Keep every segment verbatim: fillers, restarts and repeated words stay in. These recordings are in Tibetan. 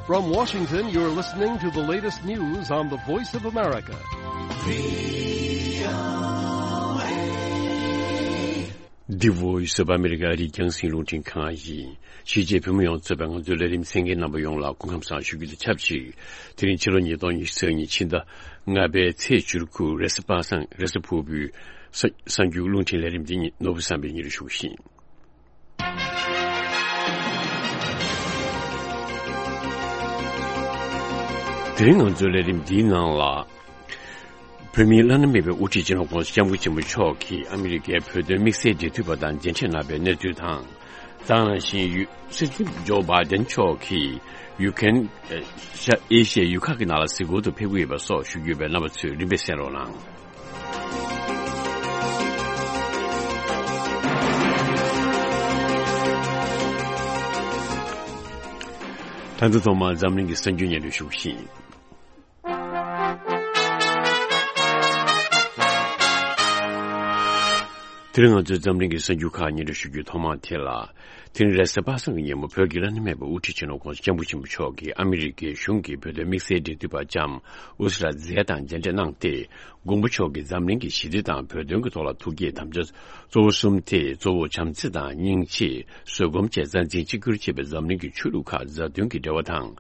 From Washington, you're listening to the latest news on the Voice of America. The Voice of America. ཨ་རིའི་རྒྱང་སྲིང་རླུང་འཕྲིན་ཁང་ཡིན། གཞིས་བྱེས་བོད་མི་ཡོངས་གཙོས་པའི་ང་ཚོའི་ལས་རིམ་གསན་མཁན་རྣམ་པ་ཡོངས་ལ་སྐུ་ཁམས་བཟང་ཞུ་རྒྱུ་དང་ཆབས་ཅིག་དེ་རིང་ཕྱི་ལོ་ཉིས་སྟོང་ཉི་ཤུ་རྩ་གཉིས་ཕྱི་ཟླ་ལྔ་པའི་ཚེས་བཅུ་དགུ། རེས་གཟའ་པ་སངས། རེས་གཟའ་ཕུར་བུའི་གསར་གསར་འགྱུར་རླུང་འཕྲིན་ལས་རིམ་འདི་ཉིད་ནོར་བུ་བསམ་པས་སྙན་སྒྲོན་ཞུ་གི་ཡིན། དེ་རིང་ང་ཚོའི་ལས་རིམ་འདིའི་ནང་ལ། བོད་མིའི་བླ་ན་མེད་པའི་དབུ་ཁྲིད་སྤྱི་ནོར་༧གོང་ས་༧སྐྱབས་མགོན་ཆེན་པོ་མཆོག་གིས་ཨ་མི་རི་ཀའི་བོད་དོན་དམིགས་བསལ་འབྲེལ་མཐུད་པ་དང་མཇལ་འཕྲད་གནང་བའི་གནས་ཚུལ་དང་། ད་ག་ནང་བཞིན་ཡུ། སྲིད་འཛིན་ཇོ་བྷའི་ཌེན་མཆོག་གིས་ཡུ་ཀེ་རེན། ཨེ་ཤ་ཡའི་ཡུལ་ཁག་གི་ནང་ལ་གཟིགས་སྐོར་དུ་ཕེབས་ཀྱི་ཡོད་པ་སོགས་ཞུ་རྒྱུ་ཡོད་པས། རྣམ་པ་ཚོས་རིམ་པས་གསན་རོགས་གནང་། ད་ལྟ་ཐོག་མར་འཛམ་གླིང་གི་གསར་འགྱུར་སྙན་སྒྲོན་ཞུ་གི་ཡིན། དེ་རིང་ང་ཚོའི་འཛམ་གླིང་གི་གསར་འགྱུར་ཁག་སྙན་སྒྲོན་ཞུ་རྒྱུའི་ཐོག་མར་དེ་ལ། དེ་རིང་རེས་གཟའ་པ་སངས་ཀྱི་ཉིན་མོ་བོད་ཀྱི་བླ་ན་མེད་པའི་དབུ་ཁྲིད་སྤྱི་ནོར་༧གོང་ས་༧སྐྱབས་མགོན་ཆེན་པོ་མཆོག་གིས་ཨ་མི་རི་ཀའི་གཞུང་གི་བོད་དོན་དམིགས་བསལ་འབྲེལ་མཐུད་པ་ལྕམ་ཨུ་སི་ར་ཛེ་དང་མཇལ་འཕྲད་གནང་སྟེ། མགོན་པོ་མཆོག་གིས་འཛམ་གླིང་གི་ཞི་བདེ་དང་བོད་དོན་གྱི་ཐོག་ལ་ཐུགས་བསྐྱེད་དམ་བཅའ་གཙོ་བོ་གསུམ་སྟེ། གཙོ་བོ་བྱམས་བརྩེ་དང་། སྙིང་རྗེ། བཟོད་སྒོམ་བཅས་རྩ་འཛིན་གཅིག་གྱུར་བྱེད་པའི་འཛམ་གླིང་གི་ཆོས་ལུགས་ཁག་མཛའ་མཐུན་གྱི་འབྲེལ་བ་དང་།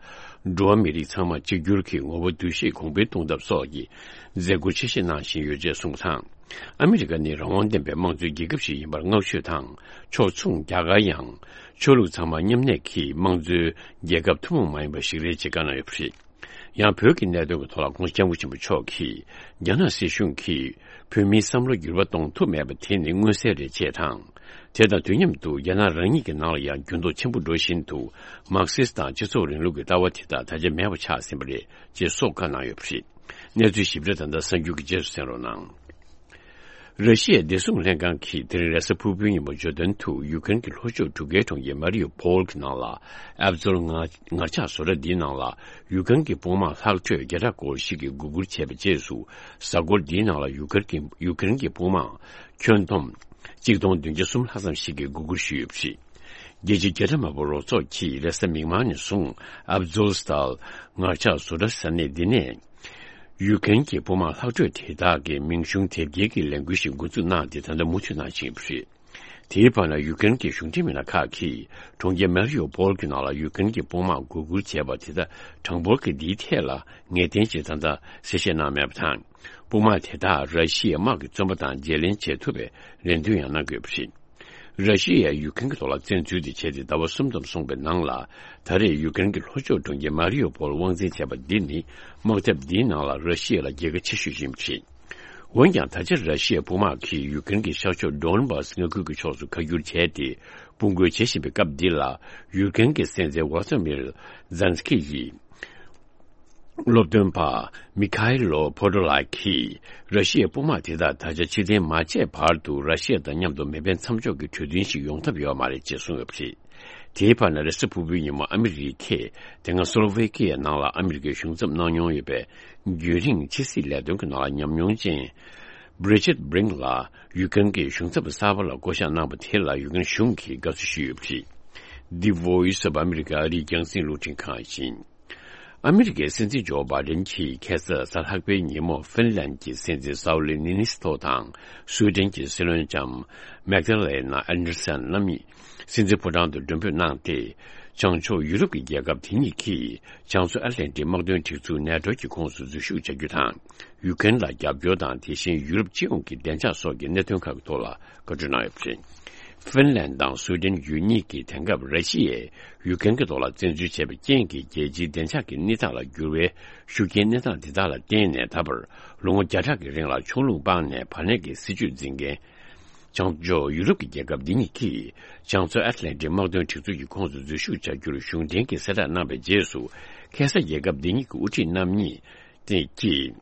འགྲོ་བ་མི་རིགས་ཚང་མ་གཅིག་གྱུར་གྱི་ངོ་བོ་འདུ་ཤེས་གོང་འཕེལ་གཏོང་ཐབས་སོགས་ཀྱི་མཛད་སྒོ་ཆེ་བཞེས་གནང་བཞིན་ཡོད་ཅེས་གསུངས་པ་དང་། ཨ་མི་རི་ཀ་ནི་རང་དབང་ལྡན་པའི་དམངས་གཙོའི་རྒྱལ་ཁབ་ཞིག་ཡིན་པར་བསྔགས་བརྗོད་དང་། ཕྱོགས་མཚུངས། རྒྱ་གར་ཡང་ཆོས་ལུགས་ཚང་མ་མཉམ་གནས་ཀྱི་དམངས་གཙོའི་རྒྱལ་ཁབ་ཐུན་མོང་མ་ཡིན་པ་ཞིག་རེད་ཅེས་བཀའ་གནང་ཡོད་པ་རེད། ཡང་བོད་ཀྱི་གནད་དོན་གྱི་ཐོག་ལ་༧གོང་ས་༧སྐྱབས་མགོན་ཆེན་པོ་མཆོག་གིས་རྒྱ་ནག་སྲིད་གཞུང་གིས་བོད་མིའི་བསམ་བློ་འགྱུར་བ་གཏོང་ཐུབ་མེད་པ་དེ་ནི་མངོན་གསལ་རེད་ཅེས་དང་། དེ་དང་དུས་མཉམ་དུ་རྒྱ་ནག་རང་ཉིད་ཀྱི་ནང་ལ་ཡང་འགྱུར་ལྡོག་ཆེན་པོ་འགྲོ་བཞིན་འདུག་མར་ཁེ་སི་དང་སྤྱི་ཚོགས་རིང་ལུགས་ཀྱི་ལྟ་བ་དེ་དག་ད་ཆ་མེད་པ་ཆགས་ཟིན་པ་རེད་ཅེས་སོགས་བཀའ་གནང་ཡོད་པ་རེད། གནས་ཚུལ་ཞིབ་ཕྲ་ད་ལྟ་གསར་འགྱུར་གྱི་རྗེས་སུ་གསན་རོགས་གནང་། ར་ཤི་ཡའི་བདེ་སྲུང་ལྷན་ཁང་གིས་དེ་རིང་རེས་གཟའ་ཕུར་བུའི་ཉིན་མོ་བརྗོད་དོན་དུ་ཡུ་ཀེ་རེན་གྱི་ལྷོ་ཕྱོགས་གྲུ་ཁའི་གྲོང་ཁྱེར་མ་རི་ཡུ་པོལ་གྱི་ནང་ལ་ཨབ་ཛོལ་ངར་ངར་ལྕགས་བཟོ་གྲྭ་འདིའི་ནང་ལ་ཡུ་ཀེ་རེན་གྱི་དཔུང་དམག་ལྷག་འཕྲོས་བརྒྱ་ཕྲག་སྐོར་ཞིག་གིས་འགོག་རྒོལ་བྱས་པའི་རྗེས་སུ། གཟའ་འཁོར་འདིའི་ནང་ལ་ཡུ་ཀེ་རེན་གྱི་ཡུ་ཀེ་རེན་གྱི་དཔུང་དམག་ཁྱོན་བསྡོམས་གཅིག་སྟོང་བདུན་བརྒྱ་གསུམ་ལྷག་ཙམ་ཞིག་གིས་འགོག་རྒོལ་ཞུས་ཡོད་པ་རེད། རྒྱལ་སྤྱིའི་རྒྱལ་ཁྲིམས་དམག་དཔོན་རོགས་ཚོགས་ཀྱིས་རེས་གཟའ་མིག་དམར་ནས་བཟུང་ཨབ་ཛོལ་སི་ཏཱལ་ངར་ལྕགས་བཟོ་གྲྭ་ས་གནས་འདི་ནས། ཡུ་ཀེ་རེན་གྱི་དཔུང་དམག་ལྷག་འཕྲོས་དེ་དག་གི་མིང་གཞུང་དེབ་སྐྱེལ་གྱི་ལས་འགུལ་ཞིག་འགོ་འཛུགས་གནང་སྟེ། ད་ལྟ་མུ་མཐུད་གནང་བཞིན་ཡོད་པ་རེད། དེའི་བར་ན་ཡུ་ཀེ་རེན་གྱི་གཞུང་འབྲེལ་མི་སྣ་ཁག་གིས་གྲོང་ཁྱེར་མེ་རི་ཡུ་པོལ་གྱི་ནང་ལ་ཡུ་ཀེ་རེན་གྱི་དཔུང་དམག་འགོག་རྒོལ་བྱས་པ་དེ་དག་གྲངས་འབོར་གྱི་འདིའི་ཐད་ལ་ངེས་གཏན་ཅིག་ད་ལྟ་གསལ་བཤད་གནང་མེད་པ་དང་། དཔུང་དམག་དེ་དག་ར་ཤི་ཡའི་དམག་གི་བཙོན་པ་དང་བརྗེ་ལེན་བྱེད་ཐུབ་པའི་རེ་འདུན་ཡང་གནང་གི་ཡོད་པ་རེད། ར་ཤི་ཡས་ཡུ་ཀེ་རེན་གྱི་ཐོག་ལ་བཙན་འཛུལ་དེ་བྱས་ཏེ་ཟླ་བ་གསུམ་ཙམ་སོང་པའི་ནང་ལ། ད་རེས་ཡུ་ཀེ་རེན་གྱི་ལྷོ་ཕྱོགས་གྲོང་ཁྱེར་མ་རི་ཡུ་པོལ་དབང་འཛིན་བྱས་པ་འདི་ནི་དམག་འཐབ་འདིའི་ནང་ལ་ར་ཤི་ཡ་ལ་རྒྱལ་ཁ་ཆེ་ཤོས་ཤིག་ཡིན་པ་རེད། འོན་ཀྱང་། ད་ཆ་ར་ཤི་ཡའི་དཔུང་དམག་གིས་ཡུ་ཀེ་རེན་གྱི་ཤར་ཕྱོགས་ཌོན་བྷ་སི་མངའ་ཁུལ་གྱི་ཕྱོགས་སུ་ཁ་བསྒྱུར་བྱས་ཏེ། དཔུང་རྒོལ་བྱེད་བཞིན་པའི་སྐབས་འདི་ལ། ཡུ་ཀེ་རེན་གྱི་སྲིད་འཛིན་ཝོ་ལོ་ཏི་མིར་ཛེ་ལན་སི་ཀི་ཡིས། སློབ་སྟོན་པ་མི་ཁ་ཨེ་ལོ་ཕོ་ཏོ་ལགས་ཀྱིས། ར་ཤི་ཡའི་དཔུང་དམག་དེ་དག་ད་ཆ་ཕྱིར་འཐེན་མ་བྱས་བར་དུ། ར་ཤི་ཡ་དང་མཉམ་དུ་མེ་འཕེན་མཚམས་འཇོག་གི་གྲོས་མཐུན་ཞིག་ཡོང་ཐབས་ཡོད་མ་རེད་ཅེས་གསུངས་ཡོད་པ་རེད། དེའི་བར་ན། རེས་གཟའ་ཕུར་བུའི་ཉིན་མོ་ཨ་མི་རི་ཀས་དེ་སྔ་སོ་ལོ་ཝེ་ཀི་ཡའི་ནང་ལ་ཨ་མི་རི་ཀའི་གཞུང་ཚབ་གནང་མྱོང་ཡོད་པའི་རྒྱུན་རིང་ཕྱི་སྲིད་ལས་དོན་གྱི་ནང་ལ་ཉམས་མྱོང་ཅན་བྷི་རི་ཇིད་བྷི་རིང་ལ་ཡུ་ཀེ་རེན་གྱི་གཞུང་ཚབ་གསར་པ་ལ་བསྐོ་གཞག་གནང་པ་དེ་ལ་ཡུ་ཀེ་རེན་གཞུང་གིས་དགའ་བསུ་ཞུས་ཡོད་པ་རེད། འདི་Voice of America ཨ་རིའི་རྒྱང་སྲིང་རླུང་འཕྲིན་ཁང་ཡིན། ཨ་མི་རི་ཀའི་སྲིད་འཛིན་ཇོ་བྷའི་ཌེན་གྱིས་ཁ་སང་གཟའ་ལྷག་པའི་ཉིན་མོ་ཧྥིན་ལན་གྱི་སྲིད་འཛིན་སའུ་ལི་ནི་ནི་སི་ཐོ་དང་སུའེ་ཌེན་གྱི་སྲིད་བློན་ལྕམ་མེག་ཏཱ་ལེ་ན་ཨན་ཌར་སན་རྣམ་གཉིས་སྲིད་འཛིན་ཕོ་བྲང་དུ་མགྲོན་འབོད་གནང་སྟེ། བྱང་ཕྱོགས་ཡུ་རོབ་ཀྱི་རྒྱལ་ཁབ་དེ་གཉིས་ཀྱིས་བྱང་མཚོ་ཨེཊ་ལན་ཊིག་དམག་དོན་སྒྲིག་འཛུགས་ནེ་ཊོ་གི་ཁོངས་སུ་འཛུལ་ཞུགས་བྱ་རྒྱུ་དང་། ཡུ་ཀེ་རེན་ལ་རྒྱབ་སྐྱོར་དང་། དེ་བཞིན་ཡུ་རོབ་སྤྱི་ཡོངས་ཀྱི་བདེ་འཇགས་སོགས་ཀྱི་གནད་དོན་ཁག་གི་ཐོག་ལ་བཀའ་འཁྲོལ་གནང་ཡོད་པ་རེད། ཧྥིན་ལན་དང་སུའེ་ཌེན་ཡུལ་གཉིས་ཀྱིས་དེང་སྐབས་ར་ཤི་ཡས་ཡུ་ཀེ་རེན་གྱི་ཐོག་ལ་བཙན་འཛུལ་བྱས་པའི་རྐྱེན་གྱིས་རྒྱལ་སྤྱིའི་བདེ་འཇགས་ཀྱི་གནས་སྟངས་ལ་འགྱུར་བའི་ཤུགས་རྐྱེན་གནས་སྟངས་འདི་དག་ལ་བརྟེན་ནས། ད་བར་ལོ་ངོ་བརྒྱ་ཕྲག་གི་རིང་ལ་ཕྱོགས་ལྷུང་སྤངས་ནས་བར་གནས་ཀྱི་སྲིད་བྱུས་འཛིན་མཁན་བྱང་ཕྱོགས་ཡུ་རོབ་ཀྱི་རྒྱལ་ཁབ་འདི་གཉིས་ཀྱིས་བྱང་མཚོ་ཨེཊ་ལན་ཊིག་དམག་དོན་སྒྲིག་འཛུགས་ཀྱི་ཁོངས་སུ་འཛུལ་ཞུགས་བྱ་རྒྱུར་གཞུང་འབྲེལ་གྱི་གསལ་བསྒྲགས་གནང་བའི་རྗེས་སུ། ཁ་སང་རྒྱལ་ཁབ་འདི་གཉིས་ཀྱི་དབུ་ཁྲིད་རྣམ་གཉིས་ཀྱིས།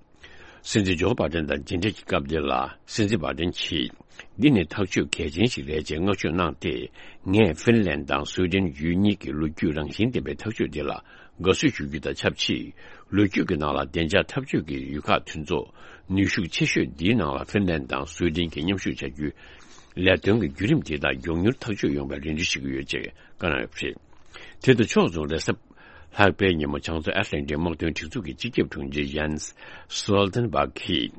སྲིད་འཛིན་ཇོ་བྷའི་ཌེན་དང་མཇལ་འཕྲད་ཀྱི་སྐབས་འདི་ལ། སྲིད་འཛིན་བྷའི་ཌེན་གྱིས། འདི་ནི་ཐག་གཅོད་གལ་ཆེན་ཞིག་རེད་ཅེས་བསྔགས་བརྗོད་གནང་སྟེ། ངས་ཧྥིན་ལན་དང་སུའེ་ཌེན་ཡུལ་གཉིས་ཀྱི་ལོ་རྒྱུས་རང་བཞིན་ལྡན་པའི་ཐག་གཅོད་འདི་ལ་དགའ་བསུ་ཞུ་རྒྱུ་དང་ཆབས་ཅིག་ལོ་རྒྱུས་ཀྱི་ནང་ལ་བདེ་འཇགས་འཐབ་ཇུས་ཀྱི་ཡུལ་ཁག་དེ་ཚོ་ནུས་ཤུགས་ཆེ་ཤོས་འདིའི་ནང་ལ་ཧྥིན་ལན་དང་སུའེ་ཌེན་གྱིས་མཉམ་ཞུགས་བྱ་རྒྱུའི་ལས་དོན་གྱི་བརྒྱུད་རིམ་འདི་དག་མགྱོགས་མྱུར་ཐག་གཅོད་ཡོང་བའི་རེ་འདུན་ཞུ་གི་ཡོད་ཅེས་བཀའ་གནང་ཡོད་པ་རེད། དེ་དང་ཕྱོགས་མཚུངས། རེས་གཟའ་ ལྷག་པའི་ཉིན་མོ་བྱང་མཚོ་ཨེཊ་ལན་ཊིག་དམག་དོན་སྒྲིག་འཛུགས་ཀྱི་སྤྱི་ཁྱབ་དྲུང་ཆེ་ཡན་སི་སོལ་ཏན་བྷག་གིས་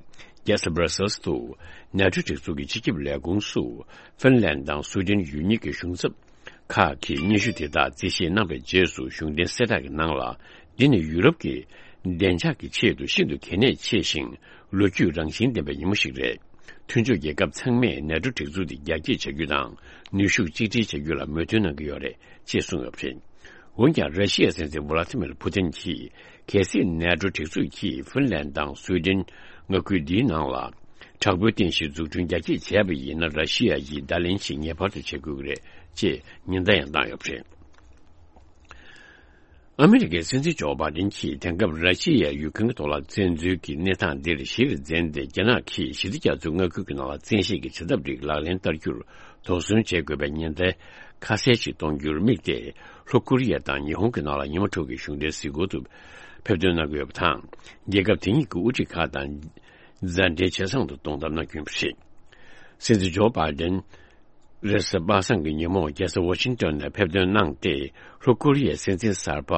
རྒྱལ་ས་སྦྲ་སེལ་སི་དུ་ནེ་ཊོ་སྒྲིག་འཛུགས་ཀྱི་སྤྱི་ཁྱབ་ལས་ཁུངས་སུ་ཧྥིན་ལན་དང་སུའེ་ཏེན་ཡུལ་གཉིས་ཀྱི་གཞུང་ཚབ་ཁག་གིས་སྙན་ཞུ་དེ་དག་རྩིས་བཞེས་གནང་བའི་རྗེས་སུ། གཞུང་འབྲེལ་གསལ་བསྒྲགས་ཀྱི་ནང་ལ། འདི་ནི་ཡུ་རོབ་ཀྱི་བདེ་འཇགས་ཀྱི་ཆེད་དུ་ཤིན་ཏུ་གལ་གནད་ཆེ་ཞིང་། ལོ་རྒྱུས་རང་བཞིན་ལྡན་པའི་ཉིན་མོ་ཞིག་རེད། མཐུན་ཕྱོགས་རྒྱལ་ཁབ་ཚང་མས་ནེ་ཊོ་སྒྲིག་འཛུགས་དེ་རྒྱ་སྐྱེད་བྱ་རྒྱུ་དང་། ནུས་ཤུགས་གཅིག་སྒྲིལ་བྱ་རྒྱུ་ལ་མོས་མཐུན་གནང་གི་ཡོད་རེད་ཅེས་གསུངས་ཡོད་པ་རེད། འོན་ཀྱང་། ར་ཤི་ཡའི་སྲིད་འཛིན་ཝ་ལ་ཏི་མིར་ཕུ་ཏིན་གྱིས། གལ་སྲིད་ནེ་ཊོ་སྒྲིག་འཛུགས་ཀྱིས་ཧྥིན་ལན་དང་སུའེ་ཏེན་མངའ་ཁུལ་འདིའི་ནང་ལ་དྲག་པོའི་རྟེན་གཞི་འཛུགས་སྐྲུན་རྒྱ་སྐྱེད་བྱས་པ་ཡིན་ན། ར་ཤི་ཡ་ཡིས་བརྡ་ལན་ཞིག་ངེས་པར་དུ་བྱེད་དགོས་ཀྱི་རེད་ཅེས་ཉེན་བརྡ་ཡང་བཏང་ཡོད་པ་རེད། ཨ་མི་རི་ཀའི་སྲིད་འཛིན་ཇོ་བྷའི་ཌེན་གྱིས་དེང་སྐབས་ར་ཤི་ཡས་ཡུཀ་རེན་གྱི་ཐོག་ལ་བཙན་འཛུལ་གྱི་གནས་སྟངས་འདིར་གཞིར་འཛིན་ཏེ། རྒྱ་ནག་གིས་ཞི་བདེ་རྒྱ་མཚོའི་མངའ་ཁུལ་གྱི་ནང་ལ་བཙན་ཤེད་ཀྱི་བྱེད་ཐབས་རིགས་ལག་ལེན་བསྟར་རྒྱུར་དོགས་ཟོན་བྱེད་དགོས་པའི་ཉེན་བརྡ་ཁ་གསལ་ཞིག་གཏོང་རྒྱུར་དམིགས་ཏེ། ལྷོ་ཀོ་རི་ཡ་དང་ཉི་ཧོང་གི་ནང་ལ་ཉི་མ་དྲུག་གི་གཞུང་འབྲེལ་གཟིགས་སྐོར་དུ་ཕེབས་ཐོན་གནང་གི་ཡོད་པ་དང་། རྒྱལ་ཁབ་དེ་གཉིས་ཀྱི་དབུ་ཁྲིད་ཁག་དང་མཛའ་འབྲེལ་ཇེ་བཟང་དུ་གཏོང་ཐབས་གནང་རྒྱུ་ཡིན་པ་རེད། སྲིད་འཛིན་ཇོ་བྷའི་ཌེན། རེས་གཟའ་པ་སངས་ཀྱི་ཉིན་མོ་རྒྱལ་ས་ཝ་ཤིང་ཏོན་ནས་ཕེབས་ཐོན་གནང་སྟེ། ལྷོ་ཀོ་རི་ཡའི་སྲིད་འཛིན་གསར་པ་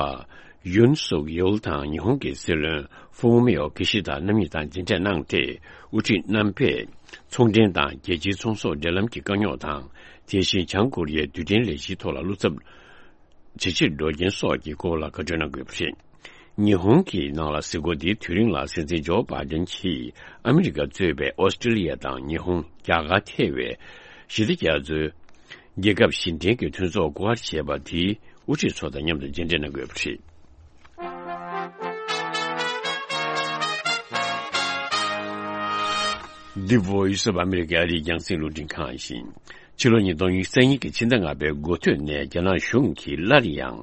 ཡུན་སུག་ཡོལ་དང་ཉི་ཧོང་གི་སྲིད་བློན་ཧྥུ་མི་ཡོ་ཀི་ཤི་ད་རྣམ་གཉིས་དང་མཇལ་འཕྲད་གནང་སྟེ། དབུ་ཁྲིད་རྣམ་པས་ཚོང་འབྲེལ་དང་རྒྱལ་སྤྱིའི་ཚོང་ཟོག་འབྲེལ་ལམ་གྱི་དཀའ་རྙོག་དང་། དེ་བཞིན་བྱང་ཀོ་རི་ཡའི་རྡུལ་ཕྲན་ལས་གཞིའི་ཐོག་ལ་བློ་འཚབ་ཇེ་ཆེར་འགྲོ་རྐྱེན་སོགས་ཀྱི་སྐོར་ལ་བཀའ་འཁྲོལ་གནང་དགོས་པ་རེད། ཉི་ཧོང་གི་ནང་ལ་གཟིགས་སྐོར་འདིའི་དུས་རིང་ལ། སྲིད་འཛིན་ཇོ་བྷའི་ཌེན་གྱིས་ཨ་མི་རི་ཀ་གཙོས་པའི་ཨོ་སི་ཀྲི་ལི་ཡ་དང་ཉི་ཧོང་། རྒྱ་གར་ཐེ་བའི་ཞི་བདེ་རྒྱ་མཚོའི་རྒྱལ་ཁབ་བཞི་ལྡན་གྱི་མཐུན་ཚོགས་སྐོར་བྱས་པ་དེའི་དབུ་ཁྲིད་ཚོ་དང་མཉམ་དུ་མཇལ་འཕྲད་གནང་དགོས་པ་རེད། འདི་Voice of America ཨ་རིའི་རྒྱང་སྲིང་རླུང་འཕྲིན་ཁང་ཡིན། ཕྱི་ལོ་ཉིས་སྟོང་ཉི་ཤུ་རྩ་གཉིས་ཀྱི་ཕྱི་ཟླ་ལྔ་པའི་འགོ་སྟོད་ནས་རྒྱ་ནག་གཞུང་གིས་སླར་ཡང་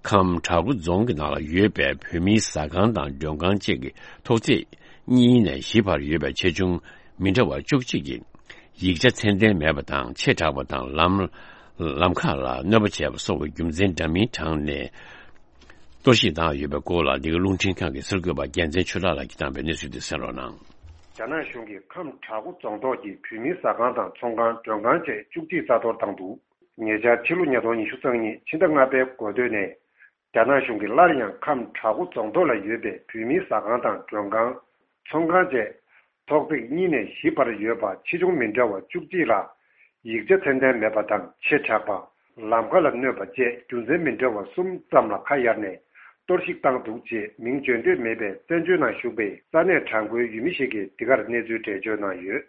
ཁམས་བྲག་འགོ་རྫོང་གི་ནང་ལ་ཡོད་པའི་བོད་མིའི་ཟ་ཁང་དང་མགྲོན་ཁང་བཅས་ཀྱི་ཐོག་བརྩེགས་གཉིས་ནས་བཞི་བར་ཡོད་པའི་ཆེ་ཆུང་མི་འདྲ་བ་བཅུ་གཅིག་གི་ཡིག་ཆ་ཚད་ལྡན་མེད་པ་དང་། ཆེ་དྲགས་པ་དང་། ལམ་ལམ་ཁ་ལ་གནོད་པ་བྱས་པ་སོགས་ཀྱི་རྒྱུ་མཚན་འདྲ་མིན་དྲངས་ནས། གཏོར་བཤིག་བཏང་ཡོད་པའི་སྐོར་ལ། འདི་ག་རླུང་འཕྲིན་ཁང་གི་གསར་འགོད་པ་རྒྱལ་མཚན་ཆོས་གྲགས་ལགས་ཀྱིས་བཏང་བའི་གནས་ཚུལ་དེ་གསན་རོགས་གནང་། རྒྱ་ནག་གཞུང་གིས་ཁམས་བྲག་འགོ་རྫོང་ཐོག་གི་བོད་མིའི་ཟ་ཁང་དང་ཚོང་ཁང་མགྲོན་ཁང་བཅས་བཅུ་གཅིག་རྩ་གཏོར་བཏང་འདུག་ཉེ་ཆར་ཕྱི་ལོ་ཉིས་སྟོང་ཉི་ཤུ་རྩ་གཉིས་ཕྱི་ཟླ་ལྔ་པའི་འགོ་སྟོད་ནས། རྒྱ་ནག་གཞུང་གིས་སླར་ཡང་ཁམས་བྲག་འགོ་རྫོང་ཐོག་ལ་ཡོད་པའི་བོད་མིའི་ཟ་ཁང་དང་མགྲོན་ཁང་། ཚོང་ཁང་བཅས་ཐོག་བརྩེགས་གཉིས་ནས་བཞི་བར་ཡོད་པ་ཆེ་ཆུང་མི་འདྲ་བ་བཅུ་གཅིག་ལ། ཡིག་ཆ་ཚད་ལྡན་མེད་པ་དང་། ཆེ་དྲགས་པ། ལམ་ཁ་ལ་གནོད་པ་བཅས་རྒྱུ་མཚན་མི་འདྲ་བ་གསུམ་ཙམ་ལ་ཁ་གཡར་ནས་གཏོར་བཤིག་བཏང་འདུག་ཅེས་མིང་བརྗོད་འདོད་མེད་པའི་བཙན་བྱོལ་ནང་བཞུགས་པའི་ས་གནས་གྲངས་འཁོད་ཡུལ་མི་ཞིག་གིས་འདི་གར་གནས་ཚུལ་འགྲེལ་བརྗོད་གནང་ཡོད།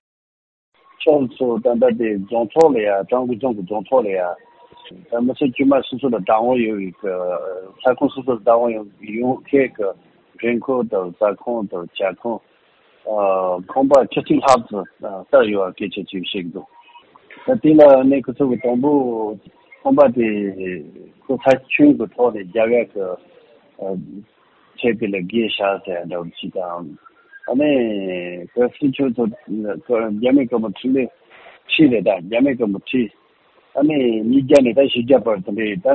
ཁྱོད་ཚོ་ད་ལྟ་དེ་རྫོང་ཐོག་ལ་ཡ། བྲག་འགོ་རྫོང་གི་རྫོང་ཐོག་ལ་ཡ། ད་མི་ཚེ་དཀྱུས་མ་སོ་སོ་ལ་བདག་དབང་ཡོད་པའི་གི་ས་ཁོངས་སོ་སོ་ལ་བདག་དབང་ཡོད་ཡོད་མཁན་གི་རིན་གོང་དང་ཟ་ཁང་དང་ཇ་ཁང་། ཨ། ཁང་པ་ཆུ་ཚོད་ལྷག་ཙམ་ཨ་བསྡད་ཡོད་པ་སྐད་ཆ་ཅིག་བཤད་ཀྱི་འདུག་ད་དེ་ལ་ནི་ཁོ་ཚོ་གི་དང་པོ་ཁང་པ་དེ་ཁོ་ས་ཁྱོན་གྱི་ཐོག་ནས་རྒྱ་གར་གྱི་ཨ་ཆེད་དེ་ལ་བརྒལ་བཞག་ཟེར་འདྲ་བོ་ཅིག་དང་། ཨ་ནི་གལ་སྲིད་ཁྱོད་ཚོ་རྒྱ་མི་སྐམ་པོ་ཁྲི་ལས་ཁྲི་རེད། ད་རྒྱ་མི་སྐམ་པོ་ཁྲི། ཨ་ནི་ཉིས་བརྒྱ་ནས་ད་བཞི་བརྒྱ་བར་དེ་འདྲའི་ད་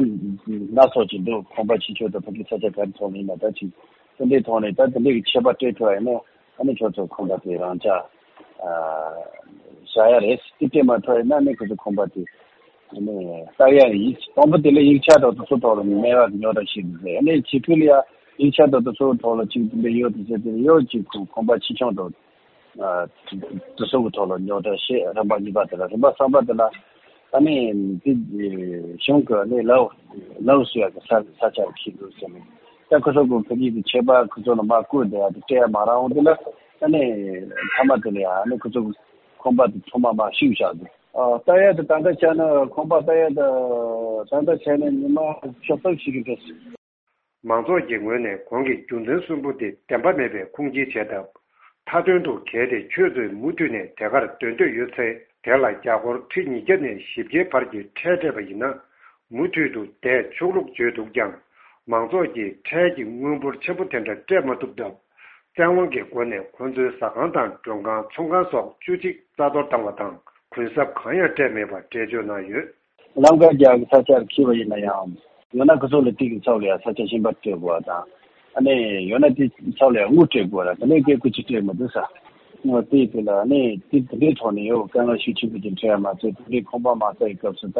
སྣ་ཚོགས་ཅིག་འདུག་ཁང་པ་ཆེ་ཆུང་དང་ཕ་གི་ས་ཆ་ག་རེ་ཐོག་ནས་ཡིན་ན་ད་ཅིག་དེ་འདྲའི་ཐོག་ནས་ད་དེ་འདྲའི་གི་ཆད་པ་སྤྲད་ཐུབ་པ་ཡིན་ན། ཨ་ནི་ཁྱོད་ཚོ་ཁང་པ་དེ་རང་འཇགས་ཨ་བཞག་ཡ་རེད། དེ་སྤྲད་མ་ཐུབ་ཡིན་ན་ཨ་ནི་ཁོ་ཚོ་ཁང་པ་དེ་ཨ་ནི་བཏབ་ཡ་རེད། ཡིག་དང་པོ་དེ་ལ་ཡིག་ཆ་དང་དེ་ཚོ་ཐོག་ལ་མེད་པ་རྙོག་དྲ་ཞིག་རེད། ཨ་ནི་ཕྱི་ཁུལ་ལ་ཡ་ཡིག་ཆ་དང་དེ་ཚོ་ཐོག་ལ་ཅིག་དེ་འདྲ་ཡོད་དེ་ཟེར་དེ་ཡོད་ཅིག་ཁོ་ཁང་པ་ཆེ་ཆུང་དང་། ཨ། དེ་ཚོ་གི་ཐོག་ལ་རྙོག་དྲ་བཤད། རིམ་པ་གཉིས་པ་དེ་ལ། རིམ་པ་གསུམ་པ་དེ་ལ་ཨ་ནི་དེ་གཞུང་གི་ཨ་ནི་ལའོ་ལའོ་སུ་ཡ་གི་ས་ས་ཆ་རུ་འཁྱེར་འདུག་ཟེར་ནས། ད་ཁོ་ཚོ་གི་ཕ་གི་གི་ཆད་པ་ཁོ་ཚོ་ལ་མ་བསྐུར་དེ་ཡ་དེ་སྤྲད་ཡ་མ་རག་འོང་དེ་ལ། ཨ་ནི་མཐའ་མ་དེ་ལ་ཡ་ཨ་ནི་ཁོ་ཚོ་གི་ཁང་པ་དེ་ཚང་མ་མར་བཤིག་བཞག་འདུག་ཨ། ད་ཡ་དེ་ད་ལྟ་བྱས་ན་ཁང་པ་ད་ཡ་ད་ད་ལྟ་བྱས་ན་ཉི་མ་ཕྱོགས་གཏོགས་ཤིག་གི་འགྲོ། མང་ཚོགས་ཀྱི་ངོས་ནས་གོང་གི་རྒྱུ་མཚན་གསུམ་པོ་དེ་བདེན་པ་མེད་པའི་ཁུངས་སྐྱེལ་བྱས་སྟབས། མཐའ་དོན་དུ་གལ་ཏེ་ཁྱོད་ཚོས་མུ་མཐུད་ནས་དེ་གར་སྡོད་འདོད་ཡོད་ཚེ། དེ་ལ་རྒྱ་སྒོར་ཁྲི་ཉིས་བརྒྱ་ནས་བཞི་བརྒྱའི་བར་གྱི་ཁྲལ་སྤྲད་པ་ཡིན་ན། མུ་མཐུད་དུ་བསྡད་ཆོག་ལུགས་བརྗོད་འདུག་ཀྱང་། མང་ཚོགས་ཀྱིས་ཁྲལ་གྱི་དངུལ་འབོར་ཆེན་པོ་དེ་འདྲ་སྤྲད་མ་ཐུབ་སྟབས། བཙན་དབང་གི་སྒོ་ནས་ཁོ་ཚོའི་ཟ་ཁང་དང་མགྲོན་ཁང་། ཚོང་ཁང་སོགས་བཅུ་གཅིག་རྩ་གཏོར་བཏང་བ་དང་། གུན་གསབ་གང་ཡང་སྤྲད་མེད་པ་འགྲེལ་བརྗོད་གནང་ཡོད། ལམ་ཁ་རྒྱག་གི་ས་ཆར་འཁྱེར་བ་ཡིན་ན་ཡང་། ཡང་ན་ཁོ་ཚོ་ལ་དེ་གི་ཚབ་ལ་ཡང་ས་ཆ་གཞན་པ་སྤྲད་དགོས་པ་དང་། ཨ་ནི་ཡང་ན་དེ་ཚབ་ལ་ཡང་དངུལ་སྤྲད་དགོས་པ་དང་། དེ་ནས་སྐད་ཁུ་ཆུ་སྤྲད་མི་འདུག་ས། དངུལ་དེ་དེ་ལ་ཨ་ནི་དེ་དེ་འདྲའི་ཐོག་ནས་ཡང་དཀའ་ངལ་ཤུགས་ཆེན་པོ་ཅིག་འཕྲད་ཡ་མ་ཚད། དེ་འདྲའི་ཁང་པ་མ་རྩ་ཡི་སྐབས་སུ་ད་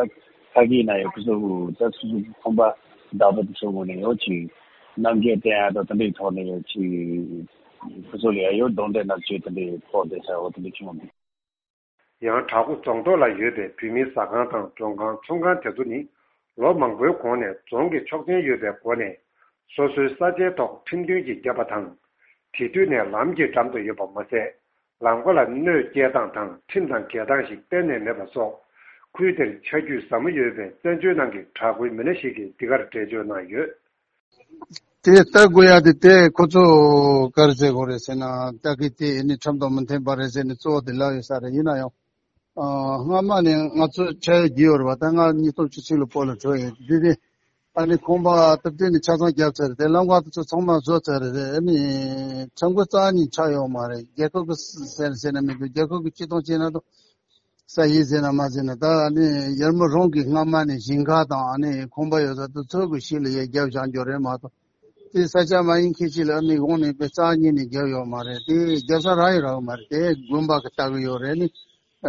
ཁ་གི་ན་ཡང་ཁོ་ཚོ་ད་སོ་སོ་གི་ཁང་པ་བདག་པོ་དེ་ཚོ་ངོས་ནས་ཡང་ཅིག་རྣམ་འགྱུར་བསྟན་ཡ་དང་དེ་འདྲའི་ཐོག་ནས་ཅིག་ཁོ་ཚོ་ལ་ཡང་ཡོད་གདོང་འདྲེ་ནག་ཅིག་དེ་འདྲའི་ཕོག་བསྡད་ས་འོ་དེ་འདྲ་བྱུང་བ་འདུག། ཡང་བྲག་འགོ་རྫོང་ཐོག་ལ་ཡོད་པའི་བོད་མིའི་ཟ་ཁང་དང་མགྲོན་ཁང་ཚོང་ཁང་དེ་ཚོ་ནི་ལོ་མང་པོའི་གོང་ནས་རྫོང་གི་ཆོག་མཆན་ཡོད་པའི་སྒོ་ནས་སོ་སོའི་ས་ཆའི་ཐོག་ཁྲིམས་མཐུན་གྱིས་བརྒྱབ་པ་དང་། དེ་དུས་ནས་ལམ་གྱི་འགྲམ་དུ་ཡོད་པ་མ་ཟད། ལམ་ཁ་ལ་གནོད་སྐྱེལ་སྟངས་དང་ཁྲིམས་དང་འགལ་སྟངས་ཤིག་གཏན་ནས་མེད་པ་སོགས། ཁུལ་དེར་ཆ་རྒྱུས་ཟབ་མོ་ཡོད་པའི་བཙན་བྱོལ་ནང་གི་བྲག་འགོའི་མི་སྣ་ཞིག་གིས་འདི་གར་འགྲེལ་བརྗོད་གནང་ཡོད། དེ་ལྟ་དགོས་ཡ་དེ་དེ་ཁོ་ཚོ་ག་རེ་ཟེར་དགོས་རེད་ཟེར་ན་ལྟ་གི་དེ་ནི་ཁྲིམས་དང་མི་མཐུན་པ་རེད་ཟེར་ནས་གཙོ་བོ་དེ་ལབ་ཡོད་ས་རེད། ཡིན་ན་ཡང་སྔ་མ་ནས་ང་ཚོ་ཆ་ཡོད་རྒྱུ་ཡོད་རེད་པ། ད་ང་ཉིས་སྟོང་བཅུ་གཅིག་ལ་བོད་ལ་འགྲོ་ཡོད་དེ་དེ། ཨ་ནི་ཁང་པ་སྟབས་བདེ་ནས་ཆ་ཚང་བརྒྱབ་ཚར་རེད། ལམ་ཁ་དེ་ཚོ་ཚང་མ་བཟོ་ཚར་རེད། ཨ་ནི་ཁྲིམས་འགལ་རྩ་ཉིད་ཆགས་ཡོད་མ་རེད། རྒྱལ་ཁབ་ཀྱི་ཟེར་ཟེར་ན་མི་འདུག། རྒྱལ་ཁབ་ཀྱི་སྤྱི་སྟངས་བྱས་ན་དང་ས་ཡིན་ཟེར་ན་མ་ཟེར་ན་ད་ཨ་ནི་ཡར་མར་རང་གི་སྔ་མ་ནས་ཞིང་ཁ་དང་ཨ་ནི་ཁང་པ་ཡོད་ས་དེ་ཚོ་གི་ཤུལ་ལ་ཡར་བརྒྱབ་བཞག་རྒྱུ་རེད་མ་གཏོགས། དེ་ས་ཆ་མ་ཡིན་མཁན་ཞིག་ལ་ཨ་ནི་དབང་ནས་དཔེ་རྩ་ཉིད་ནས་བརྒྱབ་ཡོད་མ་རེད། དེ་བརྒྱབ་ས་རག་ཡོད་རག་མ་རེད། དེ་དགོན་པ་གི་ལྟ་གི་ཡོད་རེད། ཨ་ནི་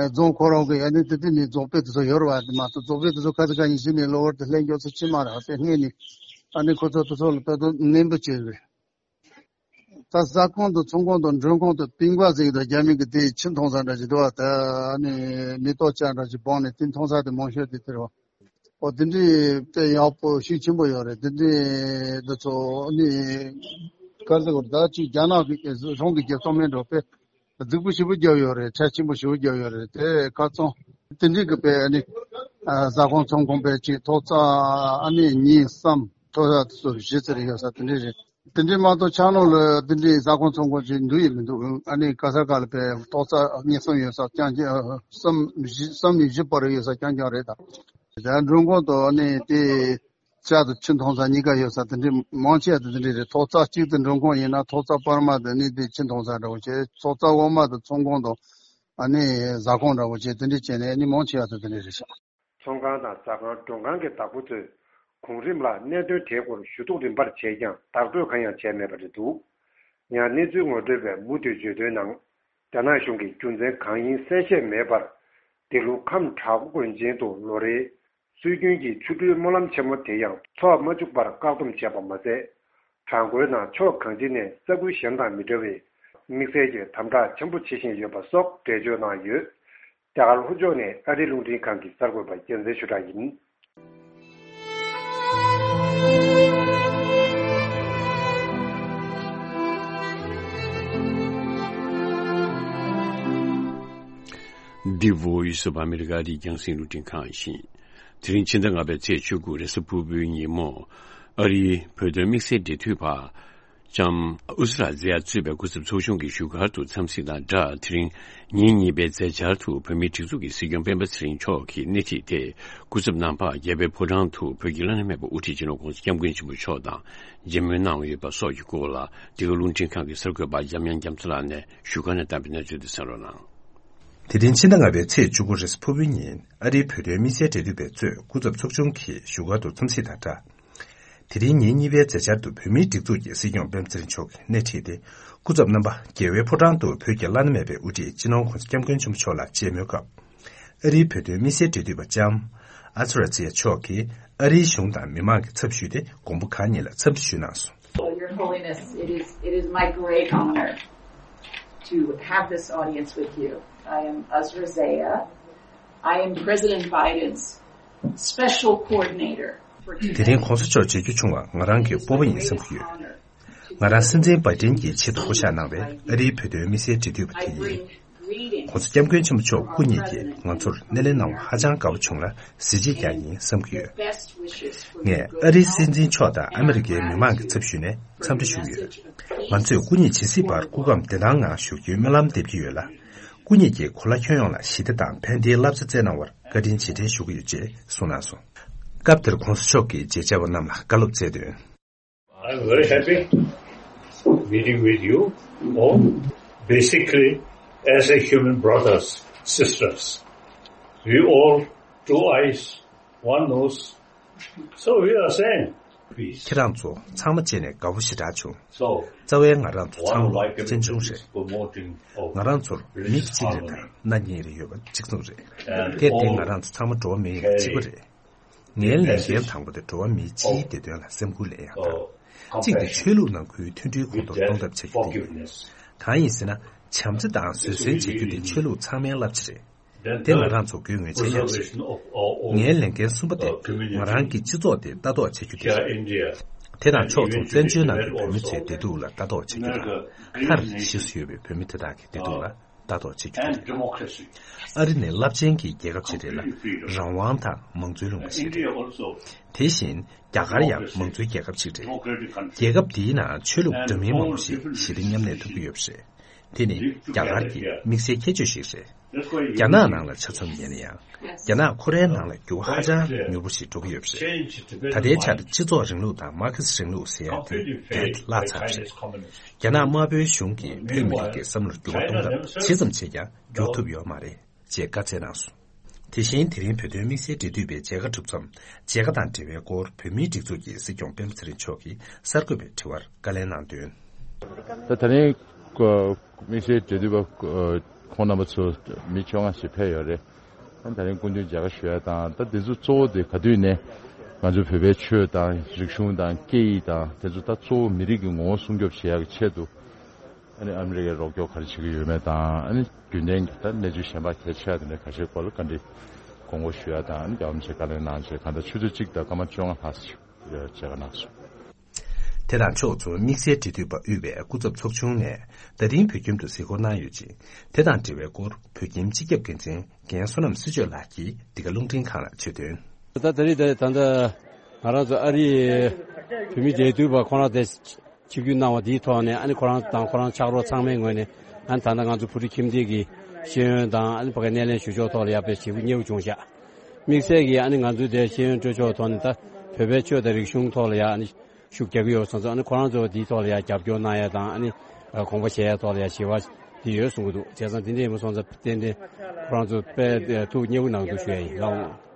རྫོང་ཁོ་རང་གི་ཨ་ནི་དེ་དེ་ནི་རྫོང་དཔེ་དེ་ཚོ་ཡོད་རེད་པ། དེ་མ་གཏོགས་རྫོང་དཔེ་དེ་ཚོ་ཁ་ཚ་ཁ་ཉིན་ཤི་ནས་གློ་བུར་དུ་ལྷན་རྒྱག་ཚོ་ཕྱི་མ་རག་དེ་སྔས་ནས་ཨ་ནི་ཁོ་ཚོ་དེ་ཚོ་ལ་དཔེ་དོན་ནན་པོ་བྱས་རེད། ད་ཟ་ཁང་དང་ཚོང་ཁང་དང་མགྲོན་ཁང་དང་པིང་པ་ཟེར་གི་འདུག། རྒྱ་མི་གི་དེ་ཆུ་འཐུང་ས་འདྲ་ཞིག་འདུག་བ། ད་ཨ་ནི་མེ་ཏོག་ཅན་འདྲ་ཞིག་སྦངས་ནས་དེ་འཐུང་ས་དེ་མང་ཤོས་དེ་དེ་རེད་བ། ཨོ་དེ་འདྲའི་དཔེ་ཡག་པོ་ཤུགས་ཆེན་པོ་ཡོད་རེད། དེ་འདྲའི་འདི་ཚོ་ནི་ག་ཟེར་དགོས་རེད། ད་ཅིག་རྒྱ་ནག་གི་རང་གི་རྒྱལ་ཚོགས་མི་འགྲོ་དཔེ་གཟིགས་པོ་ཞེ་པོ་རྒྱབ་ཡོད་རེད། ཁྲལ་ཆེན་པོ་ཞེ་པོ་རྒྱབ་ཡོད་རེད། དེ་ཁ་ཚོན་དེ་འདྲའི་གི་དཔེ་ནི་ཟ་ཁང་ཚོང་ཁང་དཔེ་ཅིག་ཐོག་བརྩེགས་ཨ་ནི་གཉིས་གསུམ་ཐོག་བརྩེགས་དེ་ཚོ་བཞི་ཙམ་རེ་ཡོད་ས་དེ་འདྲའི་རེད། དེ་འདྲའི་མ་གཏོགས་ཆགས་ནོར་ལ་དེ་འདྲའི་ཟ་ཁང་ཚོང་ཁང་ཅིག་འདུག་ཡིན་མི་འདུག། ཨ་ནི་ག་ས་ག་ལ་དཔེ་ཐོག་བརྩེགས་གཉིས་གསུམ་ཡོད་ས་རྐྱང་རྐྱང་། གསུམ་བཞི་གསུམ་ནས་བཞི་བར་ཡོད་ས་རྐྱང་རྐྱང་རེད་ད། ད་མགྲོན་ཁང་དུ་ཨ་ནི་དེ་ཇ་དང་ཆུ་འཐུང་ས་གཉིས་ཀ་ཡོད་ས་དེ་འདྲའི་མང་ཆེ་བ་དེ་དེ་འདྲའི་རེད། ཐོག་བརྩེགས་གཅིག་ཏུ་མགྲོན་ཁང་ཡིན་ན་ཐོག་བརྩེགས་བར་མ་དེ་ནི་དེ་ཆུ་འཐུང་ས་འདྲ་བོ་བྱས། ཐོག་བརྩེགས་འོག་མ་དེ་ཚོང་ཁང་དང་ཨ་ནི་ཟ་ཁང་འདྲ་བོ་བྱས། དེ་འདྲའི་བྱས་ནས་ཨ་ནི་མང་ཆེ་བ་དེ་དེ་འདྲའི་རེད་ཤག། ཚོང་ཁང་དང་ཟ་ཁང་མགྲོན་ཁང་གི་བདག་པོ་ཚོས་གོང་རིམ་ལ་གནད་དོན་དེའི་སྐོར་ཞུ་གཏུག་རིམ་པར་བྱས་ཀྱང་བདག་སྤྲོད་གང་ཡང་བྱས་མེད་པ་རེད་འདུག། ཡང་གནས་ཚུལ་ངོ་སྤྲོད་པས་མུ་མཐུད་བརྗོད་དོན་ནང་། རྒྱ་ནག་གཞུང་གིས་རྒྱུ་མཚན་གང་ཡིན་གསལ་བཤད་མེད་པར། འདི་ལོ་ཁམས་བྲག་འགོ་དགོན་ཆེན་དུ་ལོ་རེའི་སྲོལ་རྒྱུན་གྱི་ཆོ་འཕྲུལ་སྨོན་ལམ་ཆེན་མོ་དེ་ཡང་འཚོགས་མ་བཅུག་པར་བཀག་སྡོམ་བྱས་པ་མ་ཟད། བྲག་འགོའི་ནང་ཕྱོགས་གང་ཅི་ནས་ས་ཁུལ་གཞན་དང་མི་འདྲ་བའི་དམིགས་བསལ་གྱི་དམ་དྲག་ཆེན་པོ་བྱེད་བཞིན་ཡོད་པ་སོགས་འགྲེལ་བརྗོད་གནང་ཡོད། རྒྱ་གར་ལྷོ་ཕྱོགས་ནས་ཨ་རིའི་རླུང་འཕྲིན་ཁང་གི་གསར་འགོད་པ་རྒྱལ་མཚན་ཆོས་གྲགས་ཡིན། འདི་Voice of America ཨ་རིའི་རྒྱང་སྲིང་རླུང་འཕྲིན་ཁང་ཡིན། དེ་རིང་ཕྱི་ཟླ་ལྔ་པའི་ཚེས་བཅུ་དགུ་རེས་གཟའ་ཕུར་བུའི་ཉིན་མོ། ཨ་རིའི་བོད་དོན་དམིགས་བསལ་འབྲེལ་མཐུད་པ་ལྕམ་ཨུ་ཟུ་ར་ཛེ་ཡ་གཙོས་པའི་སྐུ་ཚབ་ཚོགས་ཆུང་གིས་བཞུགས་སྒར་དུ་འཚམས་གཟིགས་དང་སྦྲགས། དེ་རིང་ཉིན་གཉིས་པའི་མཛད་འཆར་དུ་བོད་མིའི་སྒྲིག་འཛུགས་ཀྱི་སྲིད་སྐྱོང་སྤེན་པ་ཚེ་རིང་མཆོག་གིས་སྣེ་ཁྲིད་དེ། སྐུ་ཚབ་རྣམ་པ་རྒྱལ་བའི་ཕོ་བྲང་དུ་བོད་ཀྱི་བླ་ན་མེད་པ་དབུ་ཁྲིད་སྤྱི་ནོར་༸གོང་ས་༸སྐྱབས་མགོན་ཆེན་པོ་མཆོག་དང་མཇལ་མོལ་གནང་ཡོད་པ་སོགས་ཀྱི་སྐོར་ལ། འདི་ག་རླུང་འཕྲིན་ཁང་གི་གསར་འགོད་པ་འཇམ་དབྱངས་རྒྱ་མཚོ་ལགས་ནས་བཞུགས་སྒར་ནས་བཏང་བའི་གནས་ཚུལ་དེ་གསན་རོགས་གནང་། དེ་རིང་ཕྱི་ཟླ་ལྔ་པའི་ཚེས་བཅུ་དགུ་རེས་གཟའ་ཕུར་བུའི་ཉིན་ཨ་རིའི་བོད་དོན་དམིགས་བསལ་འབྲེལ་མཐུད་པས་གཙོས་སྐུ་ཚབ་ཚོགས་ཆུང་གིས་བཞུགས་སྒར་དུ་འཚམས་གཟིགས་དང་སྦྲགས། དེ་རིང་ཉིན་གཉིས་པའི་མཛད་འཆར་དུ་བོད་མིའི་སྒྲིག་འཛུགས་ཀྱི་སྲིད་སྐྱོང་སྤེན་པ་ཚེ་རིང་མཆོག་གིས་སྣེ་ཁྲིད་དེ། སྐུ་ཚབ་རྣམ་པ་རྒྱལ་བའི་ཕོ་བྲང་དུ་བོད་ཀྱི་བླ་ན་མེད་པའི་དབུ་ཁྲིད་སྤྱི་ནོར་༸གོང་ས་༸སྐྱབས་མགོན་ཆེན་པོ་མཆོག་ལ་མཇལ་མོལ་སྐབས། ཨ་རིའི་བོད་དོན་དམིགས་བསལ་འབྲེལ་མཐུད་པ་ལྕམ་ཨ་ཛི་ར་ཛི་ཡ་མཆོག་གིས་ཨ་རིའི་གཞུང་དང་མི་མང་གི་ཚབ་ཞུས་ཏེ་མགོན་པོ་གང་ཉིད་ལ་འཚམས་འདྲི་ཞུས་གནང་སོང་། Well, Your Holiness, it is, it is my great honor to have this audience with you. I am Azra Zeya. I am President Biden's special coordinator for today. དེ་རིང་༸གོང་ས་མཆོག་མཇལ་རྒྱུ་བྱུང་བ་ང་རང་གི་སྤོབས་པ་ཡིན་བསམ་གྱི་ཡོད། ང་རང་སྲིད་འཛིན་བྷའི་ཏིན་གྱི་ཆེད་དུ་བསྐོ་གཞག་གནང་བའི་ཨ་རིའི་བོད་དོན་དམིགས་བསལ་འབྲེལ་མཐུད་པ་དེ་ཡིན། ༸གོང་ས་༸སྐྱབས་མགོན་ཆེན་པོ་མཆོག་སྐུ་ཉིད་ཀྱིས་ང་ཚོར་སྣེ་ལེན་གནང་བ་ཧ་ཅང་དགའ་པོ་བྱུང་ལ་གཟི་བརྗིད་ཀྱང་ཡིན་བསམ་གྱི་ཡོད། ངས་ཨ་རིའི་སྲིད་འཛིན་མཆོག་དང་ཨ་མི་རི་ཀའི་མི་མང་གི་ཚབ་ཞུས་ནས་འཚམས་འདྲི་ཞུ་གི་ཡོད། ང་ཚོས་སྐུ་ཉིད་ཇི་སྲིད་བར་སྐུ་ཁམས་བདེ་ཐང་ངང་བཞུགས་རྒྱུའི་སྨོན་ལམ་འདེབས་ཀྱི་ཡོད་ལ། སྐུ་ཉིད་ཀྱིས་གོ་ལ་ཁྱོན་ཡོངས་ལ་ཞི་བདེ་དང་ཕན་བདེའི་བསླབ་བྱ་སྩལ་གནང་བར་བཀའ་དྲིན་རྗེས་དྲན་ཞུ་གི་ཡོད་ཅེས་གསུངས་གནང་སོང་། སྐབས་དེར་༸གོང་ས་མཆོག་གིས་མཇལ་བཅར་བ་རྣམས་ལ་བཀའ་སློབ་སྩལ་དོན། I'm very happy meeting with you all. Basically, as a human brothers, sisters, we all two eyes, one nose, so we are same. Peace. ཁྱེད་རང་ཚོ་ཚང་མ་བྱས་ནས་དགའ་པོ་ཞེ་དྲག་བྱུང་། So, རྩ་བའི་ང་རང་ཚོ་ཚང་མ་གཅེན་གཅུང་རེད། ང་རང་ཚོར་མི་གཅིག་རེ་དང་སྣ་གཉིས་རེ་ཡོད་པ་གཅིག་མཚུངས་རེད། གལ་ཏེ་ང་རང་ཚོ་ཚང་མ་འགྲོ་བ་མི་ཡིན་པ་གཅིག་པ་རེད། ངའི་ལས་འགན་དང་པོ་དེ་འགྲོ་བ་མིའི་སྤྱིའི་བདེ་དོན་ལ་སེམས་ཁུར་ལེན་ཡག་དང་། གཅིག་དེ་ཆོས་ལུགས་ནང་ཁུལ་མཐུན་སྒྲིལ་གོང་མཐོར་གཏོང་ཐབས་བྱ་རྒྱུ་དེ་ཡིན། གང་ཡིན་ཟེར་ན། བྱམས་བརྩེ་དང་བཟོད་བསྲན་བྱེད་རྒྱུ་དེ་ཆོས་ལུགས་ཚང་མའི་བསླབ་བྱ་རེད། དེ་ང་རང་ཚོ་དགོས་ངེས་ཆེ་ཡང་རེད། ངའི་ལས་འགན་གསུམ་པ་དེ་ང་རང་གི་སྤྱི་ཚོགས་དེ་ལྟ་རྟོག་བྱེད་རྒྱུ་དེ་རེད། དེ་དང་ཕྱོགས་མཚུངས་བཙན་བྱོལ་ནང་གི་བོད་མི་ཚོའི་བདེ་སྡུག་ལ་ལྟ་རྟོག་བྱེད་རྒྱུ་དང་། མཐར་གཞིས་སུ་ཡོད་པའི་བོད་མི་དེ་དག་གི་བདེ་སྡུག་ལ་ལྟ་རྟོག་བྱེད་རྒྱུ་དེ་རེད། ཨ་རི་ནི་རླབས་ཆེན་གྱི་རྒྱལ་ཁབ་ཅིག་རེད་ལ། རང་དབང་དང་མང་གཙོའི་ལུང་པ་ཞིག་རེད། དེ་བཞིན་རྒྱ་གར་ཡང་མང་གཙོའི་རྒྱལ་ཁབ་ཅིག་རེད། རྒྱལ་ཁབ་འདིའི་ནང་ཆོས་ལུགས་འདྲ་མིན་མང་པོ་ཞིག་ཞི་བདེ་མཉམ་གནས་ཐུབ་ཀྱི་ཡོད་པ་རེད། དེ་ནི་རྒྱ་གར་གྱི་དམིགས་བསལ་ཁྱད་ཆོས་ཤིག་རེད། རྒྱ་ནག་ནང་ལ་ཆ་མཚོན་ཡིན་ན་ཡང་། རྒྱ་ནག་ཁོ་རའི་ནང་ལ་འགྱུར་བ་ཧ་ཅང་མྱུར་པོ་ཞིག་འགྲོ་གི་ཡོད་པ་རེད། ད་ལྟའི་ཆར་སྤྱི་ཚོགས་རིང་ལུགས་དང་མར་ཁེ་སི་རིང་ལུགས་ཟེར་ཡ་དེ་བརྒྱད་བརླག་ཚར་བ་རེད། རྒྱ་ནག་དམར་པོའི་གཞུང་གིས་བོད་མི་རིགས་ཀྱི་བསམ་བློར་འགྱུར་བ་གཏོང་ཐབས་ཇི་ཙམ་བྱས་ཀྱང་འགྱུར་ཐུབ་ཡོད་མ་རེད། ཅེས་བཀའ་སྩལ་གནང་སོང་། དེ་བཞིན་དེ་རིང་བོད་དོན་དམིགས་བསལ་འབྲེལ་མཐུད་པའི་མཇལ་ཁ་གྲུབ་མཚམས། མཇལ་ཁ་དང་འབྲེལ་བའི་སྐོར་བོད་མིའི་སྒྲིག་འཛུགས་ཀྱི་སྲིད་སྐྱོང་སྤེན་པ་ཚེ་རིང་མཆོག་གིས་གསར་འགོད་པའི་དྲི་བར་བཀའ་ལན་གནང་དོན། ད་ད་རིང་དམིགས་བསལ་འབྲེལ་མཐུད་པ་ཁོང་རྣམ་པ་ཚོ་མི་བཅོ་ལྔ་ཞིག་ཕེབས་ཡོད་རེད། ད་ད་རིང་སྐུ་མདུན་མཇལ་ཁ་ཞུ་ཡ་དང་། ད་དེ་ཚོ་གཙོ་བོ་དེ་ག་དུས་ནས་ང་ཚོ་བོད་པའི་ཆོས་དང་རིག་གཞུང་དང་སྐད་ཡིག་དང་དེ་ཚོ་ད་གཙོ་བོ་མི་རིགས་ཀྱི་ངོ་བོ་སྲུང་སྐྱོབ་བྱེད་ཡ་གི་ཆེད་དུ། ཨ་ནི་ཨ་མི་རི་ཀས་རོགས་སྐྱོར་ག་རེ་བྱེད་ཀྱི་ཡོད་མེད་དང་། ཨ་ནི་རྒྱུན་ལྡན་གྱི་ད་གནས་ཚུལ་གཞན་པ་གལ་ཆེ་བ་དེ་འདྲ་ཁ་ཤས་སྐོར་ལ་བཀའ་འདྲི་དགོངས་སྐོར་ཞུ་ཡ་དང་། ཨ་ནི་རྒྱལ་བ་རིན་པོ་ཆེས་བཀའ་ལན་གནང་བྱས་གང་ལྟར་ཆུ་ཚོད་གཅིག་དང་སྐར་མ་བཅོ་ལྔ་ལྷག་ཙམ་ཞིག་མཇལ་ཁ་གནང་སོང་། དེ་དང་ཕྱོགས་མཚུངས་དམིགས་བསལ་འབྲེལ་མཐུད་པ་དབུས་པའི་སྐུ་ཚབ་ཚོགས་ཆུང་ནས་ད་རིང་བོད་ཁྱིམ་དུ་གཟིགས་སྐོར་གནང་ཡོད་ཅིང་། དེ་དང་འབྲེལ་བའི་སྐོར་བོད་ཁྱིམ་སྤྱི་ཁྱབ་འགན་འཛིན་རྒན་བསོད་ནམས་བསོད་ཆོས་ལགས་ཀྱིས་འདི་ག་རླུང་འཕྲིན་ཁང་ལ་བརྗོད་དོན། ད་ད་རེས་ད་ད་ལྟ་ང་རང་ཚོ་ཨ་རིའི་བོད་མི་འབྲེལ་མཐུད་པ་ཁོང་རང་དེ། ཆིབས་བསྒྱུར་གནང་བ་དེའི་ཐོག་ནས། ཨ་ནི་ཁོ་རང་དང་ཁོ་རང་ཕྱག་རོགས་ཚང་མའི་ངོས་ནས། ཨ་ནི་ད་ལྟ་ང་ཚོ་བོད་ཕྲུག་ཁྱིམ་སྡེ་གི་ཤེས་ཡོན་དང་། ཨ་ནི་ཕ་གའི་སྣེ་ལེན་ཞུ་ཕྱོགས་ཐོག་ལ་ཡ་དཔེ་ཞེ་པོ་མཉེས་པོ་བྱུང་ཤག་དམིགས་བསལ་གྱིས་ཨ་ནི་ང་ཚོའི་དེ་ཤེས་ཡོན་སྤྲོད་ཕྱོགས་ཐོག་ནས་ད་བོད་པའི་ཆོས་དང་རིག་གཞུང་ཐོག་ལ་ཡ་ཨ་ནི་ཤུགས་རྒྱག་གི་ཡོད་སོང་ཙང་། ཨ་ནི་ཁོ་རང་ཚོ་དེའི་ཐོག་ལ་ཡ་རྒྱབ་སྐྱོར་གནང་ཡ་དང་། ཨ་ནི་དགོངས་པ་བཞེས་ཡ་ཐོག་ལ་ཡ་ཞེ་པོ་དེ་ཡོད་གསུང་གི་འདུག་བྱས་ཙང་དེ་འདྲ་ཡིན་པ་སོང་ཙང་ཏན་ཏན་ཁོ་རང་ཚོ་དཔེ་ཐུགས་མཉེས་པོ་གནང་འདུག་ཞུ་ཡ་ཡིན་ལགས།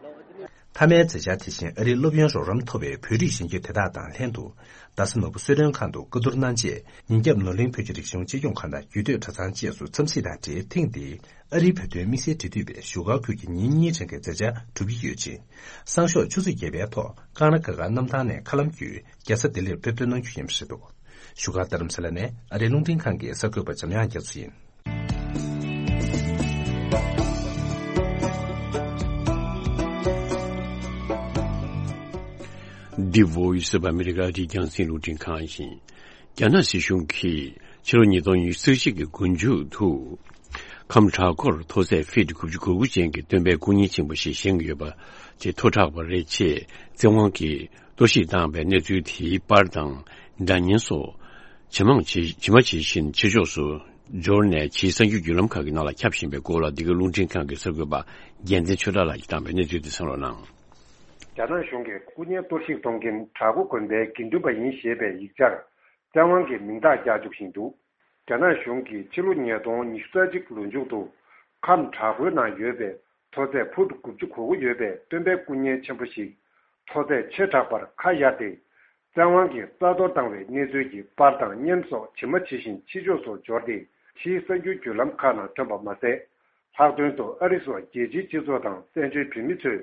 མཐའ་མའི་མཛད་འཆར་དེ་བཞིན་ཨ་རིའི་སློབ་ཡོན་རོགས་རམ་ཐོབ་པའི་བོད་རིགས་གཞོན་སྐྱེས་དེ་དག་དང་ལྷན་དུ། རྡ་ས་ནོར་བུ་གསོལ་མགྲོན་ཁང་དུ་བཀའ་བསྡུར་གནང་རྗེས། ཉིན་རྒྱབ་ནོར་གླིང་བོད་ཀྱི་རིག་གཞུང་གཅེས་སྐྱོང་ཁང་དང་རྒྱུད་སྟོད་གྲྭ་ཚང་བཅས་སུ་འཚམས་གཟིགས་དང་འབྲེལ། ཐེངས་འདིའི་ཨ་རིའི་བོད་དོན་དམིགས་བསལ་འབྲེལ་མཐུད་པའི་བཞུགས་སྒར་ཁུལ་གྱི་ཉིན་གཉིས་རིང་གི་མཛད་འཆར་གྲུབ་ཀྱི་ཡོད་ཅིང་། སང་ཞོགས་ཆུ་ཚོད་བརྒྱད་པའི་ཐོག་ཀང་ར་ག་ག་གནམ་ཐང་ནས་མཁའ་ལམ་བརྒྱུད་རྒྱལ་ས་ལྡི་ལིར་ཕེབས་ཐོན་གནང་རྒྱུ་ཡིན་པ་རེད་འདུག་བཞུགས་སྒར་རྡ་རམ་ས་ལ་ནས་ཨ་རིའི་རླུང་འཕྲིན་ཁང་གི་གསར་འགོད་པ་འཇམ་དབྱངས་རྒྱ་མཚོ་ཡིན། འདི་Voice of America ཨ་རིའི་རྒྱང་སྲིང་རླུང་འཕྲིན་ཁང་ཡིན། རྒྱ་ནག་སྲིད་གཞུང་གིས་ཕྱི་ལོ་ཉིས་སྟོང་ཉི་ཤུ་རྩ་གཅིག་གི་འགོ་མཇུག་ཏུ། ཁམས་བྲག་འགོར་མཐོ་ཚད་ཧྥིཊ་དགུ་བཅུ་གོ་དགུ་ཅན་གྱི་སྟོན་པའི་སྐུ་བརྙན་ཆེན་པོ་ཞིག་བཞེངས་ཡོད་པ་དེ་མཐོ་དྲགས་པ་རེད་ཅེས་བཙན་དབང་གིས་གཏོར་བཤིག་བཏང་བའི་གནས་ཚུལ་དེའི་པར་དང་། སྒྲ་བརྙན་སོགས་ཇེ་མང་ཇེ་ཇེ་མང་ཇེ་བཞིན་ཕྱི་ཕྱོགས་སུ་འབྱོར་ནས། ཕྱིའི་གསར་འགྱུར་བརྒྱུད་ལམ་ཁག་གི་ནང་ལ་ཁྱབ་བཞིན་པའི་སྐོར་ལ། འདི་ག་རླུང་འཕྲིན་ཁང་གི་གསར་འགོད་པ་རྒྱལ་མཚན་ཆོས་གྲགས་ལགས་ཀྱིས་བཏང་པའི་གནས་ཚུལ་དེ་གསན་རོགས་གནང་། རྒྱ་ནག་གཞུང་གིས་སྐུ་བརྙན་གཏོར་བཤིག་གཏོང་མཁན་བྲག་འགོ་དགོན་པའི་དགེ་འདུན་པ་ཡིན་ཞེས་པའི་ཡིག་ཆར་བཙན་དབང་གིས་མིང་རྟགས་རྒྱག་བཅུག་བཞིན་འདུག་རྒྱ་ནག་གཞུང་གིས་ཕྱི་ལོ་ཉིས་སྟོང་ཉི་ཤུ་རྩ་གཅིག་ལོ་མཇུག་ཏུ་ཁམས་བྲག་འགོའི་ནང་ཡོད་པའི་མཐོ་ཚད་ཧྥིཊ་དགུ་བཅུ་གོ་དགུ་ཡོད་པའི་སྟོན་པའི་སྐུ་བརྙན་ཆེན་པོ་ཞིག་མཐོ་ཚད་ཆེ་དྲགས་པར་ཁ་གཡར་ཏེ། བཙན་དབང་གིས་རྩ་གཏོར་བཏང་བའི་གནས་ཚུལ་གྱི་པར་དང་བརྙན་སོགས་ཇི་མ་ཇི་བཞིན་ཕྱི་ཕྱོགས་སུ་འབྱོར་ཏེ། ཕྱིའི་གསར་འགྱུར་བརྒྱུད་ལམ་ཁག་ནང་ཐོན་པ་མ་ཟད། ལྷག་དོན་དུ་ཨ་རི་སོགས་རྒྱལ་སྤྱིའི་སྤྱི་ཚོགས་དང་བཙན་བྱོལ་བོད་མི་ཚོས་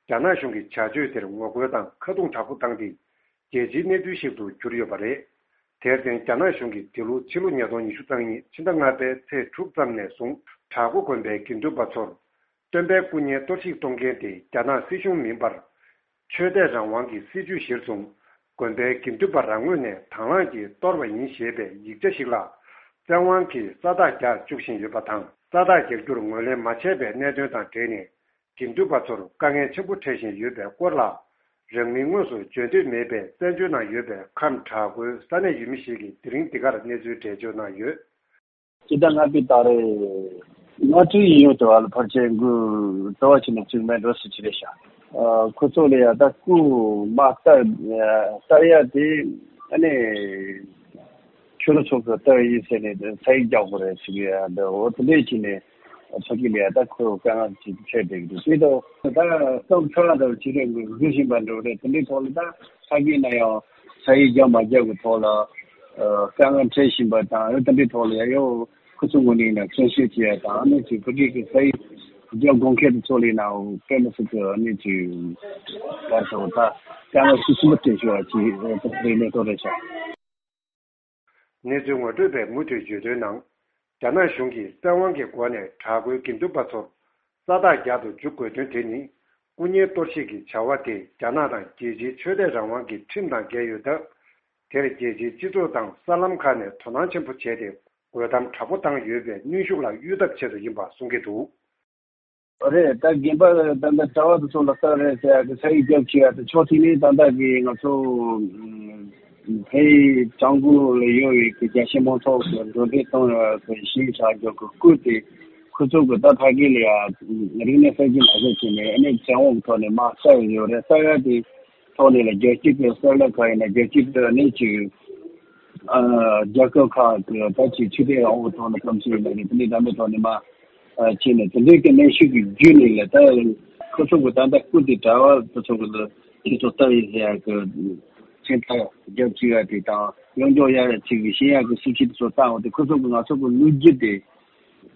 རྒྱ་ནག་གཞུང་གི་བྱ་སྤྱོད་དེར་ངོ་རྒོལ་དང་ཁ་རྡུང་དྲག་པོ་བཏང་སྟེ། རྒྱལ་སྤྱིའི་གནས་ཚུལ་ཞིག་ཏུ་གྱུར་ཡོད་པ་རེད། དེར་བརྟེན། རྒྱ་ནག་གཞུང་གིས་འདི་ལོ་ཕྱི་ལོ་ཉིས་སྟོང་ཉི་ཤུ་རྩ་གཉིས་ཕྱི་ཟླ་ལྔ་པའི་ཚེས་དྲུག་ཙམ་ནས་བཟུང་། བྲག་འགོ་དགོན་པའི་དགེ་འདུན་པ་ཚོར་སྟོན་པའི་སྐུ་བརྙན་གཏོར་བཤིག་གཏོང་མཁན་དེ་རྒྱ་ནག་སྲིད་གཞུང་མིན་པར། ཆོས་དད་རང་དབང་གི་སྲིད་བྱུས་གཞིར་བཟུང་། དགོན་པའི་དགེ་འདུན་པ་རང་ངོས་ནས་དང་བླངས་ཀྱིས་གཏོར་བ་ཡིན་ཞེས་པའི་ཡིག་ཆ་ཞིག་ལ། བཙན་དབང་གིས་ས་རྟགས་རྒྱག་བཅུག་བཞིན་ཡོད་པ་དང་། ས་རྟགས་རྒྱག་རྒྱུར་ངོས་ལེན་མ་བྱས་པའི་གནད་དོན་དང་འབྲེལ་ནས། དགེ་འདུན་པ་ཚོར་དཀའ་ངལ་ཆེན་པོ་འཕྲད་བཞིན་ཡོད་པའི་སྐོར་ལ། རང་མིང་དངོས་སུ་བརྗོད་འདོད་མེད་པའི་བཙན་བྱོལ་ནང་ཡོད་པའི་ཁམས་བྲག་འགོའི་ས་གནས་ཡུལ་མི་ཞིག་གིས་དེ་རིང་འདི་གར་གནས་ཚུལ་འགྲེལ་བརྗོད་གནང་ཡོད། སྤྱི་ཟླ་ལྔ་པའི་ཟླ་རེ། ང་ཚོའི་ཡིན་ཡོད་དུ་བ་ལ་ཕལ་ཆེར་འགུལ་བྲོ་བ་ཆེ་ནས་བཙུགས་མེད་འགྲོ་སྲིད་ཅི་རེད་ཤག་ཨ། ཁོ་ཚོ་ལ་ཡ་ད་སྐུ་མ་ལྟ་ལྟ་ཡ་དེ་ཨ་ནི། ཆོས་ལུགས་ཚོགས་པ་ལྟ་ཡི་ཟེར་ནས་ས་ཡིག་རྒྱག་དགོས་རེད་ཟེར་གི་ཡ་འདི་འོ་དེ་འདྲས་ཀྱི་ནས་ཕ་གི་ལ་ཡ་ད་ཁོ་དཀའ་ངལ་ཅིག་འཕྲད་བསྡད་ཀྱི་འདུག་དེ་དང་ད་སྐབས་ཁྲ་དང་ཅི་རེད་འགུལ་བཞིན་པ་འགྲོ་རེད། དེ་འདྲའི་ཐོག་ལ་ད་ཕ་གི་ན་ཡང་ས་ཡིག་རྒྱག་མ་རྒྱག་གི་ཐོག་ལ་དཀའ་ངལ་འཕྲད་བཞིན་པ་དང་། ཡང་དེ་འདྲའི་ཐོག་ལ་ཡ་ཡོ་ཁོ་ཚོ་ངོས་ནས་ཡིན་ན་མཁྱེན་ཤེས་བྱེད་ཡ་དང་། ཨ་ནི་ཅིག་ཕ་གི་གི་ས་ཡིག་རྒྱ་དགོན་ཁྱེར་དུ་ཚོགས་ལས་ནའོ་དཔེ་མི་སྲིད་དུ་གནས་ཚུལ་བར་སོང་ད་དཀའ་ངལ་ཤུགས་ཆེན་པོ་སྤྲད་ཤོག་ཅེས་རེ་གནས་ཐོག་རེ་བྱ། གནས་ཚུལ་ངོ་སྤྲོད་པས་མུ་མཐུད་བརྗོད་དོན་ནང་། རྒྱ་ནག་གཞུང་གིས་བཙན་དབང་གི་སྒོ་ནས་དྲག་པོའི་དགེ་འདུན་པ་ཚོར་ས་རྟགས་རྒྱག་ཏུ་འཇུག་དགོས་དོན་དེ་ནི། སྐུ་ངལ་གཏོར་བཤིག་གི་བྱ་བ་དེ་རྒྱ་ནག་དང་རྒྱལ་སྤྱིའི་ཆོས་དད་རང་དབང་གི་ཁྲིམས་དང་འགལ་ཡོད་སྟབས། དེར་རྒྱལ་སྤྱིའི་སྤྱི་ཚོགས་དང་གསར་ལམ་ཁག་ནས་དོ་སྣང་ཆེན་པོ་བྱས་ཏེ། རྒོལ་གཏམ་དྲག་པོ་བཏང་ཡོད་པའི་གནོན་ཤུགས་ལ་གཡོལ་ཐབས་ཆེད་དུ་ཡིན་པ་གསུང་གི་འདུག། རེད། ད་རྒན་པ་ད་ལྟ་གྲྭ་བ་དེ་ཚོ་ལ་ལྟ་རེད་ཟེར་ཡག་གི་ས་ཡིག་རྒྱབ་ཀྱི་ཡག་དེ་ཕྱོགས་གཅིག་ནས་ད་ལྟ་གི་ང་ཚོ་ཕའི་ཀྲང་གོ་ལ་ཡོད་པའི་གི་རྒྱ་ཆེ་མང་ཚོགས་ཀྱི་འགྲོ་འགྲེལ་གཏོང་ཡག་གི་ཞིབ་ཆ་རྒྱག་གི་སྐུལ་ཏེ་ཁོ་ཚོ་གི་ད་ཕ་གི་ལ་ཡ་རིག་གནས་གསར་བརྗེ་མ་བྱས་ཀྱི་ནས་ཨ་ནི་བཙན་དབང་གི་ཐོག་ནས་མ་ས་ཡོད་རེད། ས་ཡ་དེ་ཐོག་ནས་ལ་རྒྱལ་སྤྱི་གི་གསར་ལ་ཁ་ཡིན་ན་རྒྱལ་སྤྱི་གི་ཨ་ནི་ཅིག་རྒྱལ་ཁབ་ཁག་གི་ད་ཅིག་ཆོས་དད་རང་དབང་ཐོག་ནས་གཏམ་བཤད་ཡིན་ན་རེད། དེ་འདྲའི་འདྲ་མོའི་ཐོག་ནས་མ་བྱས་ནས་དེ་འདྲའི་གི་གནོན་ཤུགས་ཀྱི་བརྒྱུད་ནས་ལ་ད་ཁོ་ཚོ་གི་ད་ལྟ་སྐུ་དེ་གྲྭ་བ་ཁོ་ཚོ་གི་ལ་ཁྱེད་ཚོ་ལྟ་ཡི་ཟེར་ཡག་གི་མཚན་རྟགས་རྒྱབ་བཅུག་ཡག་དེ་དང་གཡོན་ཕྱོགས་གཡར་ཡག་ཅིག་གི་ཤེས་ཡག་གི་སྲིད་བྱུས་དེ་ཚོ་བཏང་བ་དེ་ཁོ་ཚོ་གི་ང་ཚོ་གི་ལོ་རྒྱུས་དེ་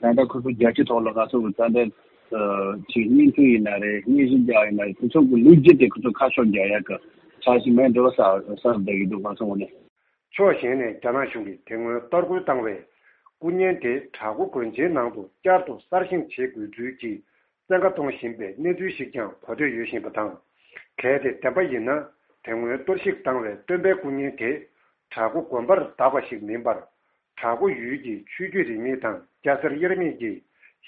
ད་ལྟ་ཁོ་ཚོ་རྒྱལ་སྤྱི་ཐོག་ལ་ང་ཚོ་གི་ད་ལྟ་ཅིག་བརྙན་འཕྲིན་ཡིན་ན་རེད། བརྙན་ཞིབ་རྒྱག་ཡིན་ན་རེད། ཁོ་ཚོ་གི་ལོ་རྒྱུས་དེ་ཁོ་ཚོ་ཁ་ཕྱོགས་རྒྱག་ཡག་གི་འཆར་གཞི་མེད་འགྲོ་ས་ས་བསྡད་ཀྱི་འདུག་ང་ཚོ་ངོས་ནས། ཕྱོགས་གཞན་ནས་རྒྱ་ནག་གཞུང་གིས་དེ་སྔོན་གཏོར་རྒོལ་བཏང་བའི་སྐུ་བརྙན་དེ་བྲག་འགོ་དགོན་ཆེན་ནང་དུ་བསྐྱར་དུ་གསར་བཞེངས་བྱེད་དགོས་ཚུལ་གྱི་བཙན་བཀའ་གཏོང་བཞིན་པའི་གནས་ཚུལ་ཞིག་ཀྱང་གོ་ཐོས་ཡོད་བཞིན་པ་དང་། གལ་ཏེ་བདེན་པ་ཡིན་ན། དེ་སྔོན་གཏོར་བཤིག་བཏང་བའི་སྟོན་པའི་སྐུ་བརྙན་དེ་བྲག་འགོ་དགོན་པར་བཏགས་པ་ཞིག་མིན་པར། བྲག་འགོ་ཡུལ་གྱི་ཆོས་བརྒྱུད་རིས་མེད་དང་སྐྱ་སེར་དབྱེར་མེད་ཀྱིས་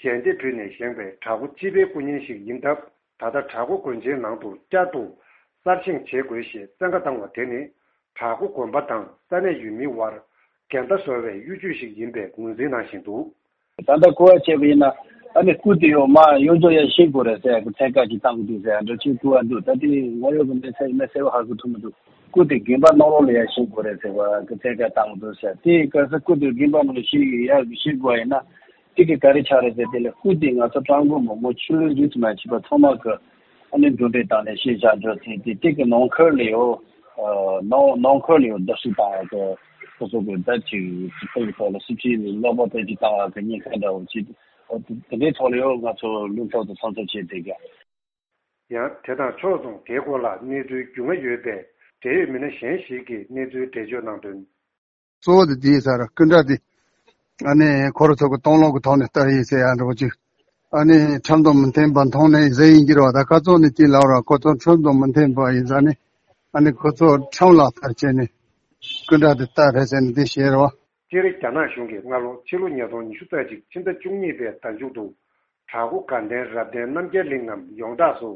ཞལ་འདེབས་ཕུལ་ནས་བཞེངས་པའི་བྲག་འགོ་སྤྱི་པའི་སྐུ་བརྙན་ཞིག་ཡིན་སྟབས། ད་ལྟ་བྲག་འགོ་དགོན་ཆེན་ནང་དུ་བསྐྱར་དུ་གསར་བཞེངས་བྱེད་དགོས་ཞེས་བཙན་བཀའ་བཏང་བ་དེ་ནི། བྲག་འགོ་དགོན་པ་དང་ས་གནས་ཡུལ་མིའི་དབར་འགལ་ཟླ་བཟོ་བའི་གཡོ་ཇུས་ཤིག་ཡིན་པའི་ངོས་འཛིན་གནང་བཞིན་འདུག། ད་ལྟ་གོ་བ་བྱས་པ་ཡིན་ན་ཨ་ནི་སྐུ་དེ་ཡོད་མ་ཡོད་ཚོ་ཡར་བཞེངས་དགོས་རེད་ཟེར་གི་ཚན་ཁག་ཅིག་བཏང་གི་འདུག་ཟེར་འགྲོ་ཆེན་སྐུ་བ་འདུག། ད་དེ་ང་ཡོད་གི་མེད་ཟེར་མེད་ཟེར་བ་ཧ་གོ་ཐུབ་མི་འདུག། སྐུ་དེ་དགོན་པ་ནང་ལོགས་ལ་ཡར་བཞེངས་དགོས་རེད་ཟེར་བ་གི་ཚན་ཁག་བཏང་གི་འདུག་ཟེར། དེ་ག་ས་སྐུ་དེ་དགོན་པ་ནང་ལ་བཞེངས་ཡར་བཞེངས་དགོས་པ་ཡིན་ན། དེ་གི་ག་རེ་ཆགས་རེད་ཟེར། དེ་ལ་སྐུ་དེ་ང་ཚོ་ཀྲང་གོ་མོ་མོ་ཆུ་ལོན་རིས་མ་བྱས་པ་ཚང་མ་གི་ཨ་ནི་འགྲོ་གྲོན་བཏང་ནས་ཤེས་བྱ་འགྲོ་ཚེ་དེ་དེ་གི་ནང་ཁུལ་ལ་ཡོད། ནང་ནང་ཁུལ་ལ་ཡོད་བརྡབ་གསིག་བཏང་བ་གི་ཁོ་ཚོ་གི་ད་ཅིག་ཅིག་ཐོག་གི་ཐོག་ལ་སྲིད་སྤྱི་ལ་ལོག་པ་དེ་ཅིག་བཏང་བ་གི་ཉེན་ཁ་འདྲ་བོ་ཅིག་དེ་འདྲའི་ཐོག་ལ་ཡོད། ང་ཚོ་ལུང་ཕྱོགས་དང་མཚམས་ཚོད་བྱས་དེ་ག་ཡང་དེ་དང་ཕྱོགས་མཚུངས་དེའི་སྐོར་ལ་གནས་ཚུལ་རྒྱུས་མངའ་ཡོད་པའི་འབྲེལ་ཡོད་མི་སྣ་གཞན་ཞིག་གིས་གནས་ཚུལ་འགྲེལ་བརྗོད་གནང་དོན། གཙོ་བོ་དེ་དེའི་སར་སྐུ་འདྲ་དེ་ཨ་ནི་ཁོ་ར་ཚོ་གི་སྟོང་ལོག་གི་ཐོག་ནས་ལྟ་ཡིན་ཟེར་ཡ་འདྲ་བོ་ཅིག། ཨ་ནི་ཁྲིམས་དང་མི་མཐུན་པ་མཐོང་ནས་ཟེར་ཡིན་གྱི་རེད་བ། ད་ཁ་ཚོན་ནས་ཅིག་ལབ་ར་ཁོ་ཚོ་ཁྲིམས་དང་མི་མཐུན་པ་ཡིན་ས་ནི། ཨ་ནི་ཁོ་ཚོ་ཁྲིམས་ལག་བསྟར་བྱས་ནས་སྐུ་འདྲ་དེ་ལྟ་རེད་ཟེར་ནས་དེ་བཤད་རེད་བ། སྤྱིར་རྒྱ་ནག་གཞུང་གིས་སྔ་ལོ་ཕྱི་ལོ་ཉིས་སྟོང་ཉི་ཤུ་རྩ་གཅིག་ཕྱི་ཟླ་བཅུ་གཉིས་པའི་ཟླ་མཇུག་ཏུ། བྲག་འགོ་དགའ་ལྡན་རབ་བརྟན་རྣམ་རྒྱལ་གླིང་ངམ་ཡོངས་གྲགས་སུ་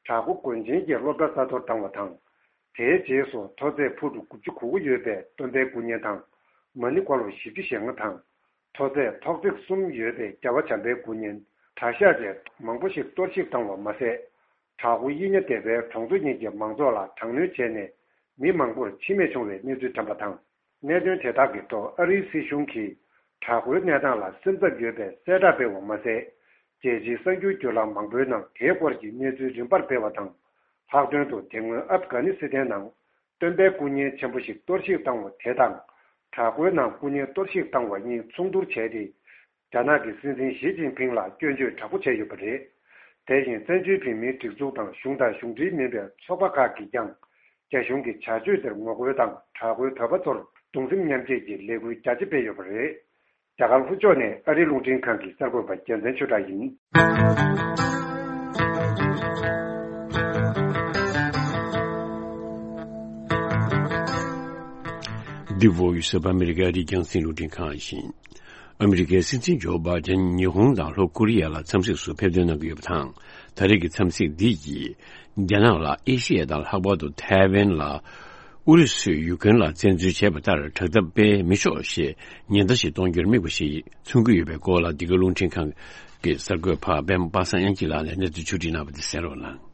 བྲག་འགོ་དགོན་ཆེན་གྱི་སློབ་གྲྭ་རྩ་གཏོར་བཏང་བ་དང་། དེའི་རྗེས་སུ་མཐོ་ཚད་ཕུ་ཊི་དགུ་བཅུ་གོ་དགུ་ཡོད་པའི་སྟོན་པའི་སྐུ་བརྙན་དང་མ་ཎི་འཁོར་ལོ་བཞི་བཅུ་ཞེ་ལྔ་དང་། མཐོ་ཚད་ཐོག་བརྩེགས་གསུམ་ཡོད་པའི་རྒྱལ་བ་བྱམས་པའི་སྐུ་བརྙན་གྲྭ་ཤག་བཅས་མང་པོ་ཞིག་གཏོར་བཤིག་བཏང་བ་མ་ཟད། བྲག་འགོ་གཡུལ་ཉ་སྡེ་པའི་གྲོང་ཚོ་གཉིས་ཀྱི་མང་ཚོགས་ལ་དྲག་གནོན་བྱས་ནས་མི་མང་པོར་འཆི་རྨས་བྱུང་བའི་གནས་ཚུལ་ཐོན་པ་དང་། གནད་དོན་དེ་དག་གི་ཐོག་ཨ་རིའི་སྲིད་གཞུང་གིས་བྲག་འགོའི་གནས་སྟངས་ལ་སེམས་འཚབ་ཡོད་པའི་གསལ་བསྒྲགས་སྤེལ་བ་མ་ཟད། རྒྱལ་སྤྱིའི་གསར་འགྱུར་བརྒྱུད་ལམ་མང་པོའི་ནང་དེའི་སྐོར་གྱི་གནས་ཚུལ་རིམ་པར་སྤེལ་བ་དང་། ལྷག་དོན་དུ་དེ་སྔོན་ཨབ་གྷ་ནི་སི་ཐན་ནང་སྟོན་པའི་སྐུ་བརྙན་ཆེན་པོ་ཞིག་གཏོར་བཤིག་བཏང་བ་དེ་དང་། བྲག་འགོའི་ནང་སྐུ་བརྙན་གཏོར་བཤིག་བཏང་བ་གཉིས་མཚུངས་བསྡུར་བྱས་ཏེ། རྒྱ་ནག་གི་སྲིད་འཛིན་ཞི་ཅིན་ཕིང་ལ་སྐྱོན་བརྗོད་དྲག་པོ་བྱས་ཡོད་པ་རེད། དེ་བཞིན་བཙན་བྱོལ་བོད་མིའི་སྒྲིག་འཛུགས་དང་གཞུང་དང་གཞུང་འབྲེལ་མིན་པའི་ཚོགས་པ་ཁག་གིས་ཀྱང་རྒྱ་གཞུང་གི་བྱ་སྤྱོད་དེར་ངོ་རྒོལ་དང་བྲག་འགོའི་བོད་པ་ཚོར་གདུང་སེམས་མཉམ་སྐྱེད་ཀྱི་ལས་འགུལ་རྒྱ་ཆེ་སྤེལ་ཡོད་པ་རེད། རྒྱ་གར་ལྷོ་ཕྱོགས་ནས་ཨ་རིའི་རླུང་འཕྲིན་ཁང་གི་གསར་འགོད་པ་རྒྱལ་མཚན་ཆོས་གྲགས་ཡིན། འདི་བོད་ཡུལ་ས་པ་ཨ་མི་རི་ཀ་ཨ་རིའི་རྒྱང་སྲིང་རླུང་འཕྲིན་ཁང་ཡིན། ཨ་མི་རི་ཀའི་སྲིད་འཛིན་ཇོ་བྷའི་ཌེན་ཉི་ཧོང་དང་ལྷོ་ཀོ་རི་ཡ་ལ་འཚམས་གཟིགས་སུ་ཕེབས་ཐོན་གནང་གི་ཡོད་པ་དང་། ད་རེས་ཀྱི་འཚམས་གཟིགས་འདི་ཡིས་རྒྱ་ནག་ལ་ཨེ་ཤི་ཡ་དང་ལྷག་པར་དུ་ཐའེ་ཝན་ལ་ཨུ་རུ་སུས་ཡུ་ཀེན་ལ་བཙན་འཛུལ་བྱས་པ་ལྟར་དྲག་འཐབ་སྤེལ་མི་ཆོག་ཞེས་ཉེན་བརྡ་ཞིག་གཏོང་རྒྱུར་དམིགས་པ་ཞིག་མཚོན་གྱི་ཡོད་པའི་སྐོར་ལ། འདི་ག་རླུང་འཕྲིན་ཁང་གི་གསར་འགོད་པ་པད་མ་པ་སངས་དབྱངས་སྐྱིད་ལགས་ནས་གནས་ཚུལ་ཕྱོགས་སྒྲིག་གནང་བ་དེ་གསན་རོགས་གནང་།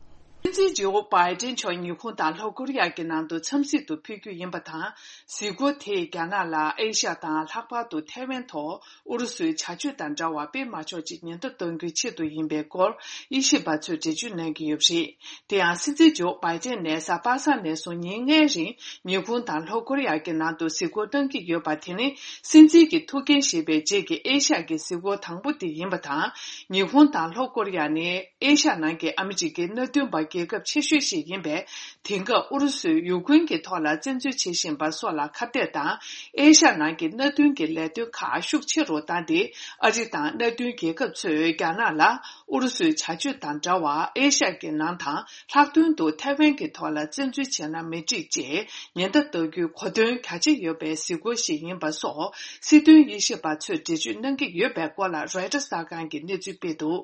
སྲིད་འཛིན་ཇོ་བྷའི་ཏན་མཆོག་ཉི་ཧོང་དང་ལྷོ་ཀོ་རི་ཡ་གི་ནང་དུ་འཚམས་གཟིགས་དུ་ཕེབས་རྒྱུ་ཡིན་པ་དང་། གཟིགས་སྐོར་དེས་རྒྱ་ནག་ལ་ཨེ་ཤ་ཡ་དང་ལྷག་པར་དུ་ཐའེ་ཝན་ཐོག་ཨུ་རུ་སུའི་བྱ་སྤྱོད་དང་འདྲ་བ་སྤེལ་མ་ཆོག་ཅིག་ཉེན་བརྡ་གཏོང་རྒྱུའི་ཆེད་དུ་ཡིན་པའི་སྐོར་དབྱེ་ཞིབ་པ་ཚོས་འགྲེལ་བརྗོད་གནང་གི་ཡོད་པ་རེད། དེ་ཡང་སྲིད་འཛིན་ཇོ་བྷའི་ཏན་ནས་གཟའ་པ་སངས་ནས་བཟུང་ཉིན་ལྔའི་རིང་ཉི་ཧོང་དང་ལྷོ་ཀོ་རི་ཡ་གི་ནང་དུ་གཟིགས་སྐོར་གནང་གི་ཡོད་པ་དེ་ནི་སྲིད་འཛིན་གྱི་ཐུགས་འགན་བཞེས་པའི་རྗེས་ཀྱི་ཨེ་ཤ་ཡ་གི་གཟིགས་སྐོར་དང་པོ་དེ་ཡིན་པ་དང་། ཉི་ཧོང་དང་ལྷོ་ཀོ་རི་ཡ་ནི་ཨེ་ཤ་ཡ་ནང་གི་ཨ་མི་རི་ཀའི་མནའ་མཐུན་པ་རྒྱལ་ཁབ་ཆེ་ཤོས་ཤིག་ཡིན་པས། དེང་སྐབས་ཨུ་རུ་སུས་ཡུ་ཀེ་རེན་གྱི་ཐོག་ལ་བཙན་འཛུལ་བྱེད་བཞིན་པ་སོགས་ལ་ཁ་གཏད་དང་། ཨེ་ཤ་ཡ་ནང་གི་མནའ་མཐུན་གྱི་ལས་དོན་ཁག་ཤུགས་ཆེ་རུ་བཏང་སྟེ། ཨ་རི་དང་མནའ་མཐུན་རྒྱལ་ཁབ་ཚོས་རྒྱ་ནག་ལ་ཨུ་རུ་སུའི་བྱ་སྤྱོད་དང་འདྲ་བར་ཨེ་ཤ་ཡ་གི་ནང་དང་། ལྷག་དོན་དུ་ཐའེ་ཝན་གྱི་ཐོག་ལ་བཙན་འཛུལ་བྱས་ན་མི་འགྲིག་ཅེས་ཉེན་བརྡ་གཏོང་རྒྱུའི་གོ་དོན་གལ་ཆེ་ཡོད་པའི་གཟིགས་སྐོར་ཞིག་ཡིན་པ་སོགས་སྲིད་དོན་དབྱེ་ཞིབ་པ་ཚོས་འགྲེལ་བརྗོད་གནང་གི་ཡོད་པའི་སྐོར་ལ་རོའི་ཊར་གསར་ཁང་གིས་གནས་ཚུལ་སྤེལ་འདུག་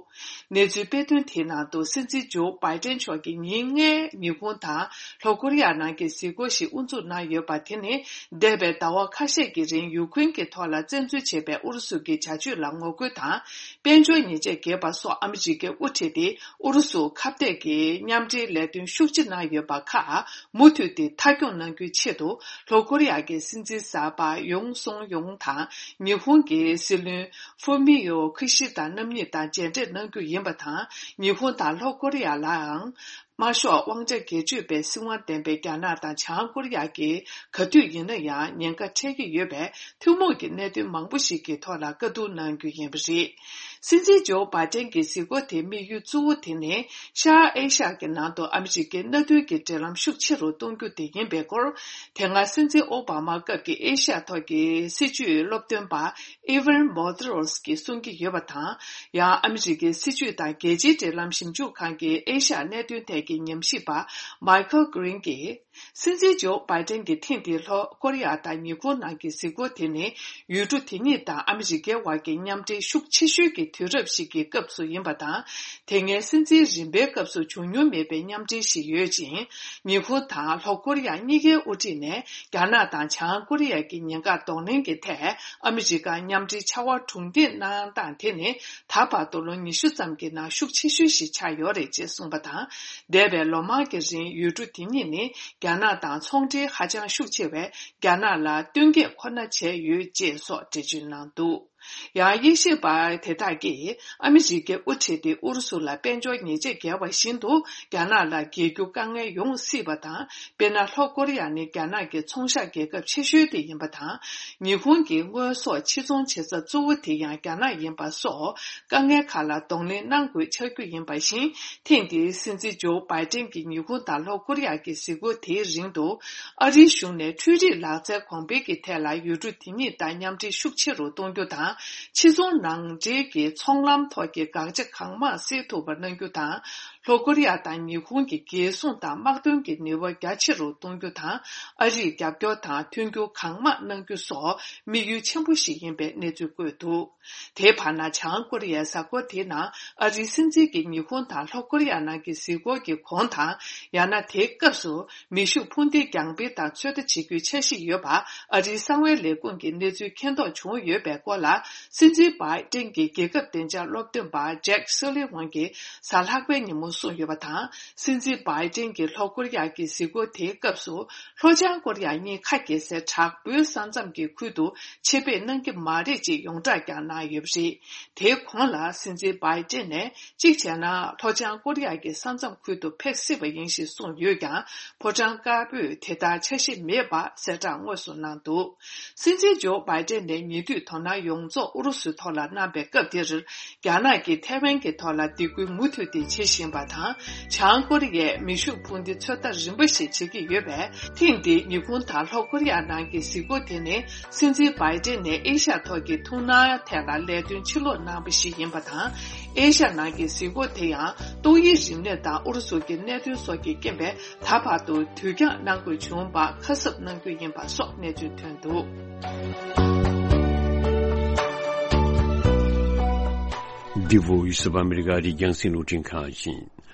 གནས་ཚུལ་སྤེལ་དོན་དེའི་ནང་དུ་སྲིད་འཛིན་ཇོ་བྷའི་ཏན་མཆོག་གིས་ཉིན་ལྔའི་ཉི་ཧོང་དང་ལྷོ་ཀོ་རི་ཡ་ནང་གི་གཟིགས་སྐོར་ཞིག་དབུ་འཛུགས་གནང་ཡོད་པ་དེ་ནི། འདས་པའི་ཟླ་བ་ཁ་ཤས་ཀྱི་རིང་ཡུ་ཀེ་རེན་གྱི་ཐོག་ལ་བཙན་འཛུལ་བྱས་པའི་ཨུ་རུ་སུ་གྱི་བྱ་སྤྱོད་ལ་ངོ་རྒོལ་དང་། དཔལ་འབྱོར་ཉེས་ཆད་འགེལ་བ་སོགས་ཨ་མི་རི་ཀས་དབུ་ཁྲིད་དེ་ཨུ་རུ་སུ་ཁ་གཏད་ཀྱི་མཉམ་འབྲེལ་ལས་དོན་ཤུགས་ཆེ་གནང་ཡོད་པ་ཁག་མུ་མཐུད་དེ་མཐའ་འཁྱོངས་གནང་རྒྱུའི་ཆེད་དུ། ལྷོ་ཀོ་རི་ཡ་གི་སྲིད་འཛིན་གསར་པ་ཡུང་སུང་ཡུང་དང་ཉི་ཧོང་གི་སྲིད་བློན་ཧྥུ་མི་ཡོ་ཁི་ཤི་ད་རྣམ་གཉིས་དང་མཇལ་འཕྲད་གནང་རྒྱུ་ཡིན་པ་དང་། ཉི་ཧོང་དང་ལྷོ་ཀོ་རི་ཡ་ལའང་དམར་ཤོག་དབང་ཆ་སྒེར་གཅོད་པའི་སྲིད་དབང་ལྡན་པའི་རྒྱ་ནག་དང་བྱང་ཀོ་རི་ཡ་གིས་ག་དུས་ཡིན་ན་ཡང་ཉེན་ཁ་འཕྲད་ཀྱི་ཡོད་པས། ཐུན་མོང་གི་གནད་དོན་མང་པོ་ཞིག་གི་ཐོག་ལ་བཀའ་བསྡུར་གནང་རྒྱུ་ཡིན་པ་རེད། སྲིད་འཛིན་ཇོ་བྷའི་ཏན་གྱི་གཟིགས་སྐོར་དེའི་དམིགས་ཡུལ་གཙོ་བོ་དེ་ནི་ཤར་ཨེ་ཤ་ཡ་གི་ནང་དུ་ཨ་མི་རི་ཀའི་མནའ་མཐུན་གྱི་འབྲེལ་ལམ་ཤུགས་ཆེ་རུ་གཏོང་རྒྱུ་དེ་ཡིན་པའི་སྐོར། དེ་སྔ་སྲིད་འཛིན་ཨོ་བྷ་མ་སྐབས་ཀྱི་ཨེ་ཤ་ཡ་ཐོག་གི་སྲིད་བྱུས་སློབ་སྟོན་པ་ཨི་ཝན་མོ་ཏི་རོ་སི་གིས་གསུང་གི་ཡོད་པ་དང་། ཡང་ཨ་མི་རི་ཀའི་སྲིད་བྱུས་དང་རྒྱལ་སྤྱིའི་འབྲེལ་ལམ་ཞིབ་འཇུག་ཁང་གི་ཨེ་ཤ་ཡ་གནད་དོན་ཐད་ཀྱི་ཉམས་ཞིབ་པ་མའི་ཁལ་གྷི་རིན་གྱིས། སྲིད་འཛིན་ཇོ་བྷའི་ཏན་གྱི་ཐེངས་འདིའི་ལྷོ་ཀོ་རི་ཡ་དང་ཉི་ཧོང་ནང་གི་གཟིགས་སྐོར་དེ་ནི། ཡུལ་གྲུ་དེ་གཉིས་དང་ཨ་མི་རི་ཀའི་དབར་གྱི་མཉམ་འབྲེལ་ཤུགས་ཆེ་ཤོས་ཀྱི་དུས་རབས་ཤིག་གི་སྐབས་སུ་ཡིན་པ་དང་། དེ་སྔའི་སྲིད་འཛིན་རིམ་པའི་སྐབས་སུ་བྱུང་མྱོང་མེད་པའི་མཉམ་འབྲེལ་ཞིག་ཡོད་ཅིང་། ཉི་ཧོང་དང་ལྷོ་ཀོ་རི་ཡ་གཉིས་ཀའི་དབུ་ཁྲིད་ནས་རྒྱ་ནག་དང་བྱང་ཀོ་རི་ཡ་གི་ཉེན་ཁ་གདོང་ལེན་གྱི་ཐད་ཨ་མི་རི་ཀ་མཉམ་འབྲེལ་བྱ་བ་གྲུང་སྡེ་གནང་སྟངས་དེ་ནི། ད་བར་དུ་ལོ་ཉི་ཤུ་ཙམ་གྱི་ནང་ཤུགས་ཆེ་ཤོས་ཤིག་ཆགས་ཡོད་རེད་ཅེས་གསུངས་པ་དང་། འདས་པའི་ལོ་མང་གི་རིང་ཡུལ་གྲུ་དེ་གཉིས་ནི་རྒྱ་ནག་དང་ཚོང་འབྲེལ་ཧ་ཅང་ཤུགས་ཆེ་བས། རྒྱ་ནག་ལ་བསྟུན་མཁས་ཁོ་ན་བྱས་ཡོད་ཅེས་སོགས་འགྲེལ་བརྗོད་གནང་འདུག་ཡང་དབྱེ་ཞིབ་པ་དེ་དག་གིས་ཨ་མི་རི་ཀའི་དབུ་ཁྲིད་དེ་ཨུ་རུ་སུ་ལ་དཔལ་འབྱོར་ཉེས་ཆད་འགེལ་བ་བཞིན་དུ་རྒྱ་ནག་ལ་འགེལ་རྒྱུ་དཀའ་ངལ་ཡོང་སྲིད་པ་དང་། དཔེར་ན། ལྷོ་ཀོ་རི་ཡ་ནི་རྒྱ་ནག་གི་ཚོང་ཤག་རྒྱལ་ཁབ་ཆེ་ཤོས་དེ་ཡིན་པ་དང་། ཉི་ཧོང་གི་དངོས་ཟོག་ཕྱིར་ཚོང་བྱེད་ས་གཙོ་བོ་དེ་ཡང་རྒྱ་ནག་ཡིན་པ་སོགས་དཀའ་ངལ་ཁག་ལ་གདོང་ལེན་གནང་དགོས་ཆགས་རྒྱུ་ཡིན་པ་བཞིན། ཐེངས་འདིའི་སྲིད་འཛིན་ཇོ་བྷའི་ཏན་གྱི་ཉི་ཧོང་དང་ལྷོ་ཀོ་རི་ཡ་གི་གཟིགས་སྐོར་དེའི་རིང་དུ། ཨ་རིའི་གཞུང་ནས་འཕྲུལ་རིག་ལག་རྩལ་གོང་འཕེལ་གྱི་ཐད་ལ་ཡུལ་གྲུ་དེ་གཉིས་དང་མཉམ་འབྲེལ་ཤུགས་ཆེ་རུ་གཏོང་རྒྱུ་དང་། ཕྱིར་ཚོང་ནང་འདྲེན་གྱི་ཚོང་ལམ་ཐོག་གི་དགག་བྱ་གང་མང་སེལ་ཐུབ་པ་གནང་རྒྱུ་དང་། ལྷོ་ཀོ་རི་ཡ་དང་ཉི་ཧོང་གི་རྒྱལ་སྲུང་དང་དམག་དོན་གྱི་ནུས་པ་རྒྱ་ཆེ་རུ་གཏོང་རྒྱུ་དང་། ཨ་རིས་རྒྱབ་སྐྱོར་དང་མཐུན་འགྱུར་གང་མང་གནང་རྒྱུ་སོགས་དམིགས་ཡུལ་ཆེན་པོ་ཞིག་ཡིན་པའི་གནས་ཚུལ་བཀོད་འདུག་དེའི་བར་ན། བྱང་ཀོ་རི་ཡའི་གཟའ་འཁོར་དེའི་ནང་ཨ་རིའི་སྲིད་འཛིན་གྱིས་ཉི་ཧོང་དང་ལྷོ་ཀོ་རི་ཡ་ནང་གི་གཟིགས་སྐོར་གྱི་གོང་དང་། ཡང་ན་དེའི་སྐབས་སུ་མེ་ཤུགས་འཕུར་མདེལ་རྒྱང་འཕེན་དང་ཚོད་ལྟ་བྱེད་རྒྱུའི་འཆར་གཞི་ཡོད་པ། ཨ་རིའི་གསང་བའི་ལས་ཁུངས་ཀྱི་གནས་ཚུལ་མཁྱེན་རྟོགས་བྱུང་ཡོད་པའི་སྐོར་ལ། སྲིད་འཛིན་བྷའི་ཏན་གྱི་རྒྱལ་ཁབ་བདེ་འཇགས་སློབ་སྟོན་པ་ཇེག་སུ་ལི་ཝན་གྱིས་གཟའ་ལྷག་པའི་ཉིན་མོ་གསུངས་ཡོད་པ་དང་། སྲིད་འཛིན་བྷའི་ཏན་གྱི་ལྷོ་ཀོ་རི་ཡ་གྱི་གཟིགས་སྐོར་དེའི་སྐབས་སུ། ལྷོ་བྱང་ཀོ་རི་ཡ་གཉིས་ཁ་གྱེས་སའི་དྲག་པོའི་ས་མཚམས་ཀྱི་ཁུལ་དུ་ཆེད་ཕེབས་གནང་གི་མ་རེད་ཅེས་ཡོངས་གྲགས་ཀྱང་གནང་ཡོད་པ་རེད། དེའི་གོང་ལ། སྲིད་འཛིན་བྷའི་ཏན་ནས། གཅིག་བྱས་ན། ལྷོ་བྱང་ཀོ་རི་ཡ་གི་ས་མཚམས་ཁུལ་དུ་ཕེབས་སྲིད་པ་ཡིན་ཞེས་གསུངས་ཡོད་ཀྱང་། ཕོ་བྲང་དཀར་པོས་དེ་ལྟར་འཆར་གཞི་མེད་པ་གསལ་བསྒྲགས་དངོས་སུ་གནང་འདུག་སྲིད་འཛིན་ཇོ་བྷའི་ཏན་ནས་ཉེ་དུས་དོ་སྣང་ཡོངས་རྫོགས་ཨུ་རུ་སུའི་ཐོག་ལ་གནང་པའི་སྐབས་དེར། རྒྱ་ནག་གིས་ཐའེ་ཝན་གྱི་ཐོག་ལ་སྡིགས་སྐུལ་མུ་མཐུད་དེ་བྱེད་བཞིན་པ་དང་། བྱང་ཀོ་རི་ཡས་མེ་ཤུགས་འཕུར་མདེལ་ཚོད་ལྟ་རིམ་པ་ཞིག་བྱེད་ཀྱི་ཡོད་པས། ཐེངས་འདིའི་ཉི་ཧོང་དང་ལྷོ་ཀོ་རི་ཡ་ནང་གི་གཟིགས་སྐོར་དེ་ནི། སྲིད་འཛིན་བྷའི་ཏན་ནས་ཨེ་ཤ་ཡ་ཐོག་གི་ཐུགས་སྣང་ཐད་ལ་ལས་དོན་ཕྱིར་སློག་གནང་བ་ཞིག་ཡིན་པ་དང་། ཨེ་ཤ་ཡ་ནང་གི་གཟིགས་སྐོར་དེ་ཡང་ཏོག་དབྱིབས་རིམས་ནད་དང་ཨུ་རུ་སུ་གྱི་གནད་དོན་སོགས་ཀྱི་རྐྱེན་པས། ད་བར་དུ་དུས་འགྱངས་གནང་དགོས་བྱུང་བར་ཁ་གསབ་གནང་རྒྱུ་ཡིན་པ་སོགས་གནས་ཚུལ་ཐོན་འདུག་འདི་བོད་ཡུལ་སུ་བ་ཨ་མི་རི་ཀ་རི་རྒྱང་སྲིང་རླུང་འཕྲིན་ཁང་ཡིན།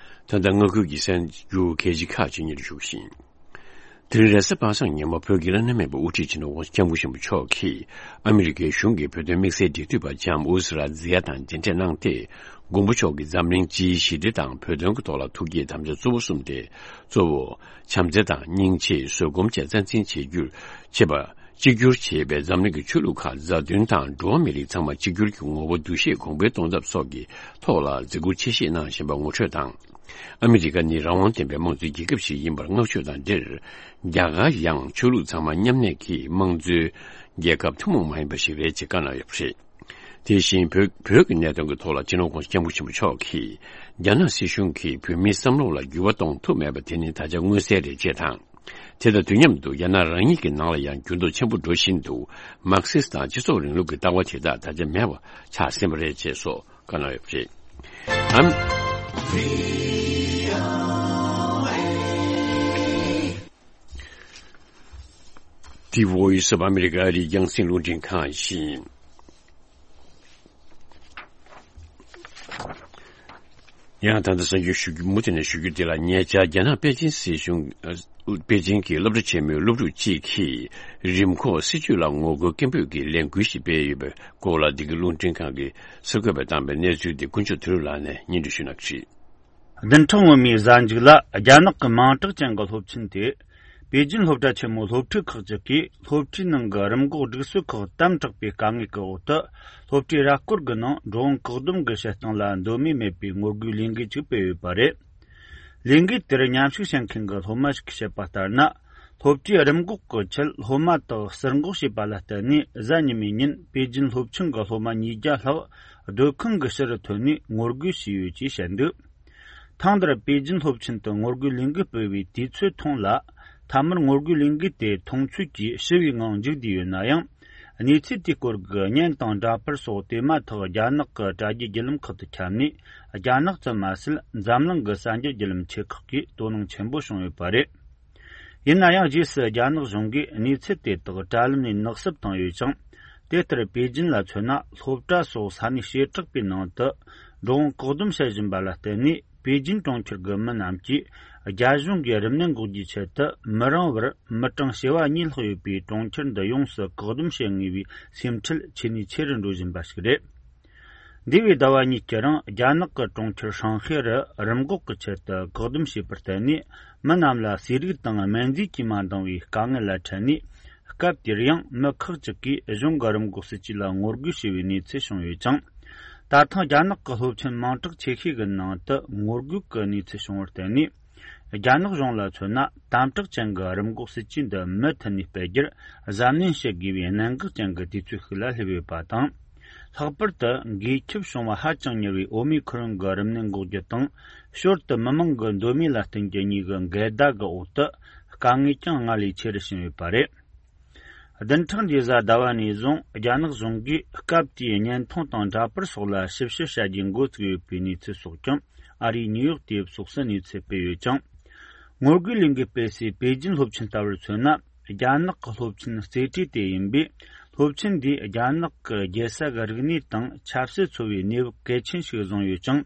ད་ལྟ་མངའ་ཁུལ་གྱི་གསར་འགྱུར་གལ་ཆེ་ཁག་ཅིག་སྙན་ཞུ་བཞིན། དེ་རིང་རེས་གཟའ་པ་སངས་ཉིན་མོ་བོད་ཀྱི་བླ་ན་མེད་པའི་དབུ་ཁྲིད་སྤྱི་ནོར་༸གོང་ས་༸སྐྱབས་མགོན་ཆེན་པོ་མཆོག་གིས་ཨ་མི་རི་ཀའི་གཞུང་གིས་བོད་དོན་དམིགས་བསལ་འབྲེལ་མཐུད་པ་ལྕམ་ཨུ་ཛི་ར་ཛི་ཡ་དང་མཇལ་འཕྲད་གནང་སྟེ། མགོན་པོ་མཆོག་གིས་འཛམ་གླིང་སྤྱིའི་ཞི་བདེ་དང་བོད་དོན་གྱི་ཐོག་ལ་ཐུགས་བསྐྱེད་དམ་བཅའ་གཙོ་བོ་གསུམ་སྟེ། གཙོ་བོ། བྱམས་བརྩེ་དང་སྙིང་རྗེ། བཟོད་སྒོམ་བཅས་རྩ་འཛིན་བྱེད་རྒྱུར་བྱེད་པ། གཅིག་གྱུར་བྱེད་པའི་འཛམ་གླིང་གི་ཆོས་ལུགས་ཁག་མཛའ་མཐུན་དང་འགྲོ་བ་མི་རིགས་ཚང་མ་གཅིག་གྱུར་གྱི་ངོ་བོ་འདུ་ཤེས་གོང་འཕེལ་གཏོང་ཐབས་སོགས་ཀྱི་ཐོག་ལ་མཛད་ཁུར་ཆེ་བཞེས་གནང་བཞིན་པ་ངོ་སྤྲོད་དང་། ཨ་མི་རི་ཀ་ནི་རང་དབང་ལྡན་པའི་དམངས་གཙོའི་རྒྱལ་ཁབ་ཞིག་ཡིན་པར་བསྔགས་བརྗོད་དང་འབྲེལ། རྒྱ་གར་ཡང་ཆོས་ལུགས་ཚང་མ་མཉམ་གནས་ཀྱི་དམངས་གཙོའི་རྒྱལ་ཁབ་ཐུན་མོང་མ་ཡིན་པ་ཞིག་རེད་ཅེས་བཀའ་གནང་ཡོད་པ་རེད། དེ་བཞིན་བོད་བོད་ཀྱི་གནད་དོན་གྱི་ཐོག་ལ་སྤྱི་ནོར་༧གོང་ས་༧སྐྱབས་མགོན་ཆེན་པོ་མཆོག་གིས་རྒྱ་ནག་སྲིད་གཞུང་གིས་བོད་མིའི་བསམ་བློ་ལ་འགྱུར་བ་གཏོང་ཐུབ་མེད་པ་དེ་ནི་ད་ཆ་མངོན་གསལ་རེད་ཅེས་དང་། དེ་དང་དུས་མཉམ་དུ་རྒྱ་ནག་རང་ཉིད་ཀྱི་ནང་ལ་ཡང་འགྱུར་ལྡོག་ཆེན་པོ་འགྲོ་བཞིན་འདུག་མར་ཁེ་སི་དང་སྤྱི་ཚོགས་རིང་ལུགས་ཀྱི་ལྟ་བ་དེ་དག་ད་ཆ་མེད་པ་ཆགས་ཟིན་པ་རེད་ཅེས་སོགས་བཀའ་གནང་ཡོད་པ་རེད། ཨམ། The Voice of America ཨ་རིའི་རྒྱང་སྲིང་རླུང་འཕྲིན་ཁང་ཡིན། ཡང་ད་ལྟ་གསར་འགྱུར་ཞུ་རྒྱུ་མུ་མཐུད་ནས་ཞུ་རྒྱུ་དེ་ལ། ཉེ་ཆར་རྒྱ་ནག་པེ་ཅིན་སྲིད་གཞུང་ཨ། པེ་ཅིན་གྱི་སློབ་གྲྭ་ཆེན་མོའི་སློབ་ཕྲུག་ཅིག་གིས་རིམས་འགོག་སྲིད་ཇུས་ལ་ངོ་རྒོལ་སྐད་འབོད་ཀྱི་ལས་འགུལ་ཞིག་སྤེལ་ཡོད་པའི་སྐོར་ལ། འདི་གའི་རླུང་འཕྲིན་ཁང་གིས་གསར་འགོད་པས་བཏང་པའི་གནས་ཚུལ་དེ་དཀོན་མཆོག་དོན་གྲུབ་ལགས་ནས་སྙན་སྒྲོན་ཞུ་གནང་གི་རེད། བདུན་ཕྲག་སྔོན་མའི་གཟའ་མཇུག་ལ་རྒྱ་ནག་གི་མིང་གྲགས་ཅན་གྱི་སློབ་ཆེན་དེ། པེ་ཅིན་སློབ་གྲྭ་ཆེན་མོའི་སློབ་ཕྲུག་ཁག་ཅིག་གིས་སློབ་གྲྭའི་ནང་གི་རིམས་འགོག་སྒྲིག་སྲོལ་ཁག་དམ་དྲག་པའི་དཀའ་ངལ་གྱི་འོག་ཏུ། སློབ་གྲྭའི་ར་སྐོར་གྱི་ནང་འགྲོ་འོང་བཀག་སྡོམ་གྱི་བྱེད་སྟངས་ལ་འདོད་མོས་མེད་པའི་ངོ་རྒོལ་ལས་འགུལ་ཅིག་སྤེལ་ཡོད་པ་རེད། ལས་འགུལ་དེར་མཉམ་ཞུགས་བྱེད་མཁན་གྱི་སློབ་མ་ཞིག་གིས་བཤད་པ་ལྟར་ན། སློབ་གྲྭའི་རིམས་འགོག་གི་ཆེད་སློབ་མ་དག་ཟུར་འགོག་བྱས་པ་ལ་བརྟེན་ནས། གཟའ་ཉི་མའི་ཉིན་པེ་ཅིན་སློབ་ཆུང་གི་སློབ་མ་ཉིས་བརྒྱ་ལྷག་སྡོད་ཁང་གི་ཕྱི་རུ་ཐོན་ནས་ངོ་རྒོལ་བྱས་ཡོད་ཅེས་བཤད་འདུག་ཐེངས་འདིར་པེ་ཅིན་སློབ་ཆེན་དུ་ངོ་རྒོལ་ལས་འགུལ་སྤེལ་བའི་དུས་ཚོད་ཐུང་ལ། མཐའ་མར་ངོ་རྒོལ་ལས་འགུལ་དེ་མཐོང་ཆོས་ཀྱིས་ཞི་བའི་ངང་མཇུག་བསྡུས་ཡོད་ན་ཡང་། གནས་ཚུལ་དེའི་སྐོར་གྱི་བརྙན་དང་འདྲ་པར་སོགས་དེ་མ་ཐག་རྒྱ་ནག་གི་དྲ་རྒྱའི་བརྒྱུད་ལམ་ཁག་ཏུ་ཁྱབ་ནས། རྒྱ་ནག་ཙམ་མ་ཟད། འཛམ་གླིང་གི་གསར་འགྱུར་བརྒྱུད་ལམ་ཆེ་ཁག་གིས་དོ་སྣང་ཆེན་པོ་བྱུང་ཡོད་པ་རེད། ཡིན་ན་ཡང་། རྗེས་སུ་རྒྱ་ནག་གཞུང་གིས་གནས་ཚུལ་དེ་དག་དྲ་ལམ་ནས་ནག་བསུབ་བཏང་ཡོད་ཅིང་། དེ་ལྟར་པེ་ཅིན་ལ་མཚོན་ན། སློབ་གྲྭ་སོགས་ས་གནས་བྱེ་བྲག་པའི་ནང་དུ་འགྲོ་འོང་བཀག་སྡོམ་བྱེད་བཞིན་པ་ལ་བརྟེན་ནས། པེ་ཅིན་གྲོང་ཁྱེར་གྱི་མི་རྣམས་ཀྱིས་རྒྱ་གཞུང་གིས་རིམས་ནད་འགོག་རྒྱུའི་ཆེད་དུ་མི་རིང་བར་མི་གྲངས་བྱེ་བ་གཉིས་ལྷག་ཡོད་པའི་གྲོང་ཁྱེར་འདི་ཡོངས་སུ་བཀག་སྡོམ་བྱེད་ངེས་པའི་སེམས་ཁྲལ་ཆེ་ནས་ཆེ་རུ་འགྲོ་བཞིན་པ་ཞིག་རེད། འདས་པའི་ཟླ་བ་གཉིས་ཀྱི་རིང་རྒྱ་ནག་གི་གྲོང་ཁྱེར་ཧྲང་ཧེ་རུ་རིམས་འགོག་གི་ཆེད་དུ་བཀག་སྡོམ་བྱས་པར་བརྟེན་ནས། མི་རྣམས་ལ་ཟས་རིགས་དང་སྨན་རྫས་ཀྱིས་མ་འདང་བའི་དཀའ་ངལ་ལ་འཕྲད་ནས། སྐབས་དེར་ཡང་མི་ཁག་ཅིག་གིས་གཞུང་གི་རིམས་འགོག་སྲིད་ཇུས་ལ་ངོ་རྒོལ་བྱས་པའི་གནས་ཚུལ་བྱུང་ཡོད་ཅིང་། ད་ཐེངས་རྒྱ་ནག་གི་སློབ་ཆེན་མིང་གྲགས་ཆེ་ཤོས་ཀྱི་ནང་དུ་ངོ་རྒོལ་གྱི་གནས་ཚུལ་བྱུང་བར་བརྟེན་ནས། རྒྱ་ནག་གཞུང་ལ་མཚོན་ན། དམ་དྲག་ཅན་གྱི་རིམས་འགོག་སྲིད་ཇུས་འདི་མུ་མཐུད་ནས་སྤེལ་རྒྱུར་གཟབ་ནན་བྱེད་དགོས་པའི་གནད་འགག་ཅན་གྱི་དུས་ཚོད་ཤིག་ལ་སླེབས་ཡོད་པ་དང་། ལྷག་པར་དུ་འགོས་ཁྱབ་བྱུང་བ་ཧ་ཅང་མྱུར་བའི་ཨོ་མི་ཁོ་རོན་གྱི་རིམས་ནད་འགོག་རྒྱུ་དང་། ཞོར་དུ་མི་མང་གི་འདོད་མོས་ལ་བརྟེན་རྒྱུ་གཉིས་ཀྱི་འགལ་ཟླ་གི་འོག་ཏུ། དཀའ་ངལ་ཀྱང་སྔར་ལས་ཆེ་རུ་ཕྱིན་ཡོད་པ་རེད། བདུན་ཕྲག་འདིའི་གཟའ་ཟླ་བ་ནས་བཟུང་རྒྱ་ནག་གཞུང་གིས་སྐབས་དེའི་བརྙན་ཐུང་དང་འདྲ་པར་སོགས་ལ་ཞིབ་བཤེར་བྱ་རྒྱུའི་འགོ་བཙུགས་ཡོད་པའི་གནས་ཚུལ་སོགས་ཀྱང་ཨ་རིའི་ནིའུ་ཡོག་དེབ་སོགས་སུ་གནས་ཚུལ་སྤེལ་ཡོད་ཅིང་། ངོ་རྒོལ་ལས་འགུལ་སྤེལ་སའི་པེ་ཅིན་སློབ་ཆེན་ལྟ་བུར་མཚོན་ན། རྒྱ་ནག་གི་སློབ་ཆེན་རྩེ་གྲས་དེ་ཡིན་པས། སློབ་ཆེན་འདིས་རྒྱ་ནག་གི་རྒྱལ་ས་གི་རིག་གནས་དང་ཆབ་སྲིད་འཚོ་བའི་གནས་བབ་གལ་ཆེན་ཞིག་བཟུང་ཡོད་ཅིང་།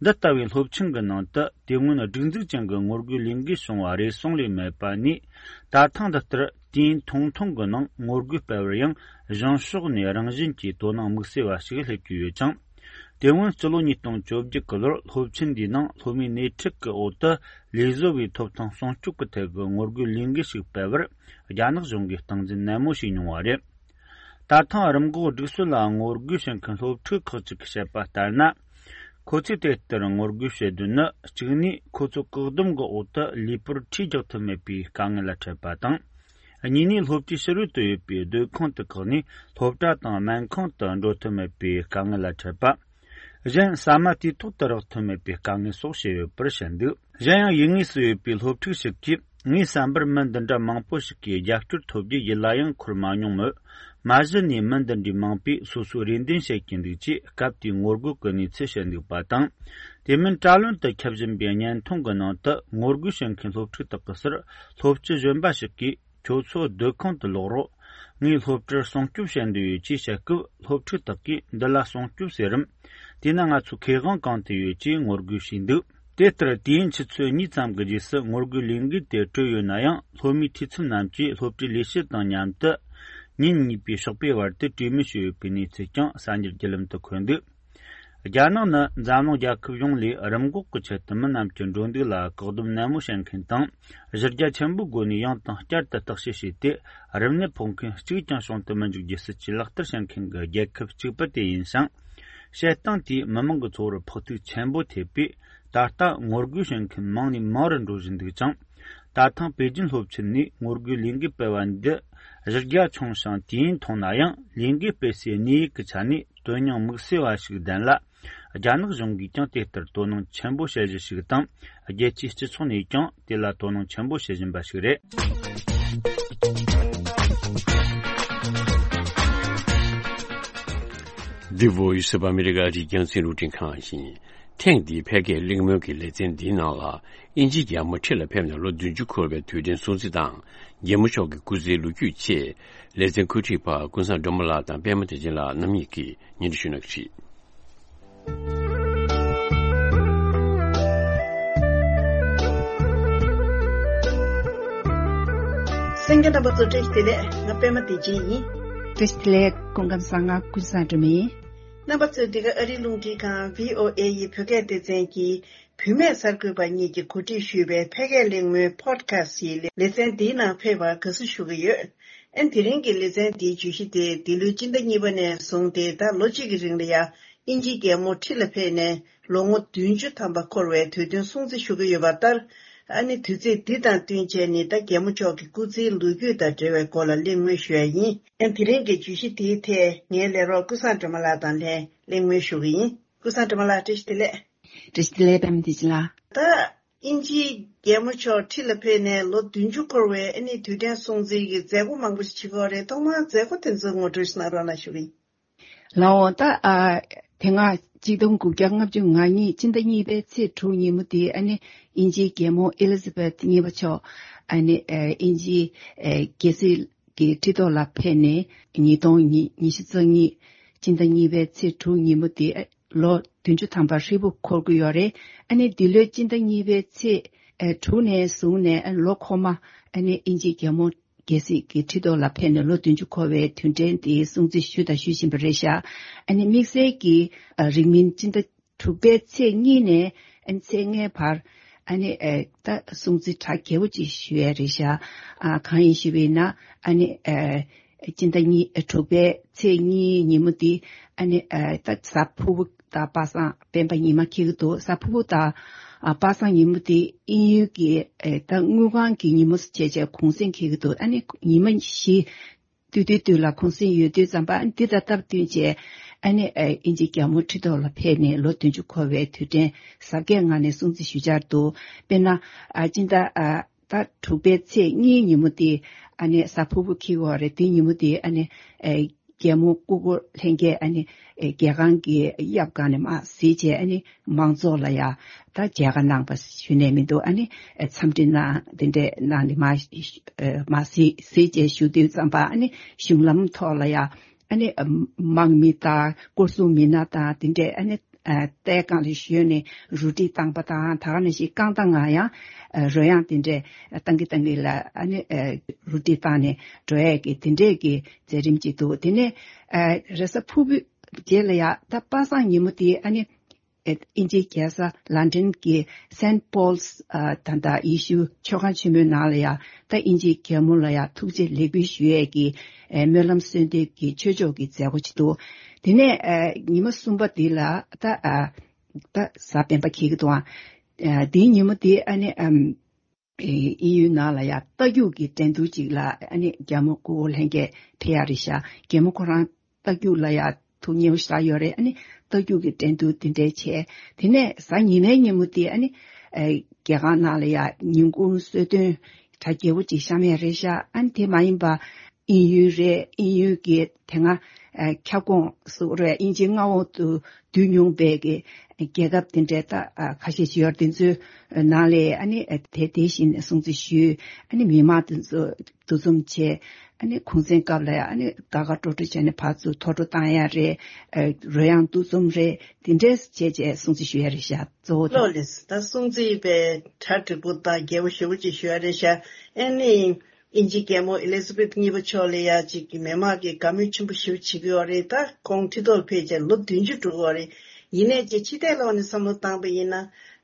འདི་ལྟ་བུའི་སློབ་ཆེན་གྱི་ནང་དུ་དེ་སྔོན་སྒྲིག་འཛུགས་ཅན་གྱི་ངོ་རྒོལ་ལས་འགུལ་བྱུང་བ་རེ་ཟུང་ལས་མེད་པ་ནས། ད་ཐེངས་འདི་ལྟར་དུས་ཡུན་ཐུང་ཐུང་གི་ནང་ངོ་རྒོལ་སྤེལ་བར་ཡང་གཞུང་ཕྱོགས་ནས་རང་བཞིན་གྱིས་དོ་སྣང་དམིགས་བསལ་བ་ཞིག་སླེབས་ཀྱི་ཡོད་ཅིང་། དེ་སྔོན་སྤྱི་ལོ་ཉིས་སྟོང་བཅོ་བརྒྱད་ཀྱི་ལོར་སློབ་ཆེན་འདིའི་ནང་སློབ་མའི་སྣེ་ཁྲིད་ཀྱི་འོག་ཏུ་ལས་བཟོ་བའི་ཐོབ་ཐང་སྲུང་སྐྱོབ་ཀྱི་ཐད་ཀྱི་ངོ་རྒོལ་ལས་འགུལ་ཞིག་སྤེལ་བར་རྒྱ་ནག་གཞུང་གིས་སྟངས་འཛིན་ནན་མོ་བྱས་མྱོང་བ་རེད། ད་ཐེངས་རིམས་འགོག་སྒྲིག་སྲོལ་ལ་ངོ་རྒོལ་བྱེད་མཁན་སློབ་ཕྲུག་ཁག་ཅིག་གིས་བཤད་པ་ལྟར་ན། ཁོ་ཚོས་དེ་ལྟར་ངོ་རྒོལ་བྱེད་དོན་ནི། གཅིག་ནས་ཁོ་ཚོ་བཀག་སྡོམ་གྱི་འོག་ཏུ་ལུས་པོར་ཁྲིས་རྒྱག་ཐུབ་མེད་པའི་དཀའ་ངལ་ལ་འཕྲད་པ་དང་། གཉིས་ནས་སློབ་གྲྭའི་ཕྱི་རོལ་དུ་ཡོད་པའི་སྡོད་ཁང་དུ་བཀག་ནས་སློབ་གྲྭ་དང་སྨན་ཁང་དུ་འགྲོ་ཐུབ་མེད་པའི་དཀའ་ངལ་ལ་འཕྲད་པ། གཞན་ཟ་མ་དུས་ཐོག་ཏུ་རག་ཐུབ་མེད་པའི་དཀའ་ངལ་སོགས་བཤད་ཡོད་པར་བཤད་འདུག་གཞན་ཡང་ཡུལ་དངོས་སུ་ཡོད་པའི་སློབ་ཕྲུག་ཞིག་གིས། ངའི་བསམ་པར་མི་འདི་འདྲ་མང་པོ་ཞིག་གིས་རྒྱབ་སྐྱོར་ཐོབ་རྒྱུ་ཡིད་ལ་ཡང་འཁོར་མ་མྱོང་མོད། མ་གཞི་ནས་མི་འདི་འདྲའི་མང་པོས་སོ་སོའི་རེ་འདུན་བཤད་ཀྱིན་འདུག་ཅེས་སྐབས་དེའི་ངོ་རྒོལ་གྱི་གནས་ཚུལ་བཤད་འདུག་པ་དང་། དེ་མིན་དྲ་ལམ་དུ་ཁྱབ་བཞིན་པའི་བརྙན་ཐུང་གི་ནང་དུ་ངོ་རྒོལ་བྱེད་མཁན་སློབ་ཕྲུག་དག་གི་སར་སློབ་སྤྱི་གཞོན་པ་ཞིག་གིས། ཁྱོད་ཚོ་སྡོད་ཁང་དུ་ལོག་རོགས། ངས་སློབ་གྲྭར་སྲུང་སྐྱོབ་བྱེད་འདོད་ཡོད་ཅེས་བཤད་སྐབས། སློབ་ཕྲུག་དག་གིས་འདི་ལ་སྲུང་སྐྱོབ་ཟེར་རམ། དེས་ན་ང་ཚོའི་ཁེ་དབང་གང་དུ་ཡོད་ཅེས་ངོ་རྒོལ་བྱས་འདུག་དེ་ལྟར་དུས་ཡུན་ཆུ་ཚོད་གཉིས་ཙམ་གྱི་རྗེས་སུ་ངོ་རྒོལ་ལས་འགུལ་དེ་གྲོལ་ཡོད་ན་ཡང་། སློབ་མའི་འཐུས་ཚབ་རྣམས་ཀྱིས་སློབ་གྲྭའི་ལས་བྱེད་དང་མཉམ་དུ་ཉིན་གཉིས་པའི་ཞོགས་པའི་བར་དུ་གྲོས་མོལ་བྱས་ཡོད་པའི་གནས་ཚུལ་ཀྱང་གསར་འགྱུར་བརྒྱུད་ལམ་དུ་འཁོད་འདུག་རྒྱ་ནག་ནི་འཛམ་གླིང་རྒྱལ་ཁབ་ཡོངས་ལས་རིམས་འགོག་གི་ཆེད་དུ་མི་རྣམས་ཀྱི་འགྲོ་འདུག་ལ་བཀག་སྡོམ་ནན་མོ་བྱེད་མཁན་དང་། གཞི་རྒྱ་ཆེན་པོའི་སྒོ་ནས་ཡང་དང་བསྐྱར་དུ་བརྟག་དཔྱད་བྱས་ཏེ། རིམས་ནད་ཕོག་མཁན་གཅིག་ཀྱང་བྱུང་དུ་མི་འཇུག་རྒྱུའི་སྲིད་ཇུས་ལག་བསྟར་བྱེད་མཁན་གྱི་རྒྱལ་ཁབ་གཅིག་པུ་དེ་ཡིན་ཞིང་། བྱེད་སྟངས་དེས་མི་མང་གི་འཚོ་བར་ཕོག་ཐུག་ཆེན་པོ་ཐེབས་པས། ད་ལྟ་ངོ་རྒོལ་བྱེད་མཁན་མང་ནས་མང་རུ་འགྲོ་བཞིན་འདུག་ཅིང་། ད་ཐེངས་པེ་ཅིན་སློབ་ཆེན་ནས་ངོ་རྒོལ་ལས་འགུལ་སྤེལ་བ་འདི་གཞི་རྒྱ་ཆུང་ཞིང་དུས་ཡུན་ཐུང་ན་ཡང་། ལས་འགུལ་སྤེལ་སའི་གནས་ཡིག་གི་ཆ་ནས་དོན་སྙིང་དམིགས་བསལ་བ་ཞིག་ལྡན་ལ། རྒྱ་ནག་གཞུང་གིས་ཀྱང་དེ་ལྟར་དོ་སྣང་ཆེན་པོ་བྱེད་གཞི་ཞིག་དང་། རྒྱལ་སྤྱིའི་སྤྱི་ཚོགས་ནས་ཀྱང་དེ་ལ་དོ་སྣང་ཆེན་པོ་བྱེད་བཞིན་པ་ཞིག་རེད། འདི་Voice of America རི་རྒྱང་སྲིན་རུ་ཁྲིད་ཁང་ཡིན། ཐེངས་འདིའི་ཕལ་སྐད་གླེང་མོལ་གྱི་ལེ་ཚན་འདིའི་ནང་ལ། དབྱིན་ཇིའི་རྒྱལ་མོ་ཁྲི་ལ་ཕེབས་ནས་ལོ་བདུན་ཅུ་འཁོར་བའི་དུས་དྲན་སྲུང་བརྩི་དང་། རྒྱལ་མོ་མཆོག་གི་སྐུ་ཚེའི་ལོ་རྒྱུས་བཅས། ལེ་ཚན་འགོ་ཁྲིད་པ་ཀུན་བཟང་སྒྲོལ་མ་ལགས་དང་པད་མ་བདེ་ཆེན་ལགས་རྣམ་གཉིས་ཀྱིས་སྙན་སྒྲོན་ཞུ་གནང་གི་རེད། གསན་མཁན་རྣམ་པ་ཚོ་བཀྲ་ཤིས་བདེ་ལེགས། ང་པད་མ་བདེ་ཆེན་ཡིན། བཀྲ་ཤིས་བདེ་ལེགས། སྐུ་ཁམས་བཟང་། ང་ཀུན་བཟང་སྒྲོལ་མ་ཡིན། རྣམ་པ་ཚོས་འདི་ག་ཨ་རིའི་རླུང་འཕྲིན་ཁང་བྷི་ཨོ་ཨེ་ཡི་བོད་སྐད་སྡེ་ཚན་གྱི་བུད་མེད་གསར་འགོད་པ་གཉིས་ཀྱིས་གོ་སྒྲིག་ཞུས་པའི་ཕལ་སྐད་གླེང་མོལ་Podcast ཡི་ལེ་ཚན་འདིའི་ནང་ཕེབས་པར་དགའ་བསུ་ཞུ་གི་ཡོད། ཨ་ནི་དེ་རིང་གི་ལེ་ཚན་འདིའི་བརྗོད་གཞི་དེ་འདི་ལོའི་སྤྱི་ཟླ་གཉིས་པ་ནས་བཟུང་སྟེ་ད་ལོ་གཅིག་གི་རིང་ལ་ཡང་དབྱིན་ཇིའི་རྒྱལ་མོ་ཁྲི་ལ་ཕེབས་ནས་ལོ་ངོ་བདུན་ཅུ་ཐམ་པ་འཁོར་བའི་དུས་སྟོན་སྲུང་བརྩི་ཞུ་གི་ཡོད་པ་ལྟར། ཨ་ནི་དུས་ཚིགས་འདི་དང་བསྟུན་བྱས་ནས་ད་རྒྱལ་མོ་མཆོག་གི་སྐུ་ཚེའི་ལོ་རྒྱུས་དང་འབྲེལ་བའི་སྐོར་ལ་གླེང་མོལ་ཞུ་ཡ་ཡིན། ཨ་ནི་དེ་རིང་གི་བརྗོད་གཞི་དེའི་ཐད་ངའི་ལས་རོགས་ཀུན་བཟང་སྒྲོལ་མ་ལགས་དང་ལྷན་གླེང་མོལ་ཞུ་གི་ཡིན། ཀུན་བཟང་སྒྲོལ་མ་ལགས་བཀྲ་ཤིས་བདེ་ལེགས། བཀྲ་ཤིས་བདེ་ལེགས་པད་མ་བདེ་ཆེན་ལགས། ད་དབྱིན་ཇིའི་རྒྱལ་མོ་མཆོག་ཁྲི་ལ་ཕེབས་ནས་ལོ་བདུན་ཅུ་འཁོར་བའི་ཨ་ནི་དུས་དྲན་སྲུང་བརྩི་གི་མཛད་སྒོ་མང་པོ་ཞིག་བྱེད་ཀྱི་ཡོད་རེད། ཐོག་མར་མཛད་སྒོ་དེ་ཚོ་ངོ་སྤྲོད་ཞིག་གནང་རོགས་གནང་ཞུ་གི་ཡིན། ལགས་འོང་། ད་ཨ་དེ་སྔ་ཆིག་སྟོང་དགུ་བརྒྱ་ལྔ་བཅུ་ང་གཉིས་སྤྱི་ཟླ་གཉིས་པའི་ཚེས་དྲུག་ཉིན་མོ་དེ་ཨ་ནི་དབྱིན་ཇིའི་རྒྱལ་མོ་ཨེ་ལི་ཛ་བེཐ་གཉིས་པ་མཆོག་ཨ་ནི་ཨ་དབྱིན་ཇིའི་ཨ་རྒྱལ་སྲིད་ཀྱི་ཁྲི་ཐོག་ལ་ཕེབས་ནས་ཉིས་སྟོང་ཉི་ཉི་ཤུ་རྩ་གཉིས་སྤྱི་ཟླ་གཉིས་པའི་ཚེས་དྲུག་ཉིན་མོ་དེ་ལོ་བདུན་ཅུ་ཐམ་པ་ཧྲིལ་པོ་འཁོར་གྱི་ཡོད་རེད། ཨ་ནི་འདི་ལོའི་སྤྱི་ཟླ་གཉིས་པའི་ཚེས་ཨ་དྲུག་ནས་བཟུང་ནས་ཨ་ལོ་འཁོར་མ་ཨ་ནི་དབྱིན་ཇིའི་རྒྱལ་མོ་རྒྱལ་སྲིད་ཀྱི་ཁྲི་ཐོག་ལ་ཕེབས་ནས་ལོ་བདུན་ཅུ་འཁོར་བའི་དུས་དྲན་དེ་སྲུང་བརྩི་ཞུས་དང་ཞུ་བཞིན་པ་རེད་ཤག་ཨ་ནི་དམིགས་བསལ་གྱི་ཨ་རིང་མིན་སྤྱི་ཟླ་དྲུག་པའི་ཚེས་གཉིས་ནས་ཨ་ནི་ཚེས་ལྔའི་བར་ཨ་ནི་ཨ་ད་སྲུང་བརྩི་གྲ་རྒྱས་པོ་ཅིག་ཞུ་ཡས་རེད་ཤག་ཨ་གང་ཡིན་ཞུས་པ་ཡིན་ན་ཨ་ནི་ཨ་སྤྱི་ཟླ་གཉིས་ཨ་དྲུག་པའི་ཚེས་གཉིས་ཉིན་མོ་འདི་ཨ་ནི་ཨ་ད་གཟའ་ཕུར་བུ་དང་པ་སངས་སྤེན་པ་ཉི་མ་འཁེལ་གྱི་འདུག་གཟའ་ཕུར་བུ་དང་ཨ་པ་སངས་ཉིན་མོ་འདི་དབྱིན་ཡུལ་གྱི་ཨ་ད་དངུལ་ཁང་གི་ཉིན་མོ་བྱས་བྱས་གུང་སེང་འཁེལ་གྱི་འདུག་ཨ་ནི་ཉི་མ་བཞི་སྟོད་ཐུན་སྟོད་ལ་གུང་སེང་ཡོད་དུས་ཙམ་པ་ཨ་ནི་འདི་དང་སྟབས་བསྟུན་བྱས་ཨ་ནི་ཨ་དབྱིན་ཇིའི་རྒྱལ་མོ་ཁྲི་ཐོག་ལ་ཕེབས་ནས་ལོ་བདུན་ཅུ་འཁོར་བའི་དུས་དྲན་གཟབ་རྒྱས་ངང་ནས་སྲུང་བརྩི་ཞུ་འཆར་འདུག་དཔེར་ན་ཨ་སྤྱི་ཟླ་ཨ་ད་དྲུག་པའི་ཚེས་གཉིས་ཉིན་མོ་དེ་ཨ་ནི་གཟའ་ཕུར་བུ་འཁེལ་གྱི་ཡོད་རེད། དེ་ཉིན་མོ་དེ་ཨ་ནི་ཨེ་རྒྱལ་མོ་སྐུ་འཁོར་ལྷན་རྒྱས་ཨ་ནི་ཨེ་རྒྱལ་ཁང་གི་གཡབ་སྒང་ནས་མར་གཟིགས་བྱས་ཨ་ནི་མང་ཚོགས་ལ་ཡ་ད་མཇལ་ཁ་གནང་པ་ཞུ་ནས་མི་འདུག་ཨ་ནི་ཨེ་འཚམས་འདྲི་གནང་དེ་འདྲས་གནང་ནས་མར་ཨེ་མར་གཟིགས་གཟིགས་བྱས་བཞུགས་དུས་ཙམ་པ་ཨ་ནི་གཞུང་ལམ་ཐོག་ལ་ཡ་ཨ་ནི་ཨེ་དམག་མི་དང་སྐོར་སྲུང་མི་སྣ་དང་དེ་འདྲས་ཨ་ནི་ཨ་ལྟས་སྒང་ལ་ཞོན་ནས་རུ་སྒྲིག་བཏང་པ་དང་ད་ག་ནང་བཞིན་རྐང་ཐང་ང་ཡང་ཨ་རོལ་དབྱངས་དེ་འདྲས་བཏང་གི་བཏང་གི་ལ་ཨ་ནི་ཨ་རུ་སྒྲིག་བཏང་ནས་འགྲོ་ཡས་ཀྱི་དེ་འདྲས་ཀྱི་མཛད་རིམ་ཅིག་འདུག་དེ་ནས་ཨ་རེས་གཟའ་ཕུར་བུའི་རྗེས་ལ་ཡ་ད་པ་སངས་ཉིན་མོ་དེ་ཨ་ནི་ཨ་དབྱིན་ཇིའི་རྒྱལ་ས་ལན་ཌན་གྱི་སེན་པོལ་ཨ་ད་ལྟ་ཡེ་ཤུ་མཆོད་ཁང་ཆེན་མོའི་ནང་ལ་ཡ་ད་དབྱིན་ཇིའི་རྒྱལ་མོ་ལ་ཡ་ཐུགས་རྗེ་ལེགས་འབུལ་ཞུ་ཡས་ཀྱི་ཨ་སྨོན་ལམ་གསོལ་འདེབས་ཀྱི་ཆོས་ཕྱོགས་ཀྱི་མཛད་སྒོ་ཅིག་འདུག་དེ་ནས་ཨ་ཉི་མ་གསུམ་པ་འདི་ལ་ད་ཨ་ད་གཟའ་སྤེན་པ་འཁེལ་གྱི་འདུག་ཨ་འདིའི་ཉིན་མོ་འདི་ཨ་ནི་ཨམ་ཨེ་དབྱིན་ཡུལ་ནང་ལ་ཡ་རྟ་རྒྱུག་གི་འགྲན་བསྡུར་ཅིག་ལ་ཨ་ནི་རྒྱལ་མོ་སྐུ་འཁོར་ལྷན་རྒྱས་ཕེབས་ཡ་རེད་ཤག་རྒྱལ་མོ་ཁོ་རང་རྟ་རྒྱུག་ལ་ཡ་ཐུགས་མཉེས་པོ་ཞེ་དྲག་ཡོད་རེད། ཨ་ནི་རྟ་རྒྱུག་གི་འགྲན་བསྡུར་དེ་འདྲས་བྱས། དེ་ནས་གཟའ་ཉི་མའི་ཉིན་མོ་དེ་ཨ་ནི་ཨེ་རྒྱལ་ཁང་ནང་ལ་ཡ་ཉིན་གུང་གསོལ་སྟོན་གྲ་རྒྱས་པོ་ཅིག་བཤམས་ཡ་རེད་ཤག་ཨ་ནི་དེ་མ་ཡིན་པ་དབྱིན་ཡུལ་རེད། དབྱིན་ཡུལ་གྱི་དེ་སྔ་ཨ་ཁྱབ་ཁོངས་སུ་རེད། དབྱིན་ཇིའི་མངའ་འོག་ཏུ་བསྡུས་མྱོང་བའི་གི་རྒྱལ་ཁབ་དེ་འདྲའི་ད་ཨ་ཁ་ཤས་ཤིག་ཡོད་རེད། དེ་ཚོའི་ནང་ལ་ཨ་ནི་ཨ་དེ་དེ་བཞིན་སྲུང་བརྩི་ཞུས། ཨ་ནི་མི་མང་དེ་ཚོ་འདུ་འཛོམས་བྱས། ཨ་ནི་གུང་སེང་སྐབས་ལ་ཨ་ནི་དགའ་དགའ་སྤྲོ་སྤྲོ་བྱས་ནས་ཕར་ཚུར་ཐོ་སྤྲོ་བཏང་ཡ་རེད། ཨ་རོལ་དབྱངས་འདུ་འཛོམས་རེད། དེ་འདྲས་བྱས་བྱས་སྲུང་བརྩི་ཞུ་ཡ་རེད་ཤག་གཙོ་བོ་དེ། ལགས་ལགས། ད་སྲུང་བརྩི་པའི་གྲ་འགྲིག་པོ་དང་རྒྱས་པོ་ཞེ་པོ་ཅིག་ཞུ་ཡ་རེད་ཤག་ཨ་ནི་དབྱིན་ཇིའི་རྒྱལ་མོ་ཨེ་ལི་ཛ་བེཐ་གཉིས་པ་མཆོག་ལ་ཡ་ཅིག་གི་མི་མང་གིས་དགའ་མོས་ཆེན་པོ་ཞེ་པོ་བྱེད་ཀྱི་ཡོད་རེད། ད་ཁོང་ཁྲི་ཐོག་ཕེབས་བྱས་ལོ་བདུན་ཅུ་འགྲོ་གི་ཡོད་རེད། ཡིན་ནའི་ཅིག་ཕྱི་བལྟས་ལོག་ནས་བསམ་བློ་བཏང་པ་ཡིན་ན།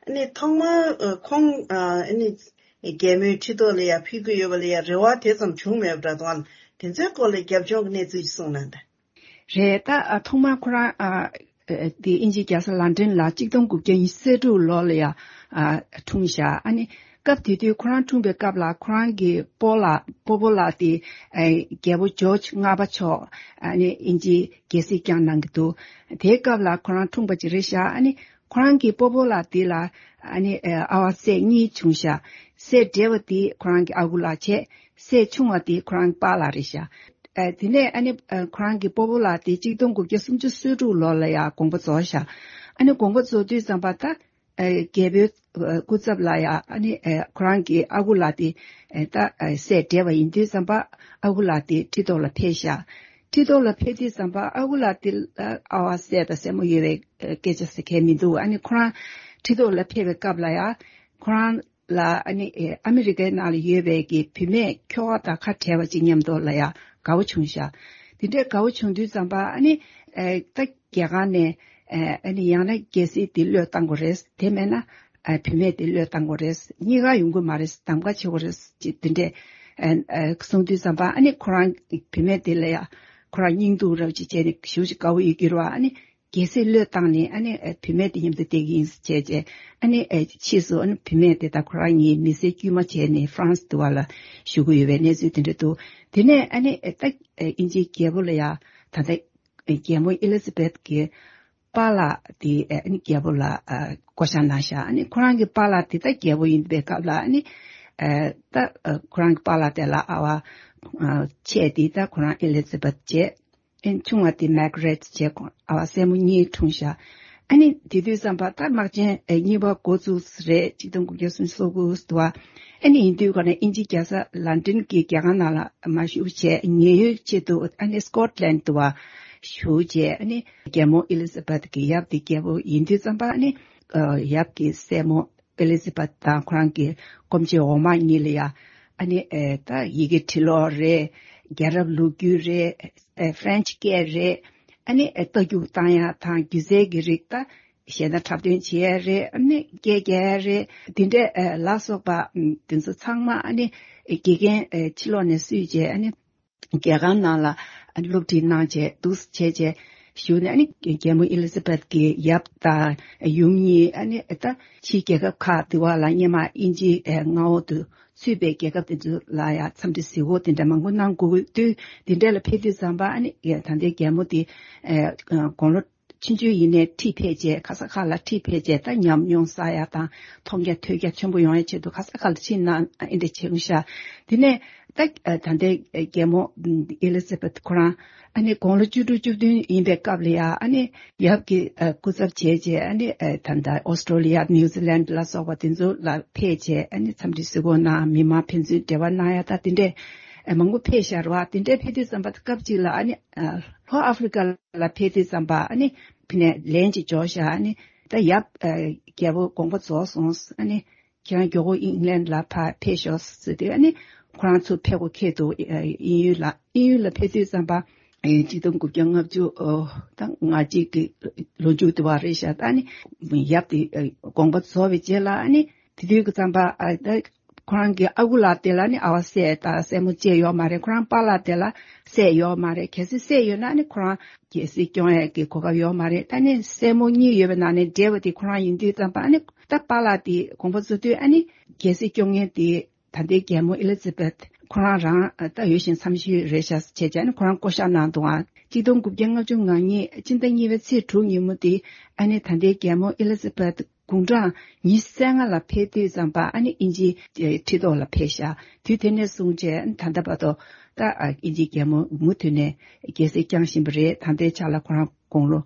ཨ་ནི་ཐོག་མར་ཨ་ཁོང་ཨ་ཨ་ནི་རྒྱལ་མོའི་ཁྲི་ཐོག་ལ་ཡ་ཕེབས་ཀྱི་ཡོད་པ་ལ་ཡ་རེ་བ་དེ་ཙམ་བྱུང་མེད་པ་འདྲ་འདུག་ཨ། དེ་ཚོའི་སྐོར་ལ་རྒྱབ་ལྗོངས་ཀྱི་གནས་ཚུལ་ཞིག་གསུངས་གནང་དང་། རེད། ད་ཨ་ཐོག་མར་ཁོ་རང་ཨ་ཨ་དེ་དབྱིན་ཇིའི་རྒྱལ་ས་ལན་ཀྲན་ལ་གཅིག་སྟོང་དགུ་བརྒྱ་ཉི་ཤུ་རྩ་དྲུག་ལོ་ལ་ཡ་ཨ་འཁྲུངས་ཤག་ཨ་ནི་སྐབས་དེ་དུས་ཁོ་རང་འཁྲུངས་པའི་སྐབས་ལ་ཁོ་རང་གི་སྤོ་ལགས་སྤོ་བོ་ལགས་དེ་ཨ་རྒྱལ་པོ་ཇོརྗ་ལྔ་པ་མཆོག་ཨ་ནི་དབྱིན་ཇིའི་རྒྱལ་སྲིད་བསྐྱངས་གནང་གི་འདུག་དེའི་སྐབས་ལ་ཁོ་རང་འཁྲུངས་པ་ཅིག་རེད་ཤག་ཨ་ནི་ཁོ་རང་གི་སྤོ་བོ་ལགས་དེ་ལ་ཨ་ནི་ཨ་ཨ་བ་སྲས་གཉིས་བྱུང་ཤག་སྲས་བགྲེས་པ་དེ་ཁོ་རང་གི་ཨ་ཁུ་ལགས་བྱས། སྲས་ཆུང་བ་དེ་ཁོ་རང་གི་པཱ་ལགས་རེད་ཤག་ཨ་དེ་ནས་ཨ་ནི་ཨ་ཁོ་རང་གི་སྤོ་བོ་ལགས་དེ་གཅིག་སྟོང་དགུ་བརྒྱ་སུམ་ཅུ་སོ་དྲུག་ལོ་ལ་ཡ་དགོངས་པ་རྫོགས་ཤག་ཨ་ནི་དགོངས་པ་རྫོགས་དུས་ཙམ་པ་ད་ཨ་རྒྱལ་པོའི་ཨ་སྐུ་ཚབ་ལ་ཡ་ཨ་ནི་ཨ་ཁོ་རང་གི་ཨ་ཁུ་ལགས་དེ་ཨ་ད་ཨ་སྲས་བགྲེས་པ་ཡིན་དུས་ཙམ་པ་ཨ་ཁུ་ལགས་དེ་ཁྲི་ཐོག་ལ་ཕེབས་ཤག་ཁྲི་ཐོག་ལ་ཕེབས་དུས་ཙམ་པ་ཨ་ཁུ་ལགས་དེ་ཨ་ཨ་བ་སྲས་དང་སྲས་མོ་ཡོད་པའི་ཨ་སྐད་ཆ་ཟེར་མཁན་མི་འདུག་ཨ་ནི་ཁོ་རང་ཁྲི་ཐོག་ལ་ཕེབས་པའི་སྐབས་ལ་ཡ་ཁོ་རང་ལ་ཨ་ནི་ཨ་མི་རི་ཀའི་ནང་ལ་ཡོད་པའི་གི་བུད་མེད་ཁྱོ་ག་དང་ཁ་བྲལ་བ་ཅིག་མཉམ་དུ་ལ་ཡ་དགའ་བོ་བྱུང་ཤག་དེ་འདྲའི་དགའ་བོ་བྱུང་དུས་ཙམ་པ་ཨ་ནི་ཨ་ད་རྒྱལ་ཁང་ནས་ཨ་ནི་ཡང་ན་རྒྱལ་སྲིད་དེ་བློས་བཏང་དགོས་རེད། དེ་མེད་ན་ཨ་བུད་མེད་དེ་བློས་བཏང་དགོས་རེད། གཉིས་ཀ་ཡོང་གི་མ་རེད། གདམ་ག་བྱེད་དགོས་རེད་ཅེས་དེ་འདྲས་ཨ་ཨ་གསུངས་དུས་ཙམ་པ་ཨ་ནི་ཁོ་རང་བུད་མེད་དེ་ལ་ཡ་ཁོ་རང་སྙིང་སྡུག་རབ་ཅིག་བྱས་ནས་ཞེ་པོ་ཅིག་དགའ་བོ་ཡོད་ཀྱི་རེད་བ། ཨ་ནི་རྒྱལ་སྲིད་བློས་བཏང་ནས་ཨ་ནི་ཨ་བུད་མེད་དེ་མཉམ་དུ་བསྡད་ཀྱི་ཡིན་ཟེར་བྱས་བྱས། ཨ་ནི་ཨ་ཕྱིས་སུ་ཨ་ནི་བུད་མེད་དེ་དང་ཁོ་རང་གཉིས་མི་སེར་དཀྱུས་མ་བྱས་ནས་ཧྥ་རན་སི་དུ་བ་ལ་བཞུགས་ཀྱི་ཡོད་པའི་གནས་ཚུལ་དེ་འདྲ་འདུག་དེ་ནས་ཨ་ནི་ཨ་ད་ཨ་དབྱིན་ཇིའི་རྒྱལ་པོ་ལ་ཡ་ད་ལྟ་རྒྱལ་མོ་ཨེ་ལི་ཛ་བེད་ཀྱི་པཱ་ལགས་དེ་ཨ་ནི་རྒྱལ་པོ་ལ་ཨ་བསྐོ་བཞག་གནང་ཤག་ཨ་ནི་ཁོ་རང་གི་པཱ་ལགས་དེ་ད་རྒྱལ་པོ་ཡིན་པའི་སྐབས་ལ་ཨ་ནི་ཨ་ད་ཨ་ཁོ་རང་གི་པཱ་ལགས་དེ་ལ་ཨ་བ་ཨ་ཆེ་དེ་ད་ཁོ་རང་ཨེ་ལི་ཛ་བེད་བྱས། ཨེ་ཆུང་བ་དེ་མེག་རེད་བྱས། ཁོང་ཨ་བ་སྲས་མོ་གཉིས་འཁྲུངས་ཤག་ཨ་ནི་དེ་དུས་ཙམ་པ་ད་དམག་ཆེན་ཨེ་གཉིས་པ་འགོ་བཙུགས་རེད། གཅིག་སྟོང་དགུ་བརྒྱ་སུམ་ཅུ་སོ་དགུ་དུ་བ། ཨ་ནི་ཡིན་དུས་ག་ནས་དབྱིན་ཇིའི་རྒྱལ་ས་ལན་ཀྲན་གྱི་རྒྱལ་ཁང་ནང་ལ་མ་བཞུགས་བྱས། ཉེན་གཡོལ་ཆེད་དུ་ཨ་ནི་སྐོཊ་ལན་དུ་བ་བཞུགས་བྱས། ཨ་ནི་རྒྱལ་མོ་ཨེ་ལི་ཛ་བེད་ཀྱི་ཡབ་དེ་རྒྱལ་པོ་ཡིན་དུས་ཙམ་པ་ཨ་ནི་ཨ་ཡབ་ཀྱི་སྲས་མོ་ཨེ་ལི་ཛ་བེད་དང་ཁོ་རང་གི་སྐུ་མཆེད་འོག་མ་གཉིས་ལ་ཡ་ཨ་ནི་ཨེ་ད་ཡི་གེ་འབྲི་ཀློག་རེད། རྒྱལ་རབས་ལོ་རྒྱུས་རེད། ཨེ་ཧྥ་རན་ཆི་སྐད་རེད། ཨ་ནི་ཨེ་རྟ་རྒྱུག་བཏང་ཡ་དང་སྒྱུ་རྩལ་གྱི་རིགས་ད་གཞས་སྣ་འཁྲབ་སྟོན་བྱེད་ཡ་རེད། ཨ་ནི་སྐད་རྒྱག་ཡ་རེད། དེ་འདྲ་ཨེ་ལ་སོགས་པ་ཨམ་དེ་ཚོ་ཚང་མ་ཨ་ནི་ཨེ་དགེ་རྒན་ཨེ་ཕྱི་ལོགས་ནས་བསུས་བྱས། ཨ་ནི་རྒྱལ་ཁང་ནང་ལ་སློབ་ཁྲིད་གནང་བྱས་འདུག་སེ་བྱས་བྱས་བཞུགས་ནས། ཨ་ནི་རྒྱལ་མོ་ཨེ་ལི་ཛ་བེད་ཀྱི་ཡབ་དང་ཡུམ་གཉིས་ཨ་ནི་ད་ཕྱིའི་རྒྱལ་ཁབ་ཁག་དེ་བ་ལ་སྔོན་མ་དབྱིན་ཇིའི་མངའ་འོག་ཏུ་ཚུད་པའི་རྒྱལ་ཁབ་དེ་ཚོ་ལ་ཡང་འཚམས་འདྲི་གཟིགས་སྐོར་དེ་འདྲ་མང་པོ་གནང་དགོས་དུས། དེ་འདྲ་ལ་ཕེབས་དུས་ཙམ་པ་ཨ་ནི་ད་ལྟའི་རྒྱལ་མོ་དེ་དགུང་ལོ་ཆུང་ཆུང་ཡིན་ནའི་ཁྲིད་ཕེབས་བྱས། ག་ས་ག་ལ་ཁྲིད་ཕེབས་བྱས། ད་ཉམས་མྱོང་བསགས་ཡ་དང་མཐོང་རྒྱ་ཐོས་རྒྱ་ཆེན་པོ་ཡོང་ཡ་ཆེད་དུ་ག་ས་ག་ལ་ཕྱིན་ན་ཨེ་འདྲ་བྱུང་ཤག་དེ་ནས་ད་ད་ལྟའི་རྒྱལ་མོ་ཨེ་ལི་ཛ་བེད་ཁོ་རང་ཨ་ནི་དགུང་ལོ་བཅུ་དྲུག་བཅུ་བདུན་ཡིན་པའི་སྐབས་ལ་ཡ་ཨ་ནི་ཡབ་ཀྱི་སྐུ་ཚབ་བྱས་བྱས། ཨ་ནི་ད་ལྟ་ཨོ་སི་ཀྲོ་ལི་ཡ་ནིའུ་ཛི་ལན་ལ་སོགས་པ་དེ་ཚོ་ལ་ཕེབས་བྱས། ཨ་ནི་འཚམས་འདྲི་གཟིགས་སྐོར་གནང་། མི་མང་ཕན་ཚུན་འབྲེལ་བ་གནང་ཡ་ད་དེ་འདྲས་མང་པོ་ཕེབས་ཤག་རེད་བ། དེ་འདྲས་ཕེབས་དུས་ཙམ་པ་སྐབས་གཅིག་ལ་ཨ་ནི་ལྷོ་ཨ་ཧྥི་རི་ཀ་ལ་ཕེབས་དུས་ཙམ་པ་ཨ་ནི་ཕི་ནས་ལན་ཅིག་འབྱོར་ཤག་ཨ་ནི་ད་ཡབ་རྒྱལ་པོ་དགོངས་པ་རྫོགས་སོང་། ཨ་ནི་ཁྱེད་རང་མགྱོགས་པོ་ཨིང་ལན་ལ་ཕར་ཕེབས་ཤོག་ཟེར་དུས། ཨ་ནི་ཁོ་རང་ཚུར་ཕེབས་དགོས་ཁེལ་འདུག་དབྱིན་ཡུལ་ལ། དབྱིན་ཡུལ་ལ་ཕེབས་དུས་ཙམ་པ་ཆིག་སྟོང་དགུ་བརྒྱ་ལྔ་བཅུ་ད་ང་གཅིག་གི་ལོ་མཇུག་དུ་བ་རེད་ཤག་ད་ནི་ཡབ་དེ་དགོངས་པ་རྫོགས་པའི་རྗེས་ལ་ཨ་ནི་དེ་དུས་ཀྱི་ཙམ་པ་ཨ་ད་ཁོ་རང་གི་ཨ་ཁུ་ལགས་དེ་ལ་ནི་ཨ་བ་སྲས་དང་སྲས་མོ་བཅས་ཡོད་མ་རེད། ཁོ་རང་པཱ་ལགས་དེ་ལ་སྲས་ཡོད་མ་རེད། གལ་སྲིད་སྲས་ཡོད་ན་ནི་ཁོ་རང་རྒྱལ་སྲིད་སྐྱོང་ཡས་ཀྱི་གོ་སྐབས་ཡོད་མ་རེད། ད་ནི་སྲས་མོ་གཉིས་ཡོད་པའི་ནང་ནས་བགྲེས་པ་དེ་ཁོ་རང་ཡིན་དུས་ཙམ་པ་ཨ་ནི་ད་པཱ་ལགས་དེ་དགོངས་པ་རྫོགས་དུས་ཨ་ནི་རྒྱལ་སྲིད་སྐྱོང་མཁན་དེ་ད་ལྟའི་རྒྱལ་མོ་ཨེ་ལི་ཛ་བེད་ཁོ་རང་རང་ད་ཡོད་བཞིན་མཚམས་ཤོས་རེད་ཤག་བྱས་བྱས་ནས་ཁོ་རང་བསྐོ་བཞག་གནང་འདུག་ཨ། ཆིག་སྟོང་དགུ་བརྒྱ་ལྔ་བཅུ་ང་གཉིས་སྤྱི་ཟླ་གཉིས་པའི་ཚེས་དྲུག་ཉིན་མོ་དེ་ཨ་ནི་ད་ལྟའི་རྒྱལ་མོ་ཨེ་ལི་ཛ་བེད་དགུང་གྲངས་ཉི་ཤུ་རྩ་ལྔ་ལ་ཕེབས་དུས་ཙམ་པ་ཨ་ནི་དབྱིན་ཇིའི་ཁྲི་ཐོག་ལ་ཕེབས་ཤག་དུས་དེ་ནས་བཟུང་བྱས་ད་ལྟ་བར་དུ་ད་དབྱིན་ཇིའི་རྒྱལ་མོ་མུ་མཐུད་ནས་རྒྱལ་སྲིད་བསྐྱངས་བཞིན་པ་རེད། ད་ལྟའི་ཆ་ལ་ཁོ་རང་དགུང་ལོ་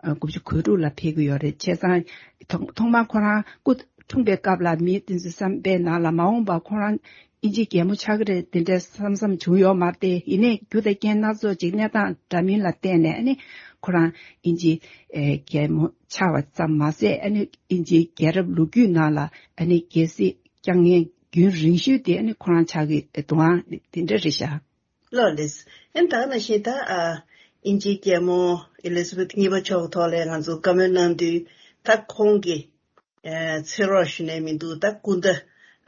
དགུ་བཅུ་གོ་དྲུག་ལ་ཕེབས་ཀྱི་ཡོད་རེད། བྱས་ཙང་ཐོག་ཐོག་མར་ཁོ་རང་སྐུ་འཁྲུངས་པའི་སྐབས་ལ་མི་དེ་ཚོའི་བསམ་པའི་ནང་ལ་མ་འོངས་པར་ཁོ་རང་དབྱིན་ཇིའི་རྒྱལ་མོ་ཆགས་ཀྱི་རེད་དེ་འདྲའི་བསམ་བསམ་བྱུང་ཡོད་མ་རེད་དེ། ཡིན་ནའི་རྒྱུ་དང་རྐྱེན་སྣ་ཚོགས་ཅིག་གནས་སྟངས་འདྲ་མིན་ལ་བརྟེན་ནས་ཨ་ནི་ཁོ་རང་དབྱིན་ཇིའི་རྒྱལ་མོ་ཆགས་པ་ཙམ་མ་ཟད་ཨ་ནི་དབྱིན་ཇིའི་རྒྱལ་རབས་ལོ་རྒྱུས་ནང་ལ་ཨ་ནི་རྒྱལ་སྲིད་བསྐྱངས་མཁན་རྒྱུན་རིང་ཤོས་དེ་ཨ་ནི་ཁོ་རང་ཆགས་ཀྱི་འདུག་ཨང་། དེ་འདྲ་རེད་ཤག་ལགས་ལགས། ཨ་ནི་ད་ག་ནང་བཞིན་ད་ཨ་ དབྱིན་ཇིའི་རྒྱལ་མོ་ཨེ་ལི་ཛ་བེཐ་གཉིས་པ་མཆོག་གི་ཐོག་ལ་ང་ཚོ་བཀའ་མོལ་གནང་དུས། ད་ཁོང་གི་ཨ་ཚེ་རོགས་ཞུ་ནས་མི་འདུག་ད་སྐུ་ཟླ་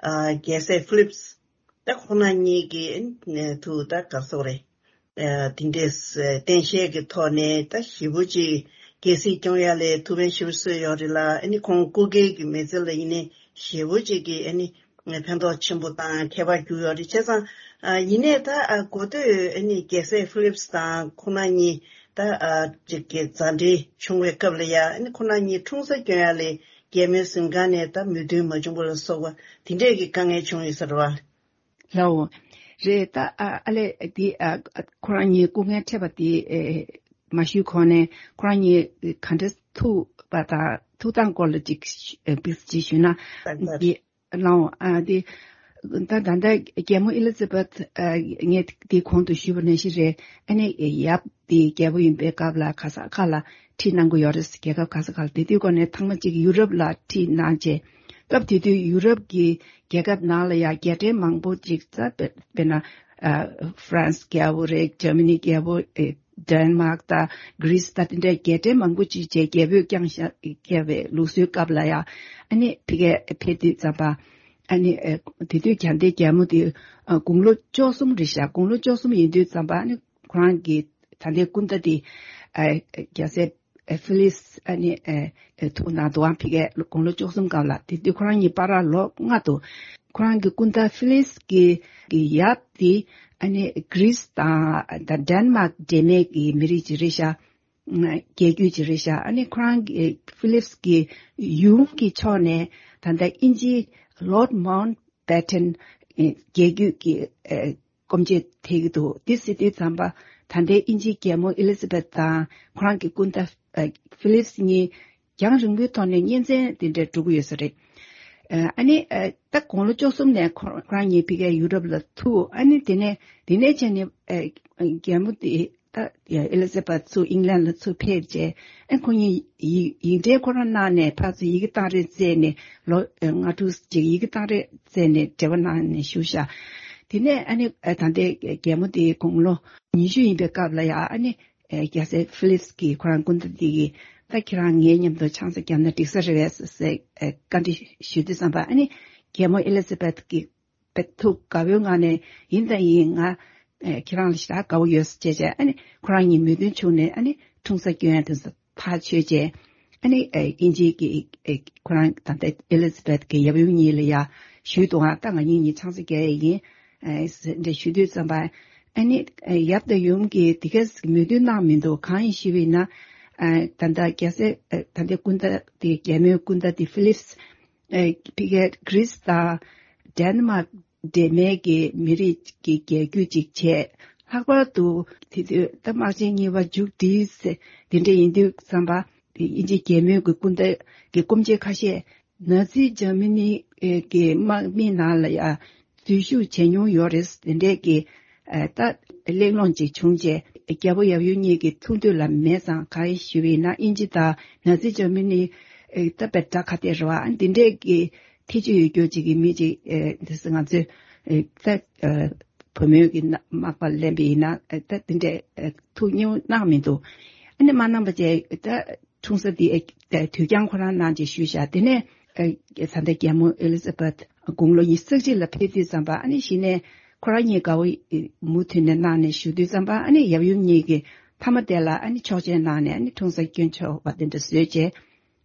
ཨ་རྒྱལ་སྲས་ཕི་ལིབ་སི་ད་ཁོང་རྣམ་གཉིས་ཀྱི་ཨ་ཐུགས་ད་ག་རེ་ཟེར་དགོས་རེད། ཨ་དེ་འདྲའི་བསྟན་བཤད་ཀྱི་ཐོག་ནས་ད་ཞེ་པོ་ཅིག་རྒྱལ་སྲིད་སྐྱོང་ཡ་ལ་ཐུགས་ཕན་ཞེ་པོ་གསོས་ཡོད་རེད་ལ། ཨ་ནི་ཁོང་སྐུ་སྒེར་གྱི་མི་ཚེ་ལ་ཡིན་ནའི་ཞེ་པོ་ཅིག་གི་ཨ་ནི་ཕན་ཐོགས་ཆེན་པོ་དང་ཁྱད་པར་གྱུར་ཡོད་རེད། བྱས་ཙང་ཨ་ཡིན་ནའི་ད་ཨ་གོ་ཐོས་ཨ་ནི་རྒྱལ་སྲས་ཕི་ལིབ་སི་དང་ཁོང་རྣམ་གཉིས་ད་ཨ་ཅིག་གི་མཛའ་འབྲེལ་བྱུང་བའི་སྐབས་ལ་ཡ། ཨ་ནི་ཁོང་རྣམ་གཉིས་འཁྲུངས་ས་སྐྱོན་ཡ་ལ་རྒྱལ་མོའི་གཟིམ་ཁང་ནས་ད་མོས་མཐུན་མ་བྱུང་བ་ལ་སོགས་པ་དེ་འདྲས་ཀྱི་དཀའ་ངལ་བྱུང་ཡོད་ས་རེད་བ། ལའོ། རེད་ད། ཨ་ཨ་ལས་དེ་ཨ་ཁོ་རང་གཉིས་སྐུ་ངལ་འཕྲད་པ་དེ་ཨེ་མ་ཞུས་གོང་ནས་ཁོ་རང་གཉིས་ག་འདྲ་ཐུག་པ་དང་ཐུག་སྟངས་སྐོར་ལ་ཅིག་ཨེ་དཔེ་ཅིག་ཞུས་ན། ལའོ། ཨ་དེ་ད་ད་ལྟ་རྒྱལ་མོ་ཨེ་ལི་ཛ་བེཐ་ཨ་ངས་དེ་གོང་དུ་ཞུས་པ་ནང་བཞིན་རེད། ཨ་ནི་ཡབ་དེ་རྒྱལ་པོ་ཡིན་པའི་སྐབས་ལ་ག་ས་ག་ལ་ཁྲིད་གནང་གི་ཡོད་རེད། རྒྱལ་ཁབ་ག་ས་ག་ལ། དེ་དུས་གོང་ནས་ཐེངས་མ་གཅིག་ཡུ་རོབ་ལ་ཁྲིད་གནང་རྗེས། སྐབས་དེ་དུས་ཡུ་རོབ་ཀྱི་རྒྱལ་ཁབ་ནང་ལ་ཡང་རྒྱལ་ཕྲན་མང་པོ་ཅིག་ཙ་དཔེ་དཔེར་ན་ཨ་ཧྥ་རན་སི་རྒྱལ་པོ་རེད། འཇར་མ་ནི་རྒྱལ་པོ། ཨེ་ཌེན་མཱག་དང་གྷི་རིས་དང་དེ་འདྲའི་རྒྱལ་ཕྲན་མང་པོ་ཅིག་བྱས་རྒྱལ་པོས་བསྐྱངས་བཞག་བསྐྱངས་པའི་ལུགས་སྲོལ་སྐབས་ལ་ཡང་ཨ་ནི་ཕ་གིར་ཕེབས་དུས་ཙམ་པ། ཨ་ནི་ཨེ་དེ་དུས་རྒྱལ་ལྡན་རྒྱལ་མོ་དེ་ཨ་དགུང་ལོ་བཅུ་གསུམ་རེད་ཤག་དགུང་ལོ་བཅུ་གསུམ་ཡིན་དུས་ཙམ་པ་ཨ་ནི་ཁོ་རང་གི་ད་ལྟའི་སྐུ་ཟླ་དེ་ཨ་རྒྱལ་སྲས་ཨེ་ཕི་ལིབ་སི་ཨ་ནི་ཨེ་ཨེ་ཐུག་གནང་འདུག་ཨང་། ཕ་གིར་དགུང་ལོ་བཅུ་གསུམ་སྐབས་ལ། དེ་དུས་ཁོ་རང་གཉིས་བར་ལ་ལོ་ལྔ་འདུག་ཁོ་རང་གི་སྐུ་ཟླ་ཕི་ལིབ་སི་གི་གི་ཡབ་དེ་ཨ་ནི་གྷི་རིས་དང་ད་ཌེན་མཱག་འདྲེས་མའི་གི་མི་རིགས་ཅིག་རེད་ཤག་རྒྱལ་རྒྱུད་ཅིག་རེད་ཤག་ཨ་ནི་ཁོ་རང་གི་ཕི་ལིབ་སི་གི་ཡུམ་གྱི་ཕྱོགས་ནས་ད་ལྟ་དབྱིན་ཇིའི་ལོར་ཌི་མའུན་ཊ་བྷེ་ཊན་རྒྱལ་རྒྱུད་ཀྱི་ཨེ་སྐུ་མཆེད་ཐེབས་ཀྱི་འདུག་དེ་ཟེར་དུས་ཙམ་པ་ད་ལྟའི་དབྱིན་ཇིའི་རྒྱལ་མོ་ཨེ་ལི་ཛ་བེཐ་དང་ཁོ་རང་གི་སྐུ་ཟླ་ཨ་ཕི་ལིབ་སི་གཉིས་རྒྱང་རིང་པོའི་ཐོག་ནས་གཉེན་ཚན་དེ་འདྲ་འགྲོ་གི་ཡོད་ས་རེད། ཨ་ནི་ཨ་ད་དགུང་ལོ་བཅུ་གསུམ་ནས་ཁོ་ཁོ་རང་གཉིས་ཕ་གིར་ཡུ་རོབ་ལ་ཐུག་ཨ་ནི་དེ་ནས་དེ་ནས་བྱས་ནས་ཨ་རྒྱལ་མོ་དེ་ད་ཨེ་ལི་ཛ་བེཐ་ཚུར་ཨིང་ལན་ལ་ཚུར་ཕེབས་རྗེས། ཨ་ཁོ་གཉིས་ཡིག་ཡིག་འབྲེལ་ཁོ་རང་གནང་ནས་ཕར་ཚུར་ཡི་གེ་གཏང་རེས་བཙལ་ནས་ལོ་ཨ་ལྔ་དྲུག་ཅིག་ཡི་གེ་གཏང་རེས་བཙལ་ནས་འབྲེལ་བ་གནང་ནས་བཞུགས་ཤག་དེ་ནས་ཨ་ནི་ཨ་ད་ལྟའི་རྒྱལ་མོ་དེ་དགུང་ལོ་ཉི་ཤུ་ཡིན་པའི་སྐབས་ལ་ཡ་ཨ་ནི། ཨེ་རྒྱལ་སྲས་ཕི་ལིབ་སི་གིས་ཁོ་རང་སྐུ་ཟླ་འདི་གིས་ད་ཁྱེད་རང་ངའི་མཉམ་དུ་ཆང་ས་བརྒྱབ་ན་འགྲིག་ས་རེད་པས་ཟེར་ཨེ་བཀའ་འདྲི་ཞུ་དུས་ཙམ་པ། ཨ་ནི་རྒྱལ་མོ་ཨེ་ལི་ཛ་བེཐ་ཀྱིས་བེད་ཐུགས་དགའ་བོའི་ངང་ནས་ཡིན་དང་ཡིན། ང་ཨེ་ཁྱེད་རང་ལ་ཞེ་དྲག་དགའ་བོ་ཡོད་ཟེར་བྱས་བྱས། ཨ་ནི་ཁོ་རང་གཉིས་མོས་མཐུན་བྱུང་ནས་ཨ་ནི་འཁྲུངས་ས་སྐྱོན་ཡ་དེ་ཚོ་ཐག་ཆོད་བྱས། ཨ་ནི་ཨེ་དབྱིན་ཇིའི་གི་ཨེ་ཁོ་རང་ད་ལྟ་ཨེ་ལི་ཛ་བེཐ་གི་ཡབ་ཡུམ་གཉིས་ལ་ཡ་ཞུས་འདུག་ཨ་ད་ང་གཉིས་གཉིས་ཆང་ས་རྒྱག་ཡ་ཡིན། ཨེ་ཟེར་འདྲ་ཞུ་དུས་ཙམ་པ། ཨ་ནི་ཨེ་ཡབ་དང་ཡུམ་གྱིས་དེ་ག་མོས་མཐུན་གནང་མི་འདུག་གང་ཡིན་ཞུས་པ་ཡིན་ན། ཨེ་ད་ལྟ་རྒྱལ་སྲས་ཨེ་ད་ལྟའི་སྐུ་ཟླ་དེ་རྒྱལ་མོའི་སྐུ་ཟླ་དེ་ཕི་ལིབ་སི་ཨེ་ཕ་གིར་གྷི་རིས་དང་ཌེན་མཱག་འདྲེས་མའི་གི་མི་རིགས་ཀྱི་རྒྱལ་རྒྱུད་ཅིག་བྱས། ལྷག་པར་དུ་དེ་དུས་ད་དམག་ཆེན་གཉིས་པ་མཇུག་བསྒྲིལ་ཟེར་དེ་འདྲ་ཡིན་དུས་ཙམ་པ། དེ་དབྱིན་ཇིའི་རྒྱལ་མོའི་གི་སྐུ་ཟླ་གི་སྐུ་མཆེད་ཁ་ཤས་ནཱ་ཛི་འཇར་མ་ནི་གི་དམག་མི་ནང་ལ་ཡ་འཛུལ་ཞུགས་བྱས་མྱོང་ཡོད་རེད། དེ་འདྲས་ཀྱི་ཨ་ད་གླེང་སློང་ཅིག་བྱུང་རྗེས། རྒྱལ་པོ་ཡབ་ཡུམ་གཉིས་ཀྱི་ཐུགས་འདོད་ལ་མེད་ཙང་། གང་ཡིན་ཞུས་པ་ཡིན་ན་དབྱིན་ཇི་དང་ནཱ་ཛི་འཇར་མ་ནི་ཨེ་ད་དཔེ་དགྲ་ཁ་གཏད་རེད་བ། ཨ་འདི་འདྲས་ཀྱི་ཐེ་ཇུས་ཡོད་རྒྱུ་ཅིག་གི་མི་ཅིག་ཨེ་འདི་ང་ཚོའི་ཨེ་ད་ཨེ་བུ་མོའི་གི་ན་མག་པ་ལེན་པ་ཡིན་ན་ཨེ་ད་འདི་འདྲས་ཨེ་ཐུགས་མཉེས་གནང་མི་འདུག་ཨ་ནི་མ་གནང་པ་བྱས་ད་འཁྲུངས་ས་འདི་ཨེ་ད་དུས་འགྱངས་ཁོ་རང་གནང་ཅེས་ཞུས་ཤག་དེ་ནས་ཨེ་ད་ལྟ་རྒྱལ་མོ་ཨེ་ལི་ཛ་བེཐ་དགུང་ལོ་ཉི་ཤུ་རྩ་གཅིག་ལ་ཕེབས་དུས་ཙམ་པ། ཨ་ནི་གཞི་ནས་ཁོ་རང་གཉིས་དགའ་བོ་མུ་མཐུད་ནས་གནང་ནས་བཞུགས་དུས་ཙམ་པ། ཨ་ནི་ཡབ་ཡུམ་གཉིས་ཀྱི་མཐའ་མ་དེ་ལ་ཨ་ནི་ཆོག་མཆན་གནང་ནས་ཨ་ནི་འཁྲུངས་ས་སྐྱོན་ཆོག་པ་དེ་འདྲ་བཟོས་རྗེས།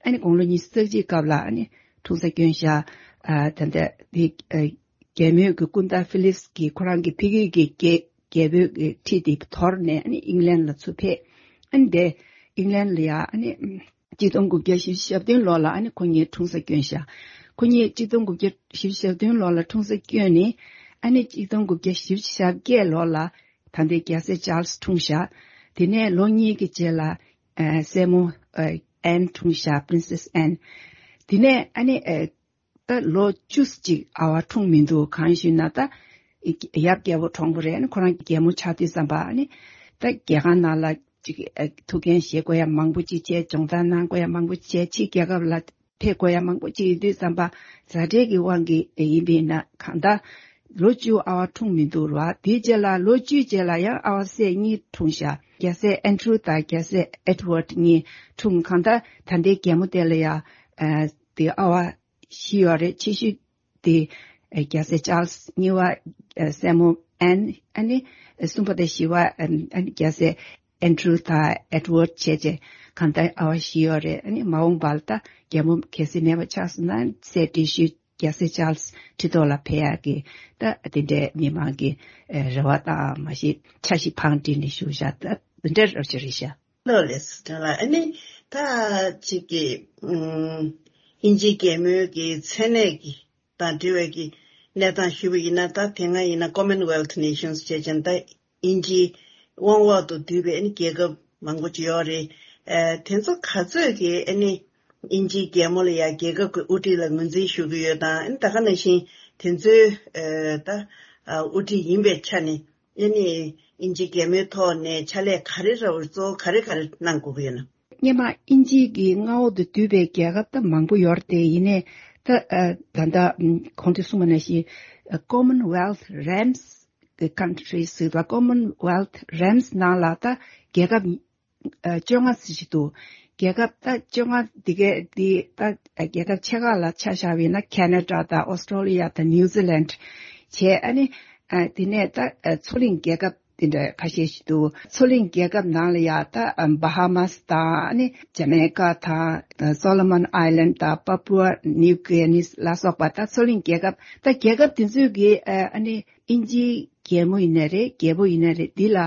ཨ་ནི་དགུང་ལོ་ཉི་ཤུ་རྩ་གཅིག་སྐབས་ལ་ཨ་ནི་འཁྲུངས་ས་སྐྱོན་ཤག་ཨ་ད་ལྟ་དེ་ཨ་རྒྱལ་མོའི་གི་སྐུ་ཟླ་ཕི་ལིབ་སི་གིས་ཁོ་རང་གི་ཕ་གི་གི་རྒྱལ་རྒྱལ་པོའི་གི་ཁྲི་དེ་དོར་ནས་ཨ་ནི་ཨིང་ལན་ལ་ཚུར་ཕེབས། ཨ་ནི་དེ་ཨིང་ལན་ལ་ཡ་ཨ་ནི་གཅིག་སྟོང་དགུ་བརྒྱ་བཞི་བཅུ་ཞེ་བདུན་ལོ་ལ་ཨ་ནི་ཁོ་གཉིས་འཁྲུངས་ས་སྐྱོན་ཤག་ཁོ་གཉིས་གཅིག་སྟོང་དགུ་བརྒྱ་བཞི་བཅུ་ཞེ་བདུན་ལོ་ལ་འཁྲུངས་ས་སྐྱོན་ནས། ཨ་ནི་གཅིག་སྟོང་དགུ་བརྒྱ་བཞི་བཅུ་ཞེ་བརྒྱད་ལོ་ལ་ད་ལྟའི་རྒྱལ་སྲས་ཅཱལ་སི་འཁྲུངས་ཤག་དེ་ནས་ལོ་གཉིས་ཀྱི་རྗེས་ལ་ཨ་སྲས་མོ་ཨ་ཨན་འཁྲུངས་ཤག་པི་རིན་སེ་སི་ཨན། དེ་ནས་ཨ་ནི་ཨ་ད་ལོ་བཅུ་ཅིག་ཨ་བ་འཁྲུངས་མི་འདུག་གང་ཞུས་ན་ད་ཡབ་རྒྱལ་པོ་གྲོངས་པ་རེད། ཨ་ནི་ཁོ་རང་རྒྱལ་མོ་ཆགས་དུས་ཙམ་པ་ཨ་ནི་ད་རྒྱལ་ཁང་ནང་ལ་ཅིག་ཨ་ཐུགས་འགན་བཞེས་དགོས་ཡ་མང་པོ་ཅིག་བྱས། སྦྱོང་བརྡར་གནང་དགོས་ཡ་མང་པོ་ཅིག་བྱས། ཕྱི་རྒྱལ་ཁབ་ལ་ཕེབས་དགོས་ཡ་མང་པོ་ཅིག་ཡིན་དུས་ཙམ་པ། མཛའ་འབྲེལ་གྱི་དབང་གིས་ཡིན་པས་ན་གང་ལྟར་ ལོ་བཅུ་ཨ་བ་འཁྲུངས་མི་འདུག་ར། དེའི་རྗེས་ལ་ལོ་བཅུའི་རྗེས་ལ་ཡང་ཨ་བ་སྲས་གཉིས་འཁྲུངས་ཤག་རྒྱལ་སྲས་ཨན་ཌྲུ་དང་རྒྱལ་སྲས་ཨེ་ཌི་ཝར་ཌི་གཉིས་འཁྲུངས། གང་ལྟར་ད་ལྟའི་རྒྱལ་མོ་དེ་ལ་ཡང་དེ་ཨ་བ་བཞི་ཡོད་རེད། ཆེ་ཤོས་དེ་རྒྱལ་སྲས་ཅཱལ་སི། གཉིས་པ་སྲས་མོ་ཨན། ཨ་ནི་གསུམ་པ་དང་བཞི་པ་ཨ་ནི་རྒྱལ་སྲས་ཨན་ཌྲུ་དང་ཨེ་ཌི་ཝར་ཌི་བྱས་བྱས་གང་ལྟར་ཨ་བ་བཞི་ཡོད་རེད། ཨ་ནི་མ་འོངས་པ་ལ་ད་རྒྱལ་མོ་གལ་སྲིད་མེད་པ་ཆགས་སོང་ན་སྲས་བགྲེས་ཤོས་རྒྱལ་སྲས་ཅཱལ་སི་ཁྲི་ཐོག་ལ་ཕེབས་ཡག་གི་ད་དེ་འདྲའི་མི་མང་གི་རེ་བ་དང་མ་གཞི་འཆར་གཞི་བང་བསྒྲིགས་ནས་བཞུགས་བཞག་ད་དེ་འདྲའི་རོབ་ཅིག་རེད་ཤག་ལགས་ལགས་སོ། ལགས་ཨ་ནི་ད་ཅིག་གི་ཨིན་ཇིའི་རྒྱལ་མོའི་གི་མཚན་གནས་ཀྱི་དང་འབྲེལ་བའི་གི་གནས་སྟངས་ཞུས་པ་ཡིན་ན། ད་དེ་སྔ་ཡིན་ན་Commonwealth Nations་བྱས་ཙང་ད་ཨིན་ཇིའི་དབང་འོག་ཏུ་འདུས་པའི་ཨ་ནི་རྒྱལ་ཁབ་མང་པོ་ཅིག་ཡོད་རེད། ཨ་དེ་ཚོ་ག་ཚོད་ཀྱིས་ཨ་ནི་ཨིན་ཇིའི་རྒྱལ་མོ་ལ་ཡང་རྒྱལ་ཁབ་ཀྱི་དབུ་ཁྲིད་ལ་ངོས་འཛིན་ཞུ་གི་ཡོད་དང་། ཨ་ནི་ད་ག་ནང་བཞིན་དེ་ཚོའི་ཨ་ད་ཨ་དབུ་ཁྲིད་ཡིན་པའི་ཆ་ནས་ཨ་ནི་ཨིན་ཇིའི་རྒྱལ་མོའི་ཐོག་ནས་ཕྱག་ལས་ག་རེ་ར་བར་གཙོ་བོ་ག་རེ་ག་རེ་གནང་དགོས་ཀྱི་ཡོད་ན། སྔོན་མ་ཨིན་ཇི་གི་མངའ་འོག་ཏུ་བསྡུས་པའི་རྒྱལ་ཁབ་ད་མང་པོ་ཡོད་རེད་དེ། ཡིན་ནའི་ད་ཨ་ད་ལྟ་ཨམ་གོང་དུ་གསུངས་པ་ནང་བཞིན་ཨ་Commonwealth Realms་གི་countries་ཟེར་བ། Commonwealth Realms་ནང་ལ་ད་རྒྱལ་ཁབ་ཨ་བཅོ་ལྔ་ཙམ་ཞིག་འདུག་རྒྱལ་ཁབ་ད་བཅོ་ལྔ་འདི་གའི་འདི་ད་རྒྱལ་ཁབ་ཆེ་ཁག་ལ་ཆ་བཞག་པ་ཡིན་ན་ཁེ་ན་ཌ་དང་ཨོ་སི་ཀྲོ་ལི་ཡ་དང་ནིའུ་ཛི་ལན་བྱས། ཨ་ནི་ཨ་དེ་ནས་ད་ཨ་མཚོ་གླིང་རྒྱལ་ཁབ་དེ་འདྲ་ཁ་ཤས་ཤིག་འདུག་མཚོ་གླིང་རྒྱལ་ཁབ་ནང་ལ་ཡ་ད་ཨ་བྷ་ཧ་མཱ་སི་དང་། ཨ་ནི་ཇ་མེ་ཀ་དང་། ཨ་སོ་ལོ་མོན་ཨའི་ལན་དང་པ་པུ་ཨ་ནིའུ་གི་ནི་ལ་སོགས་པ་ད་མཚོ་གླིང་རྒྱལ་ཁབ། ད་རྒྱལ་ཁབ་དེ་ཚོས་གི་ཨ་ཨ་ནི་ཨིན་ཇིའི་རྒྱལ་མོ་ཡིན་ནའི་རེད། རྒྱལ་པོ་ཡིན་ནའི་རེད། འདི་ལ་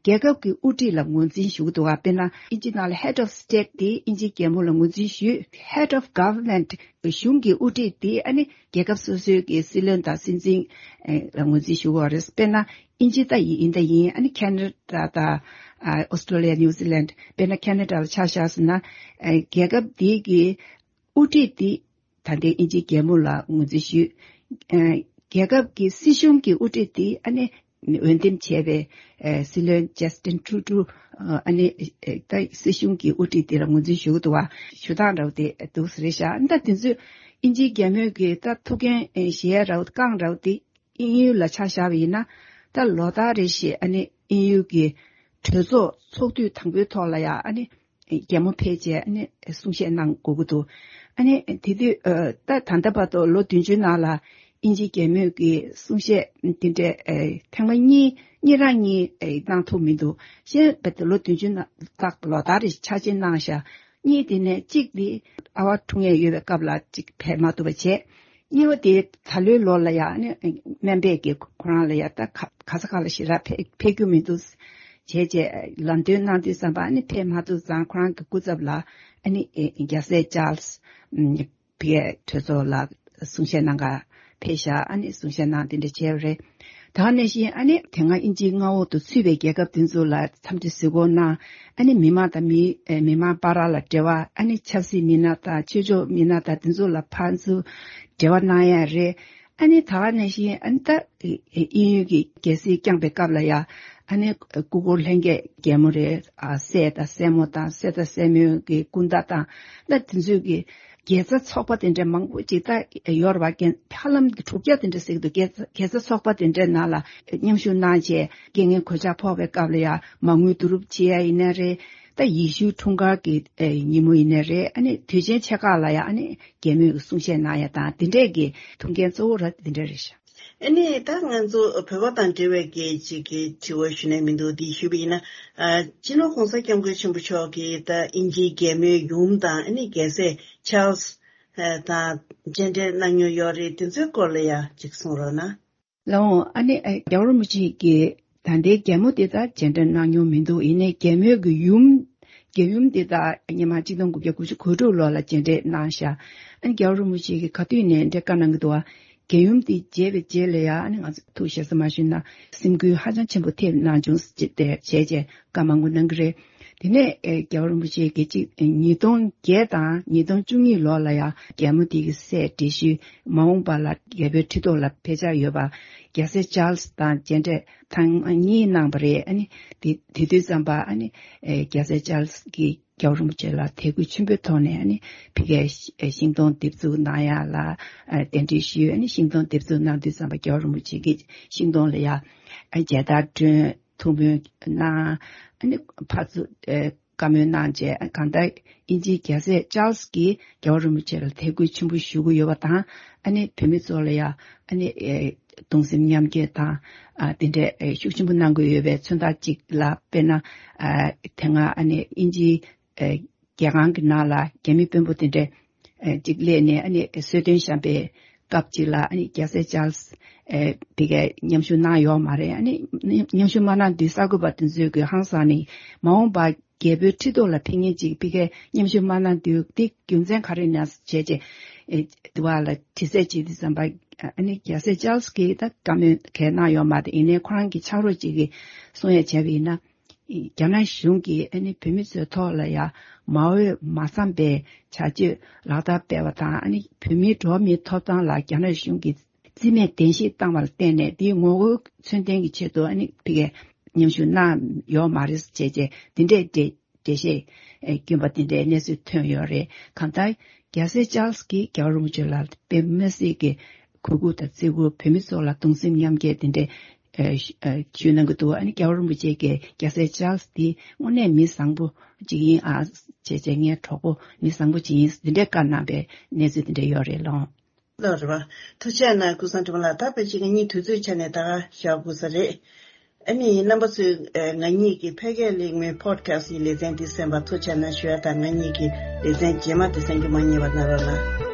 རྒྱལ་ཁབ་ཀྱི་དབུ་ཁྲིད་ལ་ངོས་འཛིན་ཞུ་གི་འདུག་ག་དཔེར་ན་ཨིན་ཇི་ནང་ལ་Head of State་དེ་ཨིན་ཇིའི་རྒྱལ་མོ་ལ་ངོས་འཛིན་ཞུས། Head of Government་གཞུང་གི་དབུ་ཁྲིད་དེ་ཨ་ནི་རྒྱལ་ཁབ་སོ་སོའི་གི་སྲིད་བློན་དང་སྲིད་འཛིན་ཨེ་ལ་ངོས་འཛིན་ཞུ་དགོས་རེད། དཔེར་ན་ཨིན་ཇི་ད་ཡིན་ད་ཡིན། ཨ་ནི་ཁེ་ན་ཌ་དང་ཨ་ཨོ་སི་ཀྲོ་ལི་ཡ། ནིའུ་ཛི་ལན། དཔེར་ན་ཁེ་ན་ཌ་ལ་ཆ་བཞག་སོང་ན་ཨེ་རྒྱལ་ཁབ་དེ་གི་དབུ་ཁྲིད་དེ་ད་ལྟའི་དབྱིན་ཇིའི་རྒྱལ་མོ་ལ་ངོས་འཛིན་ཞུས། ཨ་རྒྱལ་ཁབ་ཀྱི་སྲིད་གཞུང་གི་དབུ་ཁྲིད་དེ་ཨ་ནི་འོས་འདེམས་བྱས་པའི་ཨ་སྲིད་བློན་ཇ་སི་ཊིན་ཊུ་ཌོ་ཨ་ནི་ཨ་ད་སྲིད་གཞུང་གི་དབུ་ཁྲིད་དེ་ལ་ངོས་འཛིན་ཞུ་གི་འདུག་བ། ཞུ་སྟངས་འདྲ་བོ་དེ་འདུག་ས་རེད་ཤག་ད་དེ་ཚོས་དབྱིན་ཇིའི་རྒྱལ་མོས་ཀྱི་ད་ཐུགས་འགན་བཞེས་ཡ་འདྲ་བོ་བསྐངས་འདྲ་བོ་དེ་དབྱིན་ཡུལ་ལ་ཆ་བཞག་པ་ཡིན་ན། ད་ལོ་ལྟར་རེ་བཞིན་ཨ་ནི་དབྱིན་ཡུལ་གྱི་གྲོས་ཚོགས་ཚོགས་དུས་དང་པོའི་ཐོག་ལ་ཡ་ཨ་ནི་རྒྱལ་མོ་ཕེབས་བྱས་ཨ་ནི་གསུང་བཤད་གནང་དགོས་ཀྱི་འདུག་ཨ་ནི་དེ་དུས་ཨ་ད་ད་ལྟ་བར་དུ་ལོ་བདུན་ཅུའི་ནང་ལ་དབྱིན་ཇིའི་རྒྱལ་མོས་ཀྱི་གསུང་བཤད་དེ་འདྲའི་ཨ་ཐེངས་མ་གཉིས་གཉིས་རང་གཉིས་ཨ་གནང་ཐུབ་མི་འདུག་གཞན་བར་དུ་ལོ་བདུན་ཅུ་ནང་ལྟར་ལོ་ལྟར་རེ་འཆར་ཅན་གནང་བཞག་གཉིས་དེ་ནས་གཅིག་དེ་ཨ་བ་འཁྲུངས་ཡས་ཡོད་པའི་སྐབས་ལ་གཅིག་ཕེབས་མ་ཐུབ་པ་བྱས། གཉིས་པ་དེ་ད་ལོའི་ལོ་ལ་ཡང་ནི་སྨན་པས་ཀྱི་ཁོ་རང་ལ་ཡང་ད་ག་ག་ས་ག་ལ་ཞེ་དྲག་ཕེབས་ཕེབས་རྒྱུ་མི་འདུག་བྱས་བྱས་ལམ་སྟོན་གནང་དུས་ཙམ་པ་ནི་ཕེབས་མ་ཐུབ་ཙང་ཁོ་རང་གི་སྐུ་ཚབ་ལ་ཨ་ནི་རྒྱལ་སྲས་ཅཱལ་སི་ཕ་གིའི་གྲོས་ཚོགས་ལ་གསུང་བཤད་གནང་ག་ཕེབས་ཤག་ཨ་ནི་གསུང་བཤད་གནང་དེ་འདྲ་བྱས་པ་རེད། ད་ག་ནང་བཞིན་ཨ་ནི་དེ་སྔ་དབྱིན་ཇིའི་མངའ་འོག་ཏུ་ཚུད་པའི་རྒྱལ་ཁབ་དེ་ཚོ་ལ་འཚམས་འདྲི་གཟིགས་སྐོར་གནང་། ཨ་ནི་མི་མང་དང་མི་ཨེ་མི་མང་བར་ལ་འབྲེལ་བ། ཨ་ནི་ཆབ་སྲིད་མི་སྣ་དང་ཆོས་ཕྱོགས་མི་སྣ་དང་དེ་ཚོ་ལ་ཕར་ཚུར་འབྲེལ་བ་གནང་ཡ་རེད། ཨ་ནི་ད་ག་ནང་བཞིན་ཨ་ནི་ད་ཨེ་ཨེ་དབྱིན་ཡུལ་གྱི་རྒྱལ་སྲིད་བསྐྱངས་པའི་སྐབས་ལ་ཡ་ཨ་ནི་སྐུ་འཁོར་ལྷན་རྒྱས་རྒྱལ་མོ་རེད། ཨ་སྲས་དང་སྲས་མོ་དང་སྲས་དང་སྲས་མོའི་གི་སྐུ་ཟླ་དང་ད་དེ་ཚོས་གི་དགེ་རྩ་ཚོགས་པ་དེ་འདྲ་མང་པོ་ཅིག་ད་ཡོད་རེད་བ། ཧ་ལམ་གྱི་དྲུག་བརྒྱ་དེ་འདྲ་ཟེར་གྱི་འདུག་དགེ་རྩ་དགེ་རྩ་ཚོགས་པ་དེ་འདྲའི་ནང་ལ་མཉམ་ཞུགས་གནང་བྱས་རྐྱེན་ངན་གོད་ཆག་ཕོག་པའི་སྐབས་ལ་ཡང་མ་དངུལ་བསྡུ་རུབ་བྱེད་ཡ་ཡིན་ནའི་རེད། ད་ཡེ་ཤུའི་འཁྲུངས་སྐར་གྱི་ཨེ་ཉིན་མོ་ཡིན་ནའི་རེད། ཨ་ནི་དུས་ཆེན་ཆེ་ཁག་ལ་ཡང་ཨ་ནི་རྒྱལ་མོས་གསུང་བཤད་གནང་ཡ་དང་དེ་འདྲས་ཀྱི་ཐུགས་འགན་གཙོ་བོ་ར་དེ་འདྲ་རེད་ཤག་ཨ་ནི་ད་ང་ཚོ་བོད་པ་དང་འབྲེལ་བའི་གི་ཅིག་གི་དྲི་བ་ཞུ་ནས་མི་འདུག་འདི་ཞུས་པ་ཡིན་ན། ཨ་སྤྱི་ནོར་༸གོང་ས་༸སྐྱབས་མགོན་ཆེན་པོ་མཆོག་གིས་ད་དབྱིན་ཇིའི་རྒྱལ་མོའི་ཡུམ་དང་ཨ་ནི་རྒྱལ་སྲས་ཆཱལ་སི་དང་མཇལ་འཕྲད་གནང་མྱོང་ཡོད་རེད། དེ་ཚོའི་སྐོར་ལ་ཡང་ཅིག་གསུང་རོགས་གནང་། ལགས་འོང་། ཨ་ནི་ཨ་རྒྱལ་བ་རིན་པོ་ཆེ་གིས་ད་ལྟའི་རྒྱལ་མོ་དེ་དང་མཇལ་འཕྲད་གནང་མྱོང་མི་འདུག་ཡིན་ནའི་རྒྱལ་མོའི་གི་ཡུམ། རྒྱལ་ཡུམ་དེ་དང་སྔོན་མ་ཆིག་སྟོང་དགུ་བརྒྱ་དགུ་བཅུ་གོ་དྲུག་ལོ་ལ་མཇལ་འཕྲད་གནང་ཤག་ཨ་ནི་རྒྱལ་བ་རིན་པོ་ཆེ་གིས་ག་དུས་ནས་འདྲ་བཀའ་གནང་གི་འདུག་བ། རྒྱལ་ཡུམ་དེ་མཇལ་བའི་རྗེས་ལ་ཡང་ཨ་ནི་ང་ཚོ་ཐུགས་ཞེ་ས་མ་ཞུས་ན་སེམས་འགུལ་ཧ་ཅང་ཆེན་པོ་ཐེབས་གནང་བྱུང་ཟེར་བྱས་བྱས་བྱས་བཀའ་མང་པོ་གནང་གི་རེད། དེ་ནས་ཨེ་རྒྱལ་བ་རིན་པོ་ཆེ་གིས་གཅིག་ཉིས་སྟོང་བརྒྱད་དང་ཉིས་སྟོང་བཅུ་གཉིས་ལོ་ལ་ཡང་རྒྱལ་མོ་དེ་གི་སྲས་བགྲེས་ཤོས་མ་འོངས་པ་ལ་རྒྱལ་པོའི་ཁྲི་ཐོག་ལ་ཕེབས་འཆར་ཡོད་པ་རྒྱལ་སྲས་ཅཱལ་སི་དང་མཇལ་འཕྲད་ཐེངས་གཉིས་གནང་བ་རེད། ཨ་ནི་དེ་དེ་དུས་ཙམ་པ་ཨ་ནི་ཨེ་རྒྱལ་སྲས་ཅཱལ་སི་གིས་ རྒྱལ་བ་རིན་པོ་ཆེ་ལ་དད་གུས་ཆེན་པོའི་ཐོག་ནས་ཨ་ནི་ཕ་གིའི་ཤིང་སྡོང་འདེབས་འཛུགས་གནང་ཡ་ལ་ཨ་གདན་འདྲེན་ཞུས། ཨ་ནི་ཤིང་སྡོང་འདེབས་འཛུགས་གནང་དུས་ཙམ་པ་རྒྱལ་བ་རིན་པོ་ཆེ་གིས་ཤིང་སྡོང་ལ་ཡ་ཨ་མཇལ་དར་སྒྲོན། ཐུགས་སྨོན་གནང་། ཨ་ནི་ཕར་ཚུར་ཨེ་བཀའ་མོལ་གནང་བྱས། གང་ལྟར་དབྱིན་ཇིའི་རྒྱལ་སྲས་ཅཱལ་སི་གིས་རྒྱལ་བ་རིན་པོ་ཆེ་ལ་དད་གུས་ཆེན་པོ་ཞུ་གི་ཡོད་པ་དང་། ཨ་ནི་བོད་མི་ཚོ་ལ་ཡང་ཨ་ནི་ཨེ་གདུང་སེམས་མཉམ་སྐྱེད་དང་ཨ་དེ་འདྲའི་ཨེ་ཤུགས་ཆེན་པོ་གནང་གི་ཡོད་པའི་མཚོན་རྟགས་གཅིག་ལ། དཔེར་ན་ཨ་དེ་སྔ་ཨ་ནི་དབྱིན་ཇིའི་ཨེ་རྒྱལ་ཁང་གི་ནང་ལ་རྒྱ་མི་དཔོན་པོ་དེ་འདྲས་ཨེ་གཅིག་སླེབས་ནས་ཨ་ནི་གསོལ་སྟོན་བཤམས་པའི་སྐབས་གཅིག་ལ། ཨ་ནི་རྒྱལ་སྲས་ཅཱལ་སི་ཨེ་དེ་གའི་མཉམ་ཞུགས་གནང་ཡོད་མ་རེད། ཨ་ནི་མཉམ་ཞུགས་མ་གནང་དུས་གསར་འགོད་པ་དེ་ཚོས་ཀྱི་ཧང་སངས་ནས། མ་འོངས་པར་རྒྱལ་པོའི་ཁྲི་ཐོག་ལ་ཕེབས་མཁན་ཅིག་ཕ་གིར་མཉམ་ཞུགས་མ་གནང་དུས་དེ་རྒྱུ་མཚན་ག་རེ་ཡིན་ན་བྱས་བྱས་ཨེ་དེ་བ་ལ་དྲི་རྩད་བྱེད་དུས་ཙམ་པ། ཨ་ནི་རྒྱལ་སྲས་ཅཱལ་སི་གིས་ད་བཀའ་མོལ་གང་ཡང་གནང་ཡོད་མ་རེད། ཡིན་ནའི་ཁོ་རང་གི་ཕྱག་རོགས་ཅིག་གིས་གསུང་ཡ་བྱས་པ་ཡིན་ན། རྒྱ་ནག་གཞུང་གིས་ཨ་ནི་བོད་མི་ཚོའི་ཐོག་ལ་ཡ་མ་འོས་མ་འཚམས་པའི་བྱ་སྤྱོད་ལག་བསྟར་སྤེལ་བ་དང་། ཨ་ནི་བོད་མིའི་འགྲོ་བ་མིའི་ཐོབ་ཐང་ལ་རྒྱ་ནག་གཞུང་གིས་རྩིས་མེད་བདེན་བཞི་བཏང་བ་ལ་བརྟེན་ནས། དེའི་ངོ་རྒོལ་མཚོན་ལྡན་གྱི་ཆེད་དུ་ཨ་ནི་ཕ་གིར་མཉམ་ཞུགས་གནང་ཡོད་མ་རེད་བྱས་བྱས་དེ་འདྲའི་འགྲེལ་འགྲེལ་བཤད་ཨེ་བསྐྱོན་པ་དེ་འདྲའི་གནས་ཚུལ་ཐོན་ཡོད་རེད། གང་ལྟར་རྒྱལ་སྲས་ཅཱལ་སི་གིས་རྒྱལ་བ་རིན་པོ་ཆེ་ལ་དཔེ་མི་སྲིད་ཀྱི་གུས་བཀུར་དང་བརྩི་བཀུར། བོད་མི་ཚོ་ལ་གདུང་སེམས་མཉམ་སྐྱེད་དེ་འདྲའི་ཨེ་ཞུ་ཨེ་ཞུ་གནང་གི་འདུག་ཨ་ནི་རྒྱལ་བ་རིན་པོ་ཆེ་གིས་རྒྱལ་སྲས་ཅཱལ་སི་འདི་དངོས་གནས་མི་བཟང་པོ་ཅིག་ཡིན་ཨ་བྱས་བྱས། ངའི་གྲོགས་པོ་མི་བཟང་པོ་ཅིག་ཡིན། འདི་འདྲའི་བཀའ་གནང་པའི་གནས་ཚུལ་དེ་འདྲ་ཡོད་རེད་ལགས། ལགས་རེད་པ། ཐུགས་རྗེ་གནང་ཀུན་བཟང་སྒྲོལ་མ་ལགས། ད་ཕལ་ཆེར་ང་གཉིས་དུས་ཚོད་ཆ་ནས་ད་ག་ཞག་དགོས་ས་རེད། ཨ་ནི་རྣམ་པ་ཚོས་ཨ་ང་གཉིས་ཀྱི་ཕལ་སྐད་གླེང་མོལ་པོ་ཌི་ཁ་སི་ཊི་ཡི་ལེ་ཚན་འདི་གསན་པར་ཐུགས་རྗེ་གནང་ཞུ་ཡ་དང་། ང་གཉིས་ཀྱི་ལེ་ཚན་རྗེས་མ་དེ་གསན་རྒྱུ་མ་བསྙེལ་བ་གནང་རོགས་གནང་།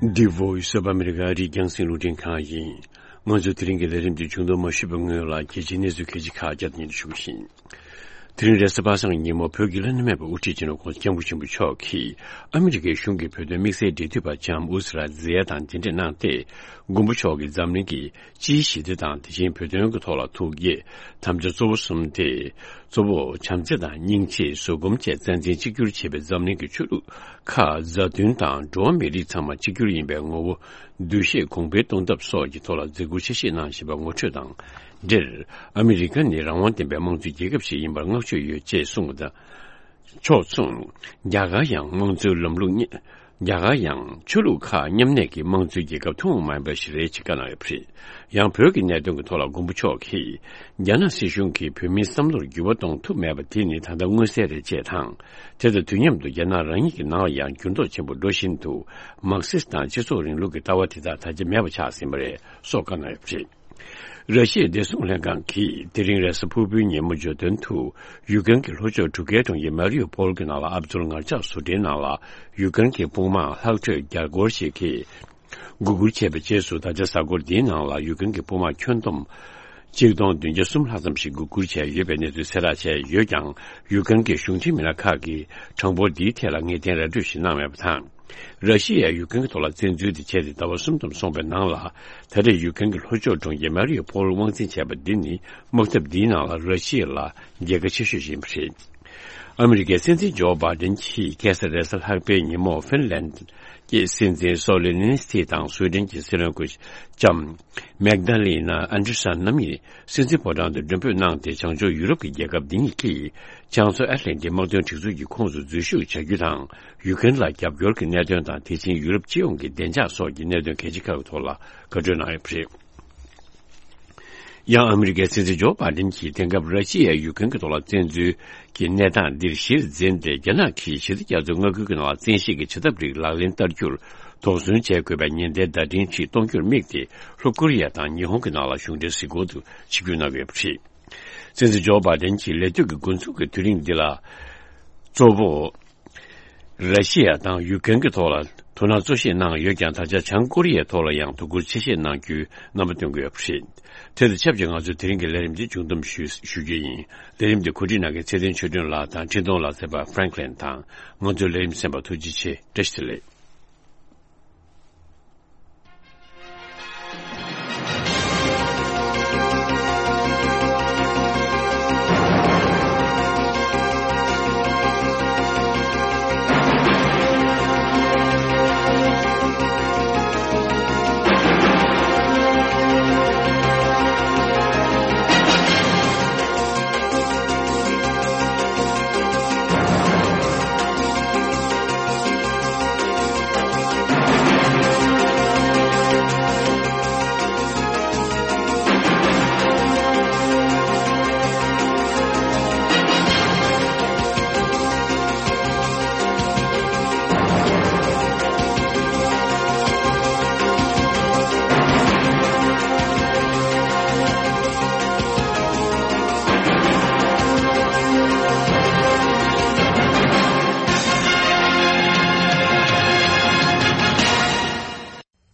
འདི་Voice of America རི་རྒྱང་སྲིང་རླུང་འཕྲིན་ཁང་ཡིན། ང་ཚོའི་དེ་རིང་གི་ལས་རིམ་འདི་མཇུག་སྡོམ་མ་ཞུས་པའི་སྔོན་ལ། གལ་ཆེའི་གནས་ཚུལ་ཁག་ཅིག་ཁ་བརྒྱ་ཉིད་དུ་ཞུ་གི་ཡིན། དེ་རིང་རེས་གཟའ་པ་སངས་ཉིན་མོ་བོད་ཀྱི་བླ་ན་མེད་པའི་དབུ་ཁྲིད་སྤྱི་ནོར་༸གོང་ས་༸སྐྱབས་མགོན་ཆེན་པོ་མཆོག་གིས་ཨ་མི་རི་ཀའི་གཞུང་གི་བོད་དོན་དམིགས་བསལ་འབྲེལ་མཐུད་པ་ལྕམ་ཨུ་ཛི་ར་ཛེ་ཡ་དང་མཇལ་འཕྲད་གནང་སྟེ། མགོན་པོ་མཆོག་གིས་འཛམ་གླིང་གི་སྤྱིའི་ཞི་བདེ་དང་། དེ་བཞིན་བོད་དོན་གྱི་ཐོག་ལ་ཐུགས་བསྐྱེད་དམ་བཅའ་གཙོ་བོ་གསུམ་སྟེ། གཙོ་བོ་བྱམས་བརྩེ་དང་། སྙིང་རྗེ། བཟོད་སྒོམ་བཅས་རྩ་འཛིན་གཅིག་གྱུར་བྱེད་པའི་འཛམ་གླིང་གི་ཆོས་ལུགས་ཁག་མཛའ་མཐུན་དང་། འགྲོ་བ་མིའི་རིགས་ཚང་མ་གཅིག་གྱུར་ཡིན་པའི་ངོ་བོ་འདུ་ཤེས་གོང་འཕེལ་གཏོང་ཐབས་སོགས་ཀྱི་ཐོག་ལ་མཛད་ཁུར་ཆེ་བཞེས་གནང་བཞིན་པ་ངོ་སྤྲོད་དང་འབྲེལ། ཨ་མི་རི་ཀ་ནི་རང་དབང་ལྡན་པའི་དམངས་གཙོའི་རྒྱལ་ཁབ་ཞིག་ཡིན་པར་བསྔགས་བརྗོད་ཡོད་ཅེས་གསུངས་པ་དང་། ཕྱོགས་མཚུངས། རྒྱ་གར་ཡང་དམངས་གཙོའི་ལམ་ལུགས་རྒྱ་གར་ཡང་ཆོས་ལུགས་ཁག་མཉམ་གནས་ཀྱི་དམངས་གཙོའི་རྒྱལ་ཁབ་ཐུན་མོང་མ་ཡིན་པ་ཞིག་རེད་ཅེས་བཀའ་གནང་ཡོད་པ་རེད། ཡང་བོད་ཀྱི་གནད་དོན་གྱི་ཐོག་ལ་མགོན་པོ་མཆོག་གིས། རྒྱ་ནག་སྲིད་གཞུང་གིས་བོད་མིའི་བསམ་བློར་འགྱུར་བ་གཏོང་ཐུབ་མེད་པ་དེ་ནི་ད་ལྟ་མངོན་གསལ་རེད་ཅེས་དང་། དེ་དང་དུས་མཉམ་དུ་རྒྱ་ནག་རང་ཉིད་ཀྱི་ནང་ལ་ཡང་འགྱུར་ལྡོག་ཆེན་པོ་འགྲོ་བཞིན་འདུག་མར་ཁེ་སི་དང་སྤྱི་ཚོགས་རིང་ལུགས་ཀྱི་ལྟ་བ་དེ་དག་ད་ཆ་མེད་པ་ཆགས་ཟིན་པ་རེད་སོགས་བཀའ་གནང་ཡོད་པ་རེད། ར་ཤི་ཡའི་བདེ་སྲུང་ལྷན་ཁང་གིས་དེ་རིང་རེས་གཟའ་ཕུར་བུའི་ཉིན་མོ་བརྗོད་དོན་དུ། ཡུ་ཀེན་གྱི་ལྷོ་ཕྱོགས་གྲུ་ཁའི་གྲོང་ཁྱེར་མ་རི་ཡུ་ཕོལ་གྱི་ནང་ལ་ཨབ་དུལ་ངར་ལྕགས་བཟོ་གྲྭའི་ནང་ལ་ཡུ་ཀེན་གྱི་དཔུང་དམག་ལྷག་འཕྲོས་རྒྱ་སྒོར་ཞིག་གིས་འགོག་རྒོལ་བྱས་པའི་རྗེས་སུ། ད་ཆ་གཟའ་འཁོར་འདིའི་ནང་ལ་ཡུ་ཀེན་གྱི་དཔུང་དམག་ཁྱོན་བསྡོམས་གཅིག་སྟོང་བདུན་བརྒྱ་གསུམ་ལྷག་ཙམ་ཞིག་འགོག་རྒོལ་བྱས་ཡོད་པའི་གནས་ཚུལ་གསལ་བསྒྲགས་བྱས་ཡོད་ཀྱང་། ཡུ་ཀེན་གྱི་གཞུང་འབྲེལ་མི་སྣ་ཁག་གིས་གྲངས་འབོར་འདིའི་ཐད་ལ་ངེས་གཏན་ར་སྤྲོད་ཞིག་གནང་མེད་པ་དང་། ར་ཤི་ཡས་ཡུ་ཀེན་གྱི་ཐོག་ལ་བཙན་འཛུལ་དེ་བྱས་ཏེ་ཟླ་བ་གསུམ་ཙམ་སོང་བའི་ནང་ལ། ད་རེས་ཡུ་ཀེན་གྱི་ལྷོ་ཕྱོགས་གྲོང་ཁྱེར་མ་རི་ཡུ་ཕོལ་དབང་འཛིན་བྱས་པ་འདི་ནི་དམག་འཐབ་འདིའི་ནང་ལ་ར་ཤི་ཡ་ལ་རྒྱལ་ཁ་ཆེ་ཤོས་ཤིག་ཡིན་པ་རེད། ཨ་མི་རི་ཀའི་སྲིད་འཛིན་ཇོ་བྷའི་ཌེན་གྱིས་ཁ་སང་རེས་གཟའ་ལྷག་པའི་ཉིན་མོ་ཧྥིན་ལན་གྱི་སྲིད་འཛིན་སོ་ལི་ནི་སི་ཐི་དང་སུའེ་ཌེན་གྱི་སྲིད་བློན་སྐུ་ལྕམ་མེག་ད་ལི་ན་ཨན་ཌར་སན་རྣམ་གཉིས་སྲིད་འཛིན་ཕོ་བྲང་དུ་མགྲོན་འབོད་གནང་སྟེ། བྱང་ཕྱོགས་ཡུ་རོབ་ཀྱི་རྒྱལ་ཁབ་འདི་གཉིས་ཀྱིས་བྱང་མཚོ་ཨེཊ་ལན་ཊིག་དམག་དོན་སྒྲིག་འཛུགས་ཀྱི་ཁོངས་སུ་འཛུལ་ཞུགས་བྱ་རྒྱུ་དང་། ཡུ་ཀེན་ལ་རྒྱབ་སྐྱོར་གྱི་གནད་དོན་དང་། དེ་བཞིན་ཡུ་རོབ་སྤྱི་ཡོངས་ཀྱི་བདེ་འཇགས་སོགས་ཀྱི་གནད་དོན་གལ་ཆེ་ཁག་གི་ཐོག་ལ་བཀའ་འཁྲོལ་གནང་ཡོད་པ་རེད། ཡང་ཨ་མི་རི་ཀའི་སྲིད་འཛིན་ཇོ་བྷའི་ཌེན་གྱིས་དེང་སྐབས་ར་ཤི་ཡས་ཡུ་ཀེན་གྱི་ཐོག་ལ་བཙན་འཛུལ་གྱི་གནས་སྟངས་འདིར་གཞིར་འཛིན་ཏེ། རྒྱ་ནག་གིས་ཞི་བདེ་རྒྱ་མཚོའི་མངའ་ཁུལ་གྱི་ནང་ལ་བཙན་ཤེད་ཀྱིས་བྱ་ཐབས་རིགས་ལག་ལེན་བསྟར་རྒྱུར་དོགས་ཟོན་བྱེད་དགོས་པའི་ཉེན་བརྡའི་བརྡ་འཕྲིན་ཞིག་གཏོང་རྒྱུར་དམིགས་ཏེ། ལྷོ་ཀོ་རི་ཡ་དང་ཉི་ཧོང་གི་ནང་ལ་གཞུང་འབྲེལ་གཟིགས་སྐོར་དུ་ཆིབས་བསྒྱུར་གནང་གི་ཡོད་པ་རེད། སྲིད་འཛིན་ཇོ་བྷའི་ཌེན་གྱིས་ལས་དུས་ཀྱི་འགོ་འཛུགས་ཀྱི་དུས་རིང་འདི་ལ་གཙོ་བོ། ར་ཤི་ཡ་དང་ཡུ་ཀེན་གྱི་ཐོག་ལ་དོ་སྣང་གཙོ་ཆེ་གནང་ཡོད་ཀྱང་། ད་ཆ་བྱང་ཀོ་རི་ཡའི་ཐོག་ལ་ཡང་དོ་ཁུར་ཆེ་བཞེས་གནང་རྒྱུའི་རྣམ་པ་སྟོན་གྱི་ཡོད་པ་རེད། དེ་དང་ཆབས་ཅིག་ང་ཚོའི་དེ་རིང་གི་ལས་རིམ་འདི་མཇུག་བསྡོམས་ཞུ་ཞུ་རྒྱུ་ཡིན། ལས་རིམ་འདི་གོ་སྒྲིག་གནང་མཁན་ཚེ་བརྟན་ཆོས་སྒྲོན་ལགས་དང་། འཕྲིན་གཏོང་ལ་མཛད་པ་ཧྥ་རན་ཀི་ལིན་དང་། ང་ཚོའི་ལས་རིམ་གསན་པར་ཐུགས་རྗེ་ཆེ། བཀྲ་ཤིས་བདེ་ལེགས།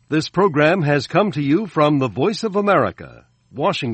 This program has come to you from the Voice of America, Washington.